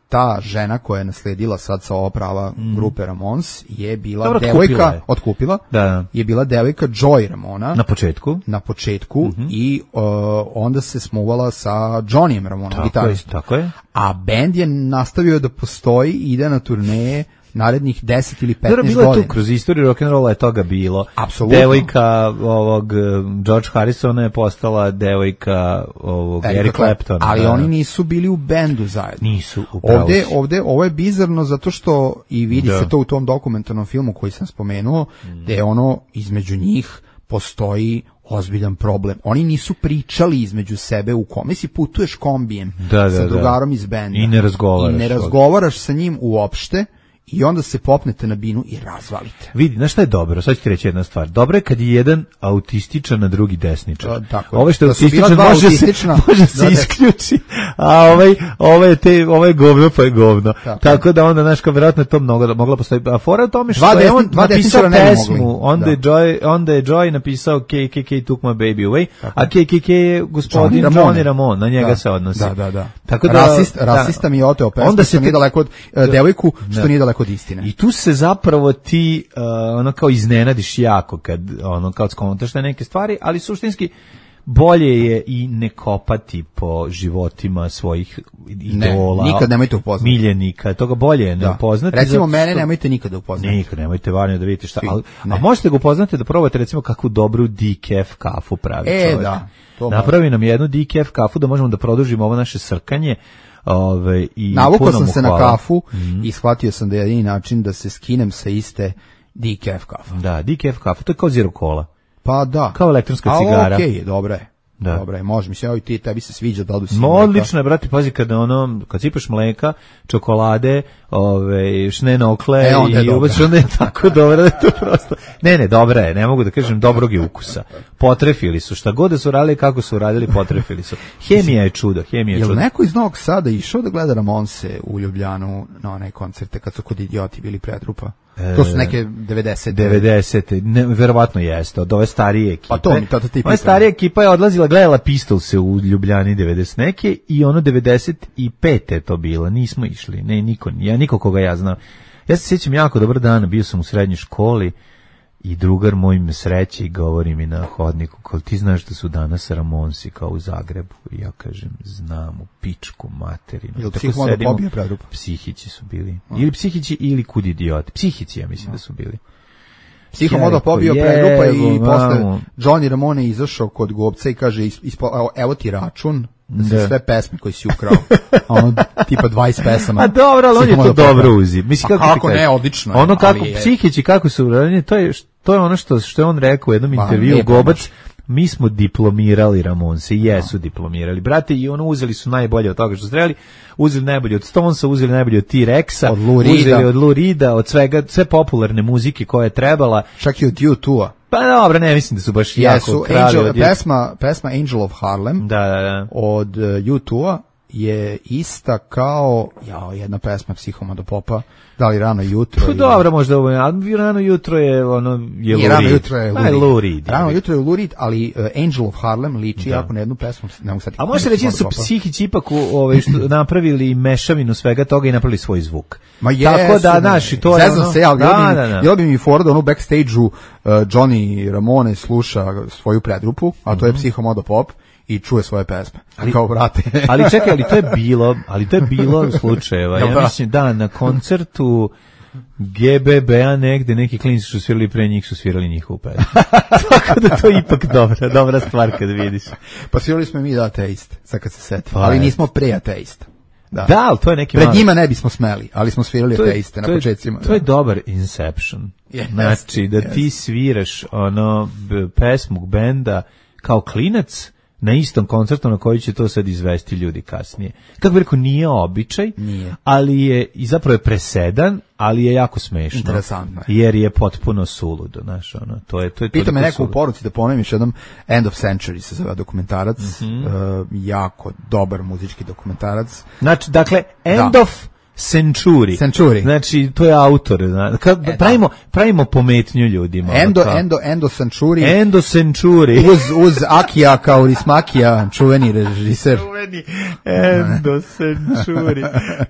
ta žena koja je nasledila sad sa ova prava grupe Ramones je bila Dobro, otkupila devojka, je. otkupila, Da. je bila devojka Joy Ramona Na početku. na početku i uh, onda se smuvala sa Johnnyem Ramonom, Tako je, gitaristom. tako je. A bend je nastavio da postoji i ide na turneje narednih deset ili Dobro, petnaest bilo je tu godina. kroz istoriju rock'n'rolla je toga bilo. Apsolutno. Devojka ovog eh, George Harrisona je postala devojka ovog Erika Eric Claptona. Ali da. oni nisu bili u bendu zajedno. Nisu, upravo Ovde, si. ovde, ovo je bizarno zato što i vidi Da. se to u tom dokumentarnom filmu koji sam spomenuo, da je ono između njih postoji ozbiljan problem. Oni nisu pričali između sebe u kom. Mislim, putuješ kombijem Da, da, sa da. drugarom iz benda. I ne razgovaraš. I ne razgovaraš sa njim uopšte i onda se popnete na binu i razvalite. Vidi, znaš šta je dobro? Sad ću ti reći jedna stvar. Dobro je kad je jedan autističan, a drugi desničar. Da, tako je. Ovo što je Da su bila autističan dva može se, autistična, može se da, da. isključi, a ovaj, ovaj, je te, ovaj je govno pa je govno. Tako. Tako da onda, znaš, kao vjerojatno je to mnogo, mogla postoji. A fora je u tome što Dva je desni- on dva napisao desničara ne bi pesmu, mogli. onda, Da. je Joy, onda je Joy napisao K K K took my baby away, a K K K je gospodin Johnny Johnny Ramone. Ramone, na njega Da. se odnosi. Da, da, da. Tako da, Rasist, da. rasista mi je oteo pesmu, Onda onda se što nije te- daleko od e, devojku, što Da. nije daleko od istine. I tu se zapravo ti uh, ono kao iznenadiš jako kad ono kao skontaš te neke stvari, ali suštinski bolje je i ne kopati po životima svojih idola. Ne, nikad nemojte upoznati. Miljenika, toga bolje je ne Da. upoznati. Recimo, zato mene što- nemojte nikada upoznati. Nikad nemojte varno da vidite šta. Svi. Ali, Ne. a možete ga upoznati da probate recimo kakvu dobru decaf kafu pravi E, čovjek. da, to Napravi nam jednu decaf kafu da možemo da produžimo ovo naše srkanje. Ove, i Navukao puno sam mu se na hvala. kafu i shvatio sam da je jedini način da se skinem sa iste decaf kafa. Da, decaf kafa, to je kao zero cola. Pa da. Kao elektronska Ali cigara. okej, dobro je. Da. Dobro je, može. Mislim, evo i ti, tebi se sviđa da odu si No, mleka. odlično je, brate, pazi, kada ono, kad sipaš mleka, čokolade, ove, šnenokle E, onda je i dobra. ubaciš, onda je tako dobro da je to prosto... Ne, ne, dobra je, ne mogu da kažem dobrog je ukusa. Potrefili su, šta god da su radili, kako su radili, potrefili su. Hemija je čudo, hemija je Jel čudo. neko iz Novog Sada išao da gleda Ramonse u Ljubljanu na one koncerte kad su kod Idioti bili predrupa? To su neke devedesete. devedesete Ne, verovatno jeste, od ove starije ekipe. Pa to mi to ti Ova pitam. starija ekipa je odlazila, gledala Pistolse u Ljubljani devedeset neke i ono devedeset pete je to bilo, nismo išli, ne, niko, ja niko koga ja znam. Ja se sjećam jako dobar dan, bio sam u srednjoj školi i drugar moj me sreće i govori mi na hodniku, kao ti znaš da su danas Ramonsi kao u Zagrebu? I ja kažem, znam, u pičku materinu. Jel Tako psihomodopobija sedimo- predrupa? Psihići su bili. Ili psihići ili kud idioti. Psihići, ja mislim da su bili. Psihomodo pobio Je, predrupa i jebo, posle mamu. Johnny Ramone je izašao kod Gobca i kaže is- ispo, evo, evo ti račun za Da. sve pesme koje si ukrao. A ono tipa dvadeset pesama. A dobro, ali on je to Psihomodo dobro pobio. uzi. Mislim, A kako, ti kako kažem? ne, odlično je, Ono kako ali je- psihići, kako su uradili, to je, to je ono što, što je on rekao u jednom Ma, intervju, lijepo Gobac, mi smo diplomirali Ramonse, i jesu diplomirali, brate, i ono uzeli su najbolje od toga što su trebali, uzeli najbolje od Stonesa, uzeli najbolje od T-Rexa, od Lou Reeda. uzeli od Lou Reeda, od svega, sve popularne muzike koje je trebala. Čak i od U dva. Pa dobro, ne mislim da su baš Jesu, jako krali. Angel, od... pesma, pesma Angel of Harlem da, da, da. od uh, U dva je ista kao jao, jedna pesma Psihomodopopa, da li rano jutro. Pa dobro, možda ovo, ali rano jutro je ono je I rano jutro je Lou Reed. Rano jutro je Lou Reed, ali uh, Angel of Harlem liči da. jako na jednu pesmu. Ne mogu sad. A možete reći da su psihići ipak ovaj, što napravili mešavinu svega toga i napravili svoj zvuk. Ma jesu, tako da, znaš, i to je ono... se, ali da, da, da. Jel bi mi Ford, ono u backstage-u uh, Johnny Ramone sluša svoju predgrupu, a to je mm-hmm. Psihomodopop, i čuje svoje pesme. Ali, kao brate. ali čekaj, ali to je bilo, ali to je bilo slučajeva. Ja mislim da na koncertu G B B-a negde neki klinci su svirali pre njih, su svirali njihovu pesmu. Tako da to je ipak dobra, dobra stvar kad vidiš. Pa svirali smo mi da ateist, sad kad se setim. Pa ali nismo pre ateista. Da, da, ali to je neki pred mali... njima ne bismo smeli, ali smo svirali ateiste na početcima. To je dobar Inception. Yes, znači, da yes. ti sviraš ono b- pesmu benda kao klinac na istom koncertu na koji će to sad izvesti ljudi kasnije. Kako bih rekao, nije običaj, nije. ali je, i zapravo je presedan, ali je jako smešno. Interesantno je. Jer je potpuno suludo, znaš, ono, to je, to je Pita me neko suludo. u poruci da ponovim još jednom, End of Century se zove dokumentarac, mm-hmm. uh, jako dobar muzički dokumentarac. Znači, dakle, End da. of Century. Century. Znači, to je autor. Znači, kad e, pravimo, pravimo pometnju ljudima. Endo, endo, endo Century. Endo Century. Uz, uz Akija Kaurismakija, čuveni režiser. Čuveni Endo Century.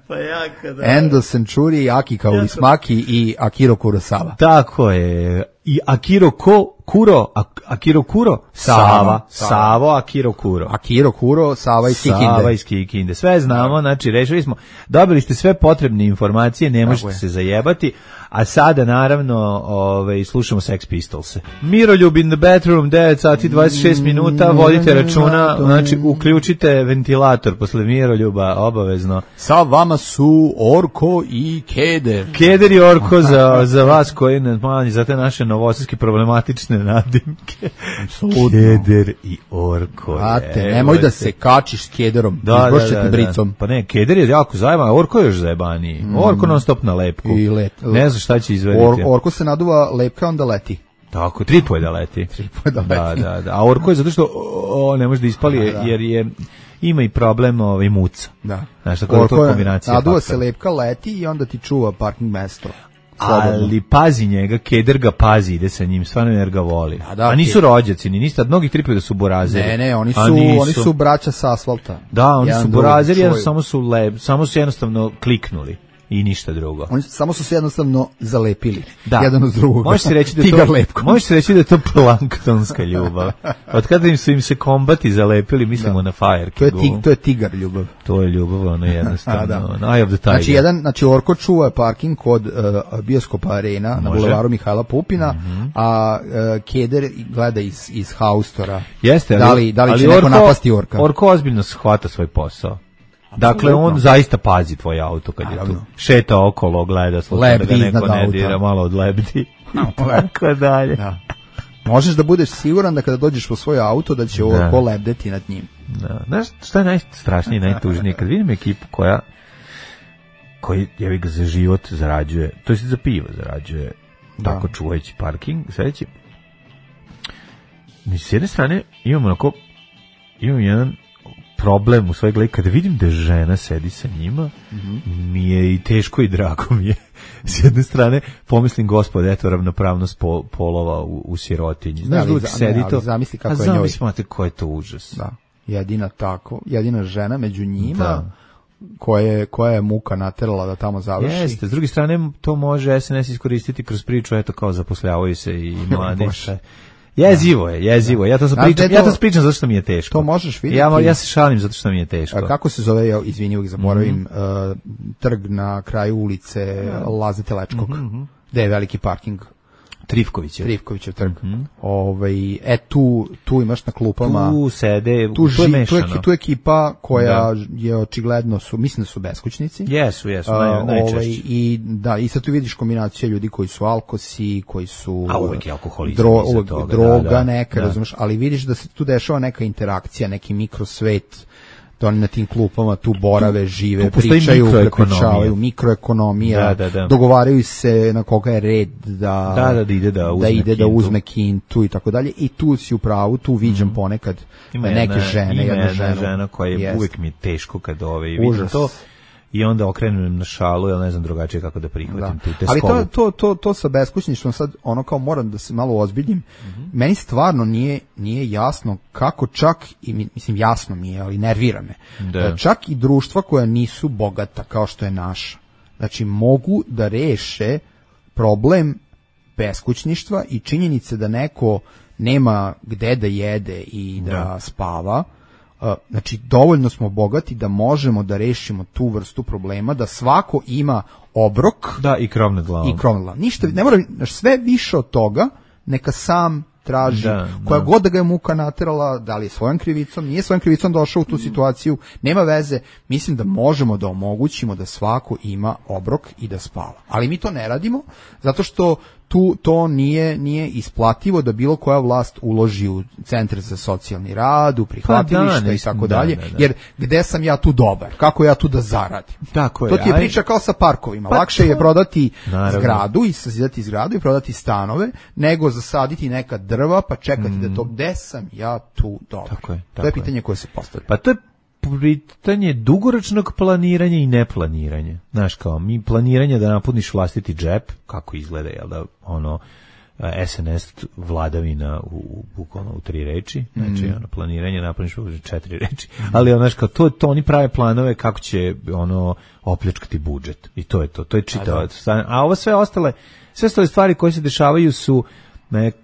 Pa jaka da. Endo Century, Aki Kaurismaki i Akiro Kurosawa. Tako je. I Akiro Ko, Kuro, Akiro Kuro, Sava, Sava, Savo, Akiro Kuro. Akiro Kuro, Sava iz Kikinde. Sava iz Kikinde. Sve znamo, znači rešili smo, dobili ste sve potrebne informacije, ne možete se zajebati, a sada naravno ovaj, slušamo Sex Pistolse. Miroljub in the bathroom, devet sati dvadeset šest minuta, vodite računa, znači uključite ventilator posle Miroljuba, obavezno. Sa vama su Orko i Keder. Keder i Orko za, za vas koji ne manji, za te naše novosadske problematične nadimke. Keder i Orko. Ate, nemoj da se kačiš s Kederom, da, izbošćete da, da, bricom. Pa ne, Keder je jako zajeban, a Orko je još zajebaniji. Mm. Orko non stop na lepku. I let, ne znam šta će izvediti. Or, orko se naduva lepka, onda leti. Tako, tripo je da leti. Tripo je da leti. Da, da, da. A Orko je zato što o, ne može da ispali, da, da. jer je ima i problem ovaj muca. Da. Znaš, tako da to kombinacija. Naduva se lepka, leti i onda ti čuva parking mesto. Slobodno. Ali pazi njega, Keder ga pazi, ide sa njim, stvarno jer ga voli. Da, da, a nisu rođaci, ni ništa, mnogi tripaju da su burazeri. Ne, ne, oni su, oni su braća sa asfalta. Da, oni jedan su burazeri, jedan samo su lep, samo su jednostavno kliknuli. I ništa drugo. Oni samo su se jednostavno zalepili. Da. Jedan uz drugog. Možeš se reći da je to, možeš se reći da je to planktonska ljubav. Od kada im su im se kombati zalepili, mislimo da. na Fire to je, tig, to je tigar ljubav. To je ljubav, ono jednostavno. da. Eye of the tiger. Znači, jedan, znači Orko čuva parking kod uh, bioskopa Arena Može. na bulevaru Mihajla Pupina, mm-hmm. a uh, Keder gleda iz, iz haustora. Jeste, ali, da li, da li ali će Orko, neko napasti Orka? Orko ozbiljno shvata svoj posao. Dakle, on zaista pazi tvoj auto kad je tu. Šeta okolo, gleda, sluša da ga neko ne dira, malo odlebdi. Tako dalje. Da. Možeš da budeš siguran da kada dođeš po svoj auto da će Orko lebdeti nad njim. Da. Znaš šta je najstrašnije i najtužnije? Kad vidim ekipu koja koji jevi ga za život zarađuje, to je za pivo zarađuje, da. tako čuvajući parking, sledeći. S jedne strane imamo onako, imam jedan problem u svojoj glavi, kada vidim da žena sedi sa njima, mm-hmm. mi je i teško i drago mi je. S jedne strane, pomislim, gospod, eto, ravnopravnost po, polova u, u sirotinji. Znaš, da, uvijek sedi to. Zamisli kako a je njoj. Zamislite ko je to užas. Da, jedina tako, jedina žena među njima, da. Koje, koja je muka naterala da tamo završi. Jeste, s druge strane, to može S N S iskoristiti kroz priču, eto, kao zaposljavaju se i mladi. Jezivo je, jezivo. Da. Ja to pričam, to, ja to pričam zato što mi je teško. To možeš vidjeti. Ja, ja se šalim zato što mi je teško. A kako se zove, ja izvini, uvijek zaboravim, mm-hmm. uh, trg na kraju ulice mm-hmm. Laze Telečkog, mm-hmm. gde je veliki parking. Trifkovićev. Trifkovićev trg. Mm-hmm. Ovaj, e, tu, tu imaš na klupama... Tu sede, tu, tu je ži, mešano. Tu je, tu je ekipa koja da. je očigledno, su, mislim da su beskućnici. Jesu, jesu, naj, najčešće. Ovaj, i, da, i sad tu vidiš kombinaciju ljudi koji su alkosi, koji su... A uvek je alkoholizam dro, uvek, toga, droga da, da, neka, da. razumeš, ali vidiš da se tu dešava neka interakcija, neki mikrosvet, da oni na tim klupama tu borave, žive, tu pričaju, prepričavaju, mikroekonomija, da, da, da. dogovaraju se na koga je red da, da, da, da ide da uzme, da, ide kintu. da uzme kintu i tako dalje. I tu si u pravu, tu viđam mm. ponekad ima neke jedna, žene, ima jedna, jedna žena, žena koja je jest. uvijek mi je teško kad ove vidim to. I onda okrenem na šalu, ja ne znam drugačije kako da prihvatim tu teskovu. Ali to, to, to, to sa beskućništvom, sad ono kao moram da se malo ozbiljim, mm-hmm. meni stvarno nije, nije jasno kako čak, i mislim jasno mi je, ali nervira me, da. čak i društva koja nisu bogata kao što je naša, znači mogu da reše problem beskućništva i činjenice da neko nema gde da jede i da, da. spava. Uh, znači dovoljno smo bogati da možemo da rešimo tu vrstu problema, da svako ima obrok, da, i krov nad glavom. I krov nad glavom. Ništa, ne mora, sve više od toga neka sam traži, da, koja da. god da ga je muka naterala, da li je svojom krivicom, nije svojom krivicom došao u tu situaciju, nema veze, mislim da možemo da omogućimo da svako ima obrok i da spava. Ali mi to ne radimo, zato što tu to nije nije isplativo da bilo koja vlast uloži u centre za socijalni rad, u prihvatilišta pa da, i tako da, dalje, da, da. Jer gde sam ja tu dobar, kako ja tu da zaradim. Tako je. To ti je aj... priča kao sa parkovima, pa lakše to... je prodati Naravno. zgradu i sazidati zgradu i prodati stanove, nego zasaditi neka drva pa čekati mm. da to, gde sam ja tu dobar. Tako je, tako to je pitanje koje se postavlja. Pa to je pitanje dugoročnog planiranja i neplaniranja. Znaš, kao mi planiranje da napuniš vlastiti džep, kako izgleda, jel da, ono, S N S vladavina u bukvalno u tri reči, znači mm. ono planiranje napuniš u četiri reči, mm. ali ono, znaš, kao to, to oni prave planove kako će ono opljačkati budžet i to je to, to je čitava. A, a ovo sve ostale, sve ostale stvari koje se dešavaju su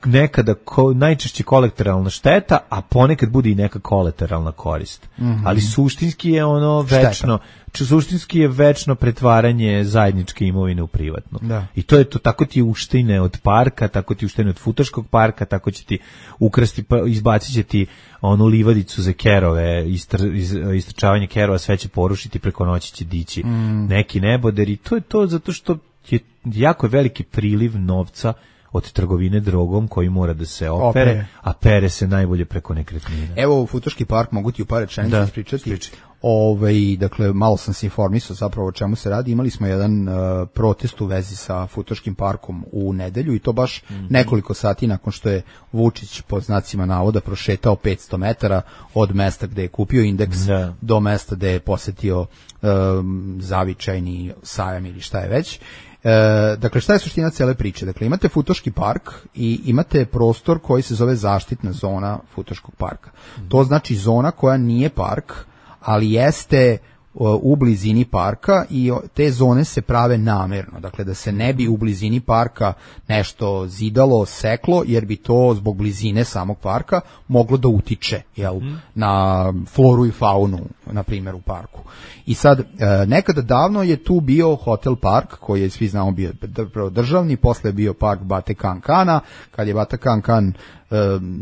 nekada ko, najčešće kolateralna šteta, a ponekad bude i neka kolateralna korist. Mm-hmm. Ali suštinski je ono večno, šteta. Suštinski je večno pretvaranje zajedničke imovine u privatno. Da. I to je to, tako ti uštine od parka, tako ti uštine od futaškog parka, tako će ti ukrasti, pa izbacit će ti onu livadicu za kerove, istr, iz, istrčavanje kerova, sve će porušiti, preko noći će dići mm. neki neboder i to je to zato što je jako veliki priliv novca od trgovine drogom koji mora da se opere, opere, a pere se najbolje preko nekretnina. Evo, u Futoški park mogu ti u par rečenica ispričati. Ovaj, dakle, malo sam se informisao zapravo o čemu se radi. Imali smo jedan uh, protest u vezi sa Futoškim parkom u nedelju i to baš mm-hmm. nekoliko sati nakon što je Vučić pod znacima navoda prošetao petsto metara od mesta gde je kupio indeks da. do mesta gde je posetio um, zavičajni sajam ili šta je već. E, dakle, šta je suština cele priče? Dakle, imate Futoški park i imate prostor koji se zove zaštitna zona Futoškog parka. Mm. To znači zona koja nije park, ali jeste u blizini parka i te zone se prave namerno, dakle da se ne bi u blizini parka nešto zidalo, seklo, jer bi to zbog blizine samog parka moglo da utiče jel, mm. na floru i faunu, na primjer u parku. I sad, nekada davno je tu bio Hotel Park, koji je svi znamo bio državni, posle je bio park Bate Kankana, kad je Bata Kankan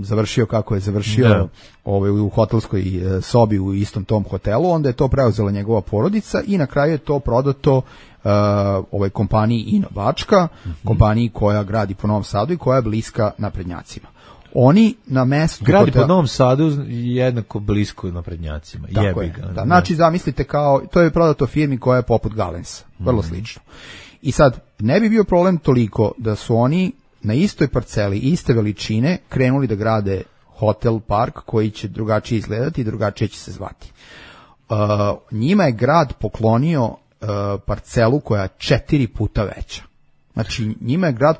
završio kako je završio da. ovaj, u hotelskoj sobi u istom tom hotelu, onda je to preuzela njegova porodica i na kraju je to prodato uh, ovoj kompaniji Ino Bačka, mm-hmm. kompaniji koja gradi po Novom Sadu i koja je bliska naprednjacima. Oni na mestu gradi hotela, po Novom Sadu jednako blisko naprednjacima. Tako je, da. Znači zamislite kao, to je prodato firmi koja je poput Galensa, vrlo mm-hmm. slično. I sad, ne bi bio problem toliko da su oni na istoj parceli, iste veličine, krenuli da grade hotel park koji će drugačije izgledati i drugačije će se zvati. Uh, njima je grad poklonio uh, parcelu koja je četiri puta veća. Znači, njima je grad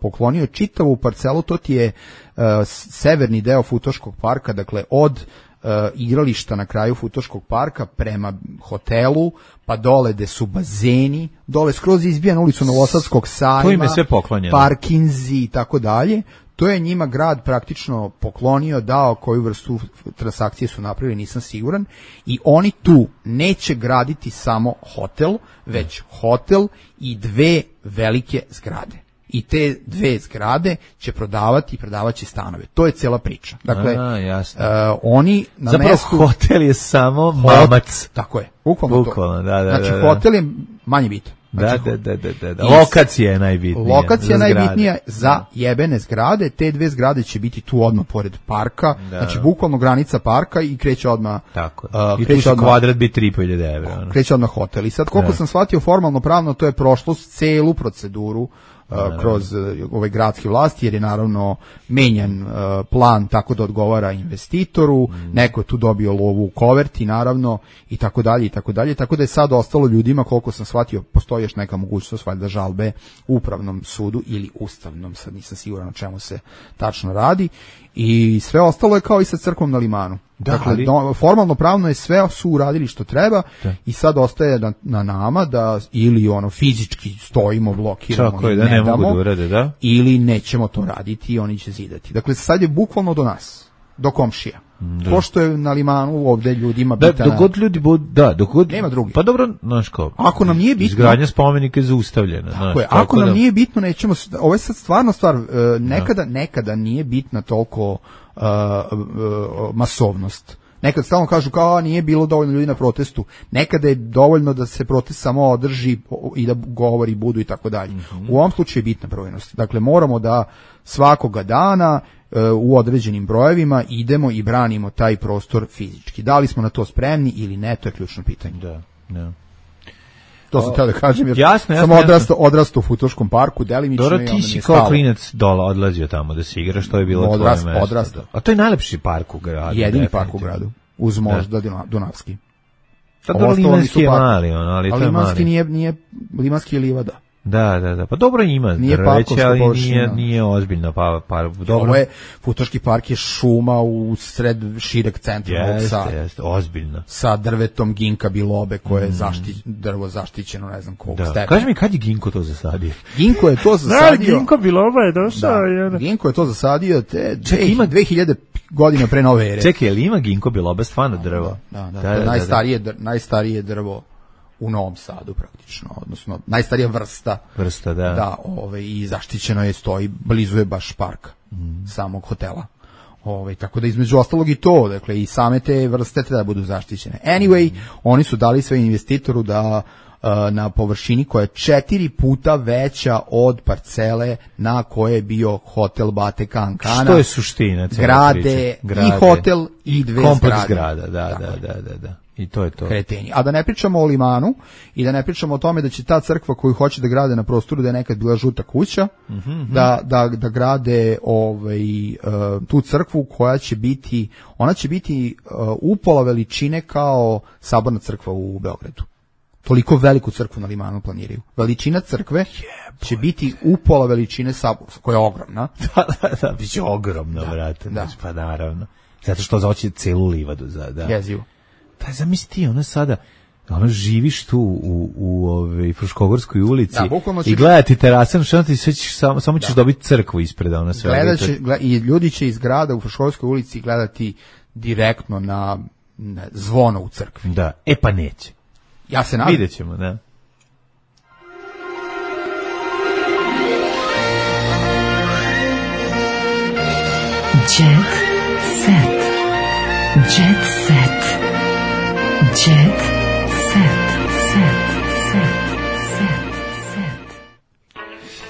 poklonio čitavu parcelu, to ti je uh, severni deo Futoškog parka, dakle od Uh, igrališta na kraju Futoškog parka prema hotelu, pa dole gde su bazeni, dole skroz izbija na ulicu Novosadskog sajma, to im je sve poklonjeno, parkinzi i tako dalje. To je njima grad praktično poklonio, dao, koju vrstu transakcije su napravili, nisam siguran, i oni tu neće graditi samo hotel, već hotel i dve velike zgrade. i te dve zgrade će prodavati i prodavaće stanove. To je cijela priča. Dakle, A, jasno. Uh, oni na Zapravo mestu... hotel je samo mamac. Tako je, bukvalno, bukvalno to. Da, da, znači, da, da. hotel je manje bitan. Znači, da, da, da, da, da. Lokacija je najbitnija. Lokacija je najbitnija za da. jebene zgrade. Te dve zgrade će biti tu odmah pored parka. Da. Znači, bukvalno granica parka i kreće odmah... Tako uh, I tu će odmah, kvadrat biti tri hiljade evra. Ono. Kreće odmah hotel. I sad, koliko da. sam shvatio formalno pravno, to je prošlo celu proceduru Uh, kroz uh, ove gradske vlasti, jer je naravno menjan uh, plan tako da odgovara investitoru, mm. neko je tu dobio lovu u koverti naravno i tako dalje i tako dalje, tako da je sad ostalo ljudima, koliko sam shvatio, postoji još neka mogućnost valjda žalbe u upravnom sudu ili ustavnom, sad nisam siguran o čemu se tačno radi, i sve ostalo je kao i sa crkvom na Limanu. Da, dakle, ali... do, formalno pravno je sve su uradili što treba da. I sad ostaje na, na nama da ili ono fizički stojimo, blokiramo Čako i da ne, ne damo, mogu da urade, da? Ili nećemo to raditi i oni će zidati. Dakle, sad je bukvalno do nas, do komšija. Da. Ko što je na Limanu ovde ljudima da, bitana... Dok god ljudi budu, da, dok god... Nema drugi. Pa dobro, znaš kao... Ako nam nije bitno... Izgradnja spomenika je zaustavljena. Tako znaš, je, ako nam da... nije bitno, nećemo... Ovo je sad stvarno stvar, nekada, nekada nije bitna toliko uh, uh, masovnost. Nekad stalno kažu kao nije bilo dovoljno ljudi na protestu. Nekada je dovoljno da se protest samo održi i da govori budu i tako dalje. U ovom slučaju je bitna brojnost. Dakle, moramo da svakoga dana uh, u određenim brojevima idemo i branimo taj prostor fizički. Da li smo na to spremni ili ne, to je ključno pitanje. Da, da. To sam htio da kažem, jer jasno, jasno, sam odrastao, odrastao u Futoškom parku, delimično. Dobro, ti si kao klinac dola odlazio tamo da se igraš, to je bilo Odrast, tvoje mesto. Odrastao. A to je najlepši park u gradu. Jedini park u gradu, uz možda da. Dunavski. Pa dobro, Limanski je mali, ono, ali to je Limanski mali. Nije, nije, Limanski je livada. Da, da, da. Pa dobro ima drveće, ali nije, nije ozbiljno. Pa, pa, dobro. Ovo je, Futoški park je šuma u sred šireg centra Novog Sada. Jeste, jeste, ozbiljno. Sa drvetom ginka bilobe koje je mm. zašti, drvo zaštićeno, ne znam koliko stepena. Kaži mi, kad je ginko to zasadio? Ginko je to zasadio. Da, ginko biloba je došao. Da, ginko je to zasadio te Čekaj, ima dve hiljade godina pre nove ere. Čekaj, je li ima ginko biloba stvarno drvo? Da, da, da, da, da, najstarije, da, da. najstarije drvo u Novom Sadu praktično, odnosno najstarija vrsta. Vrsta, da. Da, ovaj, i zaštićeno je, stoji, blizu je baš parka, mm. samog hotela. Ovaj, tako da između ostalog i to, dakle, i same te vrste treba da budu zaštićene. Anyway, mm. oni su dali sve investitoru da uh, na površini koja je četiri puta veća od parcele na koje je bio hotel Bate Kankana. Što je suština cijela grade, grade, i hotel i dve kompleks zgrade. Kompleks zgrada, da, da, da, da, da. I to je to. Kreteni. A da ne pričamo o Limanu i da ne pričamo o tome da će ta crkva koju hoće da grade na prostoru da je nekad bila žuta kuća, mm-hmm. da, da, da grade ovaj, uh, tu crkvu koja će biti, ona će biti uh, upola veličine kao saborna crkva u Beogradu. Toliko veliku crkvu na Limanu planiraju. Veličina crkve yeah, će biti upola veličine sabora, koja je ogromna. Da, da, da, biće ogromno, da, brate. Da. Pa naravno. Zato što zaoće celu livadu. Za, da. Jezivo. Pa zamisli ti, ona sada, ona živiš tu u, u ove, Fruškogorskoj ulici da, i gledati terasan šant i sve ćeš, samo, samo ćeš da. dobiti crkvu ispred ona sve. Gledat će, gled, i ljudi će iz grada u Fruškogorskoj ulici gledati direktno na, na zvono u crkvi. Da, e pa neće. Ja se nadam. Vidjet ćemo, da. Jet set. Jet set. Jet set. Set. Set. Set.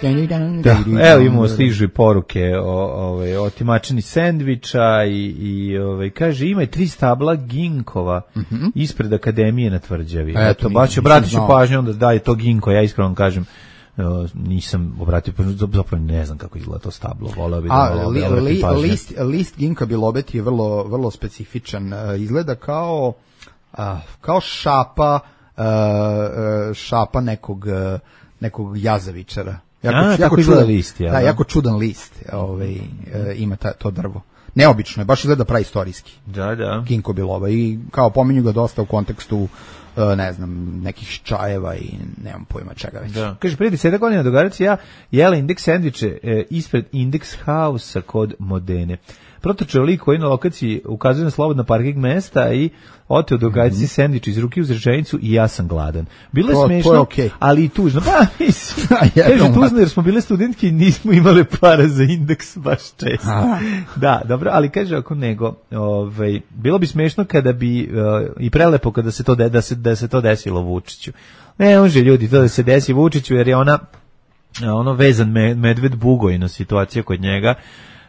Set. Da, evo imamo stižu i poruke o, ove, o timačini sendviča i, i ove, kaže ima tri stabla ginkova mm-hmm. ispred akademije na Tvrđavi. E, Eto, baš obratit ću pažnju onda da je to ginko, ja iskreno kažem Uh, nisam obratio pažnju, zapravo ne znam kako izgleda to stablo. Voleo bi da A, li, li, list, list ginka bilobeti je vrlo, vrlo specifičan. Uh, izgleda kao, uh, kao šapa, uh, šapa nekog, uh, nekog jazavičara. Jako, A, jako čudan list, ja, da, jako čudan list ovaj, uh, ima ta, to drvo. Neobično je, baš izgleda praistorijski. Da, da. Ginko biloba i kao pominju ga dosta u kontekstu ne znam, nekih čajeva i nemam pojma čega već. Da. Kaže, prije desetak godina dogaraci ja jela Index sendviče e, ispred Index House-a kod Modene. Protočeo lik koji na lokaciji ukazuje na slobodna parking mesta i oteo dogajci mm-hmm. sendvič iz ruke uz rečenicu i ja sam gladan. Bilo je to, smešno, to je okay. ali i tužno. Pa, mislim, kaže tužno jer smo bile studentke i nismo imale para za Indeks baš često. A. Da, dobro, ali kaže ako nego, ovaj, bilo bi smešno kada bi, uh, i prelepo kada se to, de, da, se, da se to desilo Vučiću. Ne može ljudi to da se desi Vučiću jer je ona ono vezan me, medved bugojna situacija kod njega.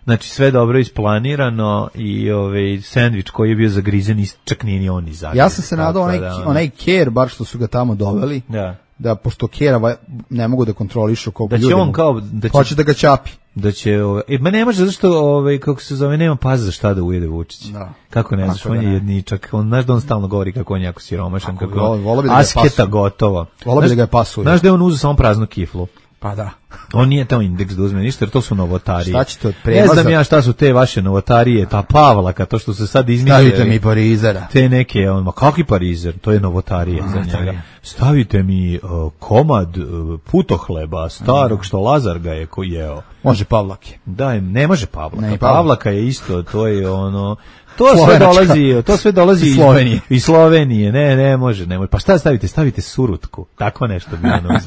Znači sve dobro isplanirano i ovaj sendvič koji je bio zagrizen čak nije ni on izašao. Ja sam se nadao onaj, da, onaj care bar što su ga tamo doveli. Da. Da pošto kera ne mogu da kontrolišu koliko ljudi. Da će on kao da će, hoće da ga čapi. Da će ovaj e ma ne može zašto ovaj kako se zove nema paza za šta da ujede Vučić. Da. Kako ne znaš, on je jedničak, on znaš da on stalno govori kako on je jako siromašan, kako volo bi da asketa gotova. Volio bi da ga pasuje. Znaš da je on uzeo samo praznu kiflu. Pa da. On nije tamo Indeks da uzme ništa, jer to su novotarije. Šta ćete od premaza? Ne znam ja šta su te vaše novotarije, ta Pavlaka, to što se sad izmišljaju. Stavite mi parizera. Te neke, on, ma kakvi parizer, to je novotarije A, za njega. Stavite mi uh, komad uh, putohleba, starog, A. što Lazar ga je ko jeo. Može Pavlake. Da, ne može Pavlaka. Ne, Pavlaka je isto, to je ono... To sve dolazi, to sve dolazi iz Slovenije. Iz Slovenije. Ne, ne može, ne može. Pa šta stavite? Stavite surutku. Tako nešto bi ono.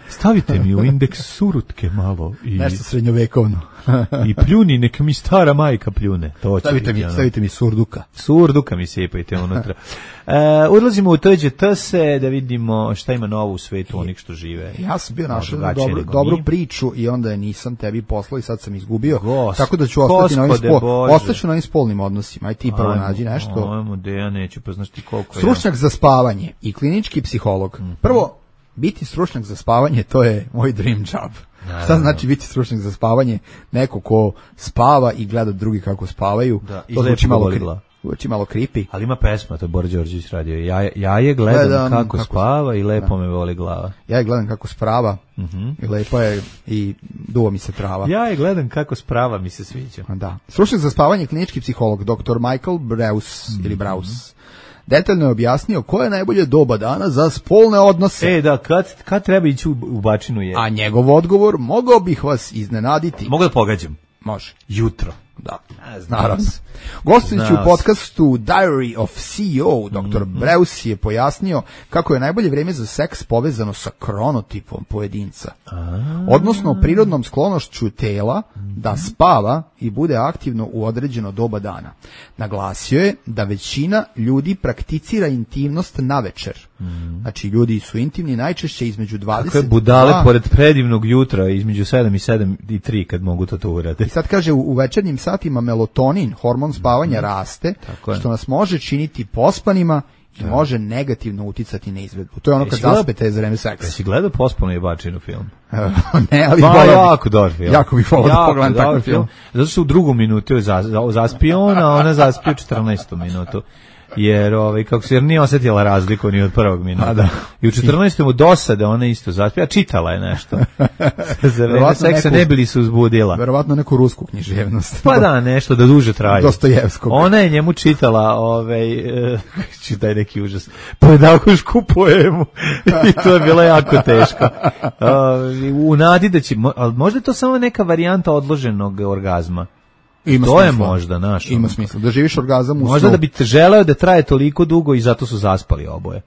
Stavite mi u Indeks surutke malo i nešto srednjovekovno. I pljuni, neka mi stara majka pljune. To stavite mi, ono. stavite mi surduka. Surduka mi sipajte unutra. E, odlazimo u T Đ T se da vidimo šta ima novo u svetu onih što žive. Ja sam bio našao dobru, dobru priču i onda je nisam tebi poslao i sad sam izgubio. Gost, tako da ću ostati na ovim, spol, ostaću na ovim spolnim odnosima. Aj ti prvo nađi nešto. Ajmo, da ja neću, pa znaš ti koliko je. Stručnjak za spavanje i klinički psiholog. Mm-hmm. Prvo, biti stručnjak za spavanje, to je moj dream job. Naravno. Šta znači biti stručnjak za spavanje? Neko ko spava i gleda drugi kako spavaju. Da, to zvuči malo, zvuči malo creepy. Ali ima pesma, to je Bora Đorđević radio. Ja, ja je gledam, gledam kako, kako spava i lepo da. me voli glava. Ja je gledam kako sprava uh-huh. i lepo je i duva mi se trava. Ja je gledam kako sprava mi se sviđa. Da. Stručnjak za spavanje, klinički psiholog, doktor Michael Braus mm-hmm. ili Braus. Detaljno je objasnio koje je najbolje doba dana za spolne odnose. E, da, kad, kad treba ići u, u bačinu je? A njegov odgovor, mogao bih vas iznenaditi. Mogu da pogađam? Može. Jutro. Da, naravno. Gostujući u podcastu Diary of C E O, doktor Mm-hmm. Braus je pojasnio kako je najbolje vrijeme za seks povezano sa kronotipom pojedinca. A-a. Odnosno prirodnom sklonošću tela da spava i bude aktivno u određeno doba dana. Naglasio je da većina ljudi prakticira intimnost navečer. Mm. Znači, ljudi su intimni najčešće između dvadeset... Kako je budale pored predivnog jutra, između sedam i sedam i tri kad mogu to to urade. I sad kaže, u, u večernjim satima melatonin, hormon spavanja, raste, što nas može činiti pospanima i da. može negativno uticati na izvedbu. To je ono kad zaspete za vreme seksa. Jesi gledao Pospanu jebačinu film? Ne, ali pa, jako dobar film. Jako bih volao da pogledam takav film. Zato što u drugom minutu je zaspio on, a ona zaspio u četrnaestu minutu. Jer ovaj kako se jer nije osjetila razliku ni od prvog minuta. Da. I u četrnaestom mu dosade ona isto zaspija, čitala je nešto. Za vreme seksa ne bili se uzbudila. Verovatno neku rusku književnost. Pa da, nešto da duže traje. Dostojevskog. Ona je njemu čitala ovaj uh, čitaj neki užas. Pedagošku poemu. I to je bilo jako teško. Uh, u nadi da će, al možda je to samo neka varijanta odloženog orgazma. Ima to smisla. je možda naš. Ima smisla. Da živiš orgazam u možda snu. Da bi te želeo da traje toliko dugo i zato su zaspali oboje.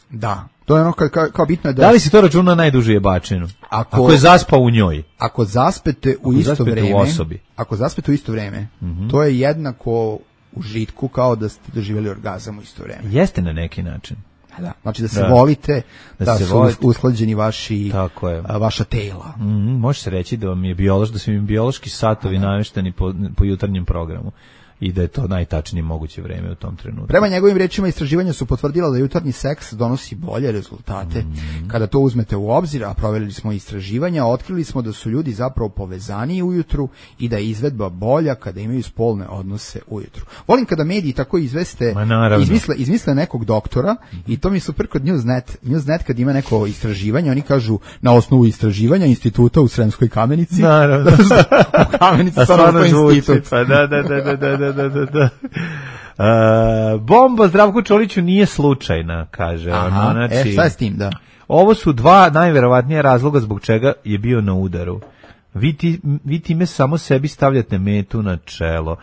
Da. To je ono kao, kao, kao bitno je da... Da li si to računa najduže jebačinu? Ako, ako je zaspao u njoj. Ako zaspete u ako isto zaspete vreme... U osobi. Ako zaspete u isto vreme, mm-hmm. to je jednako užitku kao da ste doživjeli orgazam u isto vreme. Jeste na neki način. Da, znači da se da. volite, da, da se su volite. usklađeni vaši, tako je. A, vaša tela. Mm, može se reći da vam je biološ, da su im biološki satovi da. namešteni po, po jutarnjem programu i da je to najtačnije moguće vreme u tom trenutku. Prema njegovim rečima istraživanja su potvrdila da jutarnji seks donosi bolje rezultate. Mm. Kada to uzmete u obzir, a provjerili smo istraživanja, otkrili smo da su ljudi zapravo povezaniji ujutru i da je izvedba bolja kada imaju spolne odnose ujutru. Volim kada mediji tako izveste, izmisle, izmisle nekog doktora i to mi je super kod Newsnet. Newsnet kad ima neko istraživanje, oni kažu na osnovu istraživanja instituta u Sremskoj Kamenici. Naravno. U Kamenici stvarno institut. Pa da, da, da, da, da. Da, da, da. bomba Zdravku Čoliću nije slučajna, kaže. Aha, ono, znači, e, šta je s tim, da? Ovo su dva najverovatnije razloga zbog čega je bio na udaru. Vi, ti, vi time samo sebi stavljate metu na čelo.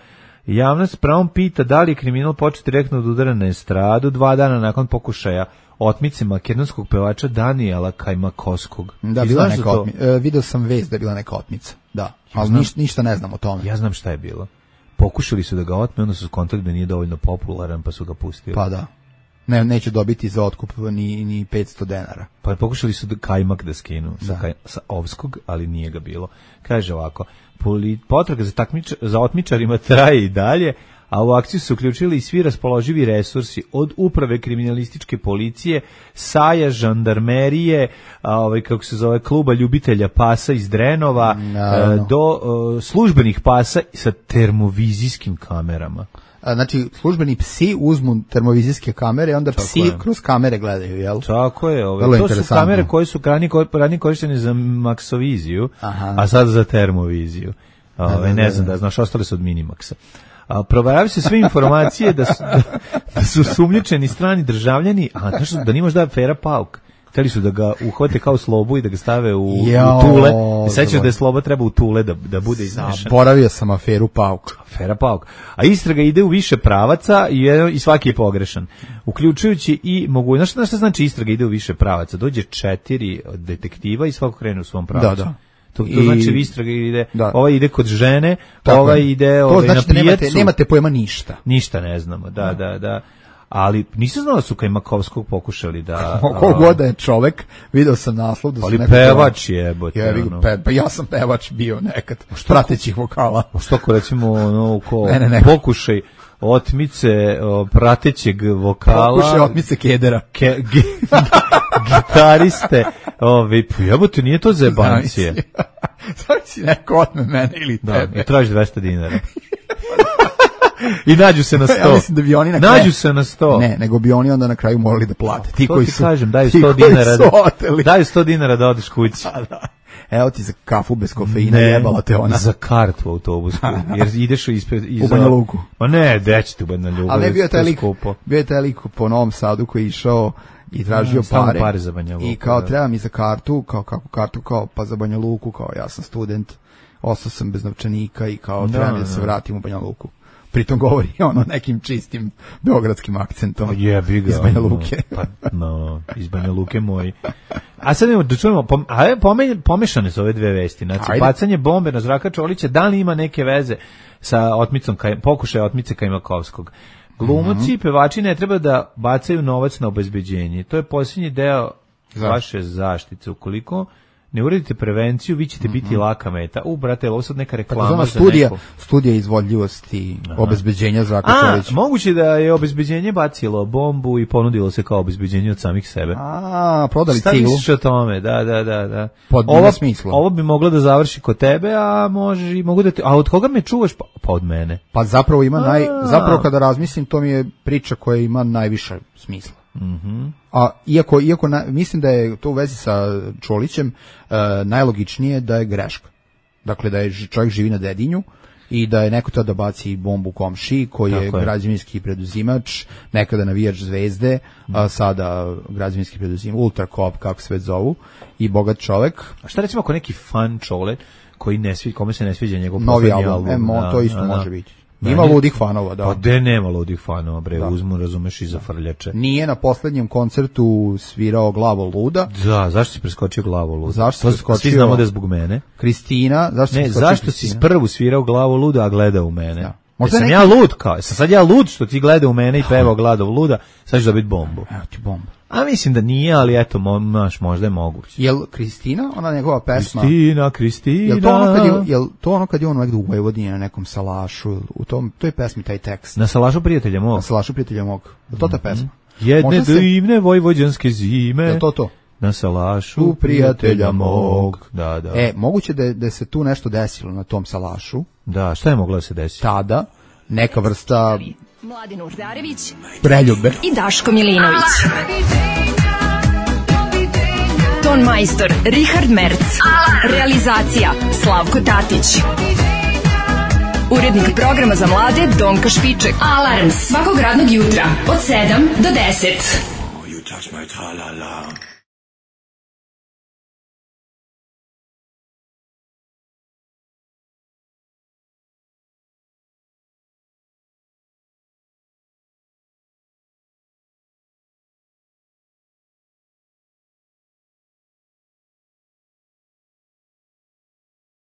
Javnost s pravom pita da li je kriminal počeo direktno od udara na estradu dva dana nakon pokušaja otmice makedonskog pevača Danijela Kajmakovskog. Da, bila neka otmica. E, video sam vest da je bila neka otmica. Da, ja ali znam, ništa, ništa ne znam o tome. Ja znam šta je bilo. Pokušali su da ga otme, onda su skontali da nije dovoljno popularan, pa su ga pustili. Pa da. Ne, neće dobiti za otkup ni, ni petsto denara. Pa pokušali su da Kajmak da skinu sa, kaj, sa Ovskog, ali nije ga bilo. Kaže ovako, potraga za, takmič, za otmičarima traje i dalje, a u akciju su uključili i svi raspoloživi resursi od uprave kriminalističke policije, saja, žandarmerije, a, ovaj, kako se zove, kluba ljubitelja pasa iz Drenova, a, do a, službenih pasa sa termovizijskim kamerama. Znači, službeni psi uzmu termovizijske kamere, onda tako psi je. Kroz kamere gledaju, jel? Tako je. Ove. To su kamere koje su ranije korištene za maksoviziju, aha, a sad za termoviziju. Ove, da, da, ne znam da, znaš, ostale su od Minimaxa. A proveravaju se sve informacije da su, da, da su sumnjičeni strani državljani, a znaš da nimaš da je afera Pauk. Hteli su da ga uhvate kao Slobu i da ga stave u, Jao, u Tule. Sećaš da je Sloba treba u Tule da, da bude iznešen. Zaboravio sam aferu Pauk. Afera Pauk. A istraga ide u više pravaca i, i svaki je pogrešan. Uključujući i mogu... Znaš, znaš šta znači istraga ide u više pravaca? Dođe četiri detektiva i svako krene u svom pravcu. Da, da. To, to I, znači istraga ide, da. Ovaj ide kod žene, ovaj ide ovaj, to znači na pijacu. Nemate, nemate pojma ništa. Ništa ne znamo, da, da, da. da. Ali nisam znao da su Kajmakovskog pokušali da... Koliko da je čovek, video sam naslov da su ali pevač je, bote. Ja, ono. pe, pa ja sam pevač bio nekad, pratećih vokala. Što ko recimo, ono, ko ne, ne, ne. pokušaj otmice o, pratećeg vokala... Pokušaj otmice kedera. Ke, ge, gitariste, ovi, jebote, nije to zebancije. Znači si neko otme mene ili da, tebe. I traži dvesta dinara. I nađu se na sto. Ja mislim da bi oni na kraju... Nađu se na sto. Ne, nego bi oni onda na kraju morali da plate. Ti to koji ti su, kažem, daju sto dinara. Da, daju sto dinara da odeš kući. Da, da. Evo ti za kafu bez kofeina, jebala te ona. Za kartu u autobusku, jer ideš ispred... Iza... U Banja Luku. Ma ne, dećete u Banja Luku. Ali bio je taj lik, bio je taj lik po Novom Sadu koji je išao i tražio no, pare. pare za Banja Luku. I kao da. Treba mi za kartu, kao kako kartu, kao pa za Banja Luku, kao ja sam student, ostao sam bez novčanika i kao da, treba mi da se vratim u Banja Luku. Pritom govori ono nekim čistim beogradskim akcentom. Jebi ga. Iz Banja Luke. Pa, no, iz Banja Luke moj. A sad imamo da čujemo, pom, a pomešane su ove dve vesti. Znači, bacanje bombe na Zdravka Čolića, da li ima neke veze sa otmicom, kaj, pokušaja otmice Kajmakovskog? Glumci i mm-hmm. pevači ne treba da bacaju novac na obezbeđenje. To je posljednji deo Zašto? vaše zaštite. Ukoliko ne uredite prevenciju, vi ćete biti mm-hmm. laka meta. U, brate, ovo sad neka reklama za studija, neku. Studija izvodljivosti Aha. obezbeđenja Zdravka Čolića. A, moguće da je obezbeđenje bacilo bombu i ponudilo se kao obezbeđenje od samih sebe. A, prodali Šta ciglu. Šta misliš o tome? Da, da, da. da. Pod ovo, smislu. Ovo bi moglo da završi kod tebe, a može, mogu da te, a od koga me čuvaš? Pa, pa od mene. Pa zapravo ima naj, zapravo kada razmislim, to mi je priča koja ima najviše smisla. Mhm. A iako iako na, mislim da je to u vezi sa Čolićem uh, najlogičnije da je greška. Dakle da je čovjek živi na Dedinju i da je neko tada baci bombu komšiji koji je, je građevinski preduzimač, nekada navijač Zvezde, mm. a sada građevinski preduzimač, Ultrakop kako se već zovu, i bogat čovjek. A šta recimo ako neki fan Čole koji ne svi, kome se ne sviđa njegov novi album, album, e, mo, da, to isto da, može biti. Ima ludih fanova, da. Pa de nema ludih fanova, bre, da. Uzmu, razumeš, i za frljače. Nije na poslednjem koncertu svirao Glavo luda. Da, zašto si preskočio Glavo luda? Zašto si preskočio? Svi znamo da je zbog mene. Kristina, zašto si ne, preskočio zašto Kristina? si prvu svirao Glavo luda, a gleda u mene? Da. Možda sam neki... ja lud, kao, sam sad ja lud što ti gleda u mene i pevao Glavo luda, sad ćeš dobiti bombu. Evo ti bombu. A mislim da nije, ali eto, mo, maš, možda je moguće. Jel Kristina, ona njegova pesma? Kristina, Kristina. Jel to ono kad je, jel to ono kad je on negde u Vojvodini na nekom salašu, u tom, to je pesmi, taj tekst. Na salašu prijatelja mog. Na salašu prijatelja mog. Je to ta pesma? Mm-hmm. Jedne se... divne vojvođanske zime. Je to to? Na salašu prijatelja mog. Da, da. E, moguće da, da se tu nešto desilo na tom salašu. Da, šta je moglo da se desiti? Tada, neka vrsta... Mladin Urdarević, preljube i Daško Milinović. Ton majstor Richard Merc. Realizacija Slavko Tatić. Urednik programa za mlade Donka Špiček. Alarms svakog radnog jutra od sedam do deset. You touch my tra-la-la.